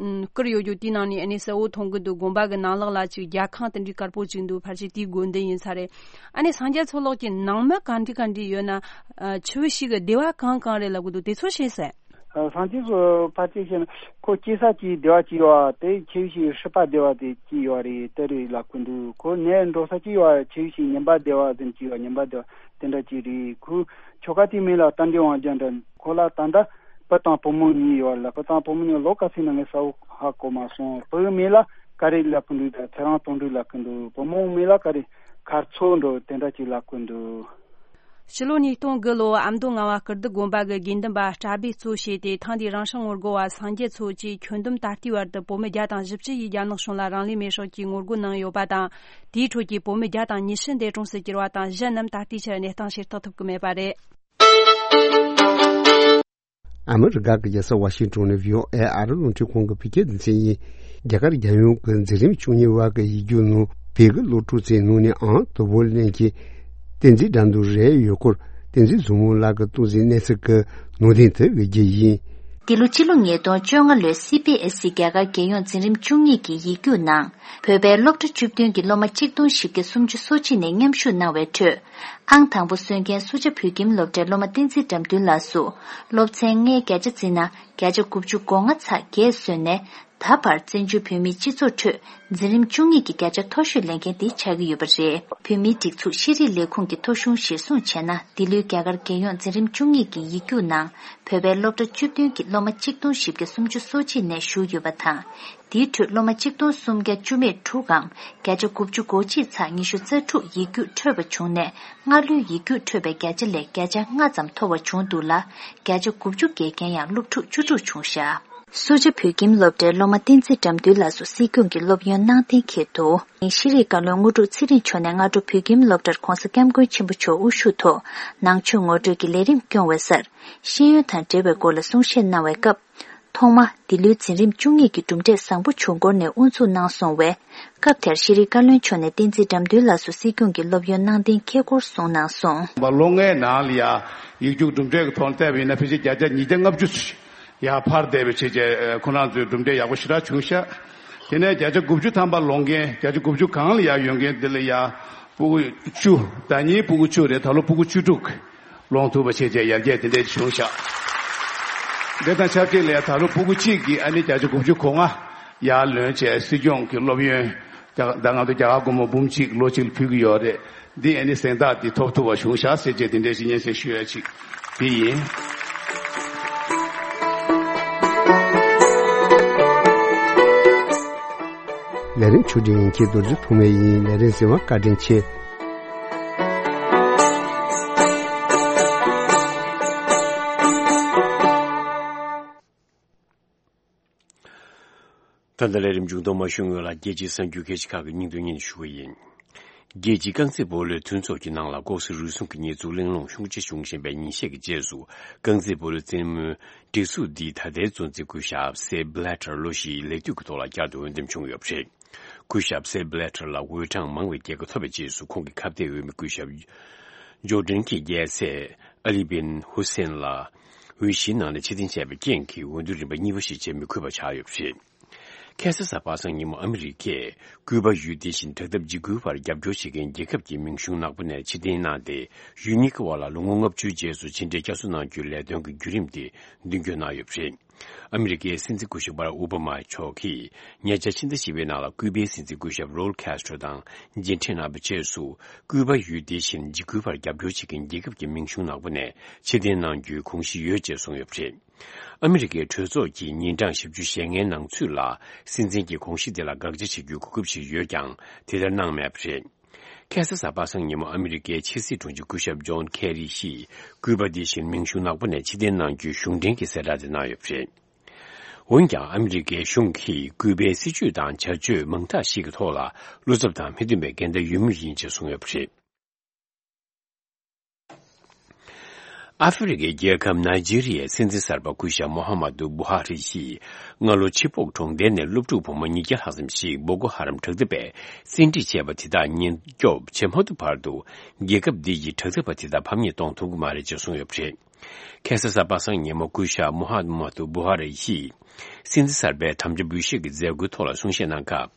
བསྐུར་ཡོད་རྒྱུ་དེའི་ནང་ནས་ཨ་ནི་གསལ་བོ་མཐོང་གི་འདུག། དགོན་པ་གི་ནང་ལོགས་ལ་ཅིག་རྒྱ་ཁང་དེ་འདྲའི་དཀར་པོ་ཅིག་འདུག། ཕལ་ཆེར་དེའི་དགོན་སྡེ་ཡིན་ས་རེད། ཨ་ནི་སངས་རྒྱས་མཚོ་ལགས་ཀྱི་ནང་མི་གང་འདྲ་གང་འདྲ་ཡོད་ན། ཨ་ཆི་བི་ཤི་གི་སྡེ་བ་གང་གང་རེད་ལབ་གི་འདུག། དེ་ཚོ་ཤེས་ས། ཨ་སངས་རྒྱས་སུ་ཕལ་ཆེར་བཤད་ན་ཁོ་སྐྱེས་ས་ཀྱི་སྡེ་བ་གཅིག་ཡོད་པ་དེ་ཆི་བི་ཤི་སྲིད་པ་སྡེ་བ་དེ་གཅིག་ཡོད་རེད། དེ་རེད་ལབ་གི་འདུག། ཁོ་ནས་འགྲོ་ས་གཅིག་ཡོད་པ་ཆི་བི་ཤི་ཉི་མ་སྡེ་བ་ཟེར་གཅིག་ཡོད། ཉི་མ་སྡེ་བ་དེ་འདྲ་གཅིག་རེད། ཁོའི་ཁྱོ་ག་དེའི་མིང་ལ་རྟ་མགྲིན་དབང་རྒྱལ་འདྲ། ཁོ་ལ་ད་ལྟ་བུ་དང་བུ་མོ་གཉིས་ཡོད་ལ། བུ་དང་བུ་མོ་གཉིས་ལོ་ག་ཚོད་ན་ངས་གསལ་པོ་ཧ་གོ་མ་སོང་། བུའི་མིང་ལ་ག་རེ་ལབ་གི་འདུག། ད་ཚེ་རིང་དོན་གྲུབ་ལབ་གི་འདུག། བུ་མོའི་མིང་ལ་ག་རེ་མཁར་མཚོ་འགྲོ་དེ་འདྲ་གཅིག་ལབ་གི་འདུག། ཕྱི་ལོ་ཉིས་སྟོང་དགུ་ལོ་ཨ་མདོ་ངག་དབང་སྐུ་ལྡི་དགོན་པ་གི་དགེ་འདུན་པ་གྲྭ་པས་གཙོ་བྱས་ཏེ། ཐེངས་འདིའི་རང་སྲུང་ངོ་རྒོལ་བ་སངས་རྒྱས་མཚོ་བཅས་ཁྱོན་བསྡོམས་ད་ལྟའི་བར་དུ་བོད་མི་བརྒྱ་དང་བཞི་བཅུ་ཡིས་རྒྱ་ནག་གཞུང་ལ་རང་ལུས་མེར་སྲེག་གིས་ངོ་རྒོལ་གནང་ཡོད་པ་དང་། དེའི་ཁྲོད་ཀྱི་བོད་མི་བརྒྱ་དང་ཉི་ཤུ་འདས་གྲོངས་སུ་གྱུར་བ་དང་། གཞན་རྣམས་ད་ལྟའི་ཆར་གནས་སྟངས་ཤེས་རྟོགས་ཐུབ་ཀྱི་མེད་པ་རེད། ཨ་མི་རི་ཀ་གི་རྒྱལ་ས་ཝ་ཤིང་ཏོན་ནས་བྷི་ཨོ་ཨེ་ཨ་རི་རླུང་འཕྲིན་ཁང་གི་བོད་སྐད་སྡེ་ཚན་ཡིན། རྒྱ་གར་རྒྱལ་ཡོངས་ཀྱི་འཛིན་རིམ་བཅུ་གཉིས་པ་གི་ཡིག་རྒྱུགས་ནང་བོད་ཀྱི་སློབ་ཕྲུག་ཚོའི་ནང་ནས་ཨང་དང་པོ་ལེན་གྱི་བསྟན་འཛིན་དགྲ་འདུལ་རེད་ཡོད་སྐོར། བསྟན་འཛིན་བཟང་མོ་ལགས་ཀྱིས་གཏོང་གཟིགས་གནས་ཚུལ་གྱི་ནང་དོན་དེ་གི་རྒྱུ་ཡིན། འདི་ལོ་སྤྱི་ལོ་ཉིས་སྟོང་བཅོ་ལྔ་ལོའི་སི་བི་ཨེས་ཨི་རྒྱ་གར་རྒྱལ་ཡོངས་འཛིན་རིམ་བཅུ་གཉིས་ཀྱི་ཡིག་རྒྱུགས་ནང་། བོད་པའི་སློབ་གྲྭ་བཅུ་བདུན་གྱི་སློབ་མ་གཅིག་སྟོང་བཞི་བརྒྱ་སུམ་ཅུ་སོ་གཅིག་ནས་མཉམ་ཞུགས་གནང་བའི་ཁྲོད། ཨང་དང་པོ་སོན་མཁན་སུ་ཇཱ་བོད་ཁྱིམ་སློབ་གྲྭའི་སློབ་མ་བསྟན་འཛིན་དགྲ་འདུལ་ལགས་སུ། སློབ་ཚན་ལྔའི་བརྒྱ་ཆ་བརྩིས་ན་བརྒྱ་ཆ་དགུ་བཅུ་གོ་ལྔ་ཚེག་བརྒྱད་སོན་ནས། ད་བར་བཙན་བྱོལ་བོད་མིའི་སྤྱི་ཚོགས་ཁྲོད་འཛིན་རིམ་བཅུ་གཉིས་ཀྱི་བརྒྱ་ཆ་མཐོ་ཤོས་ལེན་མཁན་དེ་ཆགས་ཀྱི་ཡོད་པ་རེད། བོད་མིའི་སྒྲིག་འཛུགས་ཤེས་རིག་ལས་ཁུངས་ཀྱི་ཐོ་གཞུང་གཞིར་བཟུང་བྱས་ན། འདི་ལོའི་རྒྱ་གར་རྒྱལ་ཡོངས་འཛིན་རིམ་བཅུ་གཉིས་ཀྱི་ཡིག་རྒྱུགས་ནང་བོད་པའི་སློབ་གྲྭ་བཅུ་བདུན་གྱི་སློབ་མ་གཅིག་སྟོང་བཞི་བརྒྱ་སུམ་ཅུ་སོ་གཅིག་ནས་ཞུགས་ཡོད་པ་དང་། དེའི་ཁྲོད་སློབ་མ་གཅིག་སྟོང་སུམ་བརྒྱ་བཅུ་མེད་དྲུག་གམ་བརྒྱ་ཆ་དགུ་བཅུ་གོ་གཅིག་ཚེག་ཉི་ཤུ་རྩ་དྲུག་ཡིག་རྒྱུགས་འཕྲོད་པ་བྱུང་ནས། སྔ་ལོའི་ཡིག་རྒྱུགས་འཕྲོད་པའི་བརྒྱ་ཆ་ལས་བརྒྱ་ཆ་ལྔ་ཙམ་མཐོ་བ་བྱུང་འདུག་ལ། བརྒྱ་ཆ་དགུ་བཅུ་བརྒལ་མཁན་ཡང་སློབ་ཕྲུག་བཅུ་དྲུག་བྱུང་བཞག། སུ་ཇཱ་བོད་ཁྱིམ་སློབ་གྲྭའི་སློབ་མ་བསྟན་འཛིན་དགྲ་འདུལ་ལགས་སུ་སྲིད་སྐྱོང་གི་སློབ་ཡོན་གནང་གཏན་འཁེལ་འདུག། ཤེས་རིག་བཀའ་བློན་དངོས་གྲུབ་ཚེ་རིང་མཆོག་ནས་སྔ་དྲོ་བོད་ཁྱིམ་སློབ་གྲྭར་༧གོང་ས་༧སྐྱབས་མགོན་ཆེན་པོ་མཆོག་དབུ་བཞུགས་ཐོག་ནང་ཆོས་ངོ་སྤྲོད་ཀྱི་ལས་རིམ་སྐྱོང་བའི་སར། ཤེས་ཡོན་དང་འབྲེལ་བའི་སྐོར་ལ་གསུང་བཤད་གནང་བའི་སྐབས། ཐོག་མ། འདི་ལོའི་འཛིན་རིམ་བཅུ་གཉིས་ཀྱི་གྲུབ་འབྲས་བཟང་པོ་བྱུང་སྐོར་ནས་དབུ་འཛུགས་གནང་སོང་བས། སྐབས་དེར་ཤེས་རིག་བཀའ་བློན་མཆོག་ནས་བསྟན་འཛིན་དགྲ་འདུལ་ལགས་སུ་སྲིད་སྐྱོང་གི་སློབ་ཡོན་གནང་གཏན་འཁེལ་སྐོར་གསུངས་གནང་སོང་། ལོ་ལྔའི་ནང་ལ་ཡ་ཡིག་རྒྱུགས་གྲུབ་འབྲས་ཀྱི་ཐོག་ནས་བལྟས་པ་ཡིན་ན་ཕལ་ཆེར་བརྒྱ་ཆ་ཉིས་བརྒྱ་ལྔ་བཅུ་ཡར་འཕར་བསྡད་པའི་ཆེད་ཀྱི་ཁོ་རང་ཚོའི་གྲུབ་འབྲས་ཡག་པོ་ཞེ་དྲག་བྱུང་ཤག། དེ་ནས་བརྒྱ་ཆ་དགུ་བཅུ་ཐམ་པ་ལོན་མཁན། བརྒྱ་ཆ་དགུ་བཅུ་སྒང་ལ་ཡར་ཡོད་མཁན་དེ་ལ་ཡ་སྤུ་གུ་བཅུ། ཟླ་ཉིན་སྤུ་གུ་བཅུ་རེད། ད་ལོ་སྤུ་གུ་བཅུ་དྲུག་ལོན་ཐུབ་པ་བྱས་བྱས་ཡར་རྒྱས་དེ་འདྲས་བྱུང་ཤག། དེ་དང་ཆབས་ཅིག་ལ་ཡ་ད་ལོ་སྤུ་གུ་གཅིག་གིས་ཨ་ནི་བརྒྱ་ཆ་དགུ་བཅུ་གོ་ལྔ་ཡར་ལོན་བྱས་སྲིད་སྐྱོང་གི་སློབ་ཡོན། ད་ང་ཚོ་རྒྱ་གར་སྒོར་མོ་འབུམ་གཅིག་ལོ་གཅིག་ལ་ཕུལ་གྱི་ཡོད་རེད། འདི་ཨ་ནི་གཟེངས་རྟགས་འདི་ཐོབ་ཐུབ་པ་བྱུང་ཤག་ཟེར་བྱས་དེ་འདྲའི་ཞིག་སྙན་སེང་ཞུ་ཡ་ཅིག་འདི་ཡིན། ལས་རིམ་ཆུ་འདྲེན་ཡིན་གྱི་རྡོ་རྗེ་ཐོགས་མེད་ཡིན། ལས་རིམ་གཟིགས་པར་བཀའ་དྲིན་ཆེ། ད་ལྟ་ལས་རིམ་མཇུག་སྡོམ་མ་ཞུས་སྔོན་ལ་རྒྱལ་སྤྱིའི་གསར་འགྱུར་ཁག་ཅིག་ཁག་གི་སྙིང་དོན་སྙན་ཞུ་བ་ཡིན། རྒྱལ་སྤྱིའི་རྐང་རྩེད་སྤོ་ལོའི་མཐུན་ཚོགས་ཀྱི་ནང་ལ་ལྐོག་ཟ་རུལ་སུངས་ཀྱི་ཉེས་འཛུགས་གླེང་སློང་ཤུགས་ཆེ་བྱུང་བཞིན་པའི་ཉིན་ཤས་ཀྱི་རྗེས་སུ། རྐང་རྩེད་སྤོ་ལོའི་རྩེད་མོའི་སྒྲིག་འཛུགས་འདིས་ད་ལྟའི་གཙོ་འཛིན་སྐུ་ཞབས་སེབ་བྷི་ལེ་ཊར་ལོ་བཞིའི་ལས་དུས་ཀྱི་ཐོག་ལ་བསྐྱར་དུ་འོས་འདེམས་བྱུང་ཡོད་པ་རེད། སྐུ་ཞབས་སེབ་བྷི་ལེ་ཊར་ལ་འོས་གྲངས་མང་བའི་རྒྱལ་ཁ་ཐོབ་པའི་རྗེས་སུ། ཁོང་གི་ཁ་གཏད་འོས་མི་སྐུ་ཞབས་ཇོར་ཌན་གྱི་རྒྱལ་སྲས་ཨ་ལི་བིན་ཧུ་སེན་ལ་འོས་གཞིའི་ནང་ནས་ཕྱིར་འཐེན་བྱས་པའི་རྐྱེན་གྱིས། འོས་བསྡུ་རིམ་པ་གཉིས་པ་ཞིག་བྱེད་མི་དགོས་པ་ཆགས་ཡོད་པ་རེད། ཁ་སང་གཟའ་པ་སངས་ཉིན་མོ་ཨ་མི་རི་ཀས་ཀུའུ་པ་ཡུལ་དེ་བཞིན་དྲག་འཐབ་འཇིགས་སྐུལ་བར་རྒྱབ་སྐྱོར་བྱེད་མཁན་རྒྱལ་ཁབ་ཀྱི་མིང་གཞུང་ནག་པོ་ནས་ཕྱིར་འཐེན་གནང་སྟེ། ཡུལ་གཉིས་ཀྱི་དབར་ལ་ལོ་ངོ་ལྔ་བཅུའི་རྗེས་སུ་ཕྱི་འབྲེལ་བསྐྱར་གསོ་གནང་རྒྱུའི་ལས་དོན་གྱི་བརྒྱུད་རིམ་དེ་མདུན་སྐྱོད་གནང་ཡོད་པ་རེད། ཨ་མི་རི་ཀའི་སྲིད་འཛིན་སྐུ་ཞབས་བྷ་རག་ཨོ་བྷ་མ་མཆོག་གིས་ཉེ་ཆར་ཕྱི་ཟླ་བཞི་པའི་ནང་ལ་ཀུའུ་པའི་སྲིད་འཛིན་སྐུ་ཞབས་རོལ་ཁེ་སི་ཊྲོ་དང་མཇལ་འཕྲད་གནང་བའི་རྗེས་སུ། ཀུའུ་པ་ཡུལ་དེ་བཞིན་འཇིགས་སྐུལ་བར་རྒྱབ་སྐྱོར་བྱེད་མཁན་རྒྱལ་ཁབ་ཀྱི་མིང་གཞུང་ནག་པོ་ནས་ཕྱིར་འཐེན་གནང་རྒྱུའི་དགོངས་གཞི་ཡོད་ཅེས་གསུངས་ཡོད་པ་རེད། ཨ་མི་རི་ཀའི་གྲོས་ཚོགས་ཀྱིས་ཉིན་གྲངས་བཞི་བཅུ་ཞེ་ལྔའི་ནང་ཚུད་ལ་སྲིད་འཛིན་གྱི་དགོངས་གཞི་དེ་ལ་དགག་བྱ་བྱེད་རྒྱུའི་གོ་སྐབས་ཤིག་ཡོད་ཀྱང་། དེ་ལྟར་གནང་མེད་པ་རེད། ཁ་སང་གཟའ་པ་སངས་ཉིན་མོ་ཨ་མི་རི་ཀའི་ཕྱི་སྲིད་དྲུང་ཆེ་སྐུ་ཞབས་ཇོན་ཁེ་རི་ཡིས་ཀུའུ་པ་དེ་བཞིན་མིང་གཞུང་ནག་པོ་ནས་ཕྱིར་འཐེན་གནང་རྒྱུའི་གཞུང་འབྲེལ་གྱི་གསལ་བསྒྲགས་དེ་གནང་ཡོད་པ་རེད། འོན་ཀྱང་ཨ་མི་རི་ཀའི་གཞུང་གིས་ཀུའུ་པའི་སྲིད་བྱུས་དང་བྱ་སྤྱོད་མང་དག་ཞིག་གི་ཐོག་ལ་བློ་འཚབ་དང་མི་མཐུན་པའི་འགལ་ཟླ་ཡོད་མུས་ཡིན་ཅེས་གསུངས་ཡོད་པ་རེད། ཨ་ཧྥེ་རི་ཀའི་རྒྱལ་ཁབ་ནཱི་ཇི་རི་ཡའི་སྲིད་འཛིན་གསར་པ་སྐུ་ཞབས་མོ་ཧ་མ་ཏུ་བུ་ཧ་རི་ཡིས་སྔ་ལོ་ཆི་པོག་གྲོང་རྡལ་ནས་སློབ་ཕྲུག་བུ་མོ་ཉིས་བརྒྱ་ལྷག་ཙམ་ཞིག་བོ་ཀོ་ཧ་རམ་དྲག་འཐབ་པས་བཙན་ཁྲིད་བྱས་པ་དེ་དག་ཉེན་སྐྱོབ་བྱེད་མ་ཐུབ་བར་དུ། རྒྱལ་ཁབ་འདི་ཡི་དྲག་འཐབ་པ་དེ་དག་ཕམ་ཉེས་གཏོང་ཐུབ་ཀྱི་མ་རེད་ཅེས་གསུངས་ཡོད་པ་རེད། ཁ་སང་གཟའ་པ་སངས་ཉིན་མོ་སྐུ་ཞབས་མོ་ཧ་མ་ཏུ་བུ་ཧ་རི་ཡིས་སྲིད་འཛིན་གསར་པའི་དམ་བཅའ་འབུལ་བཞེས་ཀྱི་མཛད་སྒོའི་ཐོག་ལ་གསུང་བཤད་གནང་སྐབས།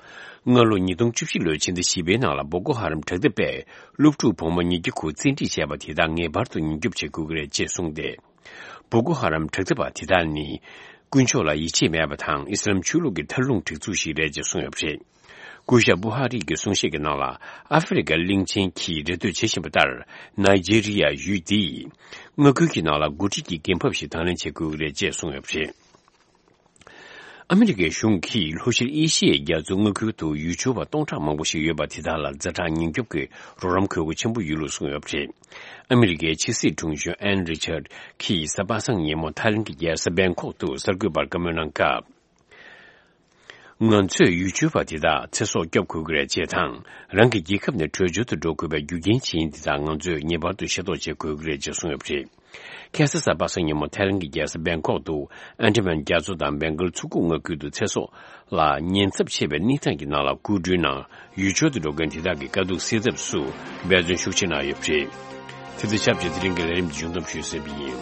སྔ་ལོ་ཉིས་སྟོང་བཅུ་བཞི་ལོའི་ཕྱི་ཟླ་བཞི་པའི་ནང་ལ་བོ་ཀོ་ཧ་རམ་དྲག་འཐབ་པས་སློབ་ཕྲུག་བུ་མོ་ཉིས་བརྒྱ་དགུ་བཙན་ཁྲིད་བྱས་པ་དེ་དག་ངེས་པར་དུ་ཉེན་སྐྱོབ་བྱེད་དགོས་ཀྱི་རེད་ཅེས་གསུངས་ཏེ། བོ་ཀོ་ཧ་རམ་དྲག་འཐབ་པ་དེ་དག་ནི། དཀོན་མཆོག་ལ་ཡིད་ཆེས་མེད་པ་དང་ཨི་སི་ལམ་ཆོས་ལུགས་ཀྱི་མཐར་ལྷུང་སྒྲིག་འཛུགས་ཤིག་རེད་ཅེས་གསུངས་ཡོད་པ་རེད། སྐུ་ཞབས་བུ་ཧ་རི་གི་གསུང་བཤད་ཀྱི་ནང་ལ། ཨ་ཧྥེ་རི་ཀ་གླིང་ཆེན་གྱིས་རེ་ལྟོས་བྱེད་བཞིན་པ་ལྟར། ནཱི་ཇི་རི་ཡ་ཡུལ་འདིས་མངའ་ཁུལ་གྱི་ནང་ལ་འགོ་ཁྲིད་ཀྱི་འགན་བབ་ཞིག་དང་ལེན་བྱེད་དགོས་ཀྱི་རེད་ཅེས་གསུངས་ཡོད་པ་རེད། ཨ་མི་རི་ཀའི་གཞུང་གིས་ལྷོ་ཤར་ཨེ་ཤི་ཡའི་རྒྱ་མཚོའི་མངའ་ཁུལ་དུ་ཡུལ་ཆོས་པ་སྟོང་ཕྲག་མང་པོ་ཞིག་ཡོད་པ་དེ་དག་ལ་ཛ་དྲག་ཉེན་སྐྱོབ་ཀྱི་རོགས་རམ་དགོས་མཁོ་ཆེན་པོ་ཡོད་ལུགས་གསུངས་ཡོད་པ་རེད། ཨ་མི་རི་ཀའི་ཕྱི་སྲིད་དྲུང་གཞོན་ཨན་རི་ཆར་གྱིས་གཟའ་པ་སངས་ཉིན་མོ་ཐའི་ལེན་གྱི་རྒྱལ་ས་བེང་ཀོག་ཏུ་གསར་འགོད་པར་བཀའ་མོལ་གནང་སྐབས། ང་ཚོས་ཡུལ་ཆོས་པ་དེ་དག་ཚེ་སྲོག་སྐྱོབ་དགོས་ཀྱི་རེད་ཅེས་དང་། རང་གི་རྒྱལ་ཁབ་ནས་བྲོས་བྱོལ་དུ་འགྲོ་དགོས་པའི་རྒྱུ་རྐྱེན་ཅི་ཡིན་དེ་དག་ང་ཚོས་ངེས་པར་དུ་ཤེས་རྟོགས་བྱེད་དགོས་ཀྱི་རེད་ཅེས་གསུངས་ཡོད་པ་རེད། ཁ་སང་གཟའ་པ་སངས་ཉིན་མོ་ཐའི་ལེན་གྱི་རྒྱལ་ས་བེང་ཀོག་ཏུ་ཨན་ཌ་མན་རྒྱ་མཚོ་དང་བེང་གལ་མཚོ་ཁུག་མངའ་ཁུལ་དུ་ཚེ་སྲོག་ལ་ཉེན་ཚབས་ཆེ་བའི་གནས་སྟངས་ཀྱི་ནང་ལ་སྐུ་མགྲོན་ནང་ཡུལ་ཆོས་དུ་འགྲོ་མཁན་དེ་དག་གི་དཀའ་སྡུག་སེལ་ཐབས་སུ་འབད་བརྩོན་ཤུགས་ཆེ་གནང་ཡོད་པ་རེད། དེ་དང་ཆབས་ཅིག་དེ་རིང་གི་ལས་རིམ་འདི་མཇུག་བསྡོམས་ཞུས་ཟིན་པ་ཡིན།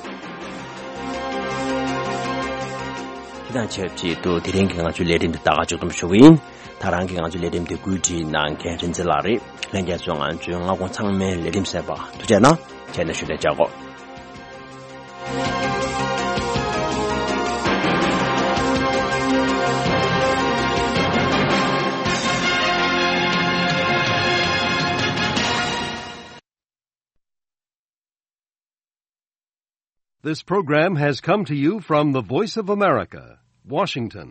དེ་དང་ཆབས་ཅིག་ཏུ་དེ་རིང་གི་ང་ཚོའི་ལས་རིམ་འདི་ད་ག་མཇུག་བསྡོམས་ཞུ་གི་ཡིན། ད་རང་གིས་ང་ཚོའི་ལས་རིམ་འདི་བཀོད་སྒྲིག་གནང་མཁན་རིན་ཆེན་ལགས་རེད། ལྷན་རྒྱས་ཚོས་ང་ཚོའི་སྔ་དགོང་ཚང་མའི་ལས་རིམ་གསན་པར་ཐུགས་རྗེ་གནང་། ཁྱེད་ནས་ཞུ་ལས་བྱ་དགོས། This program has come to you from the Voice of America, Washington.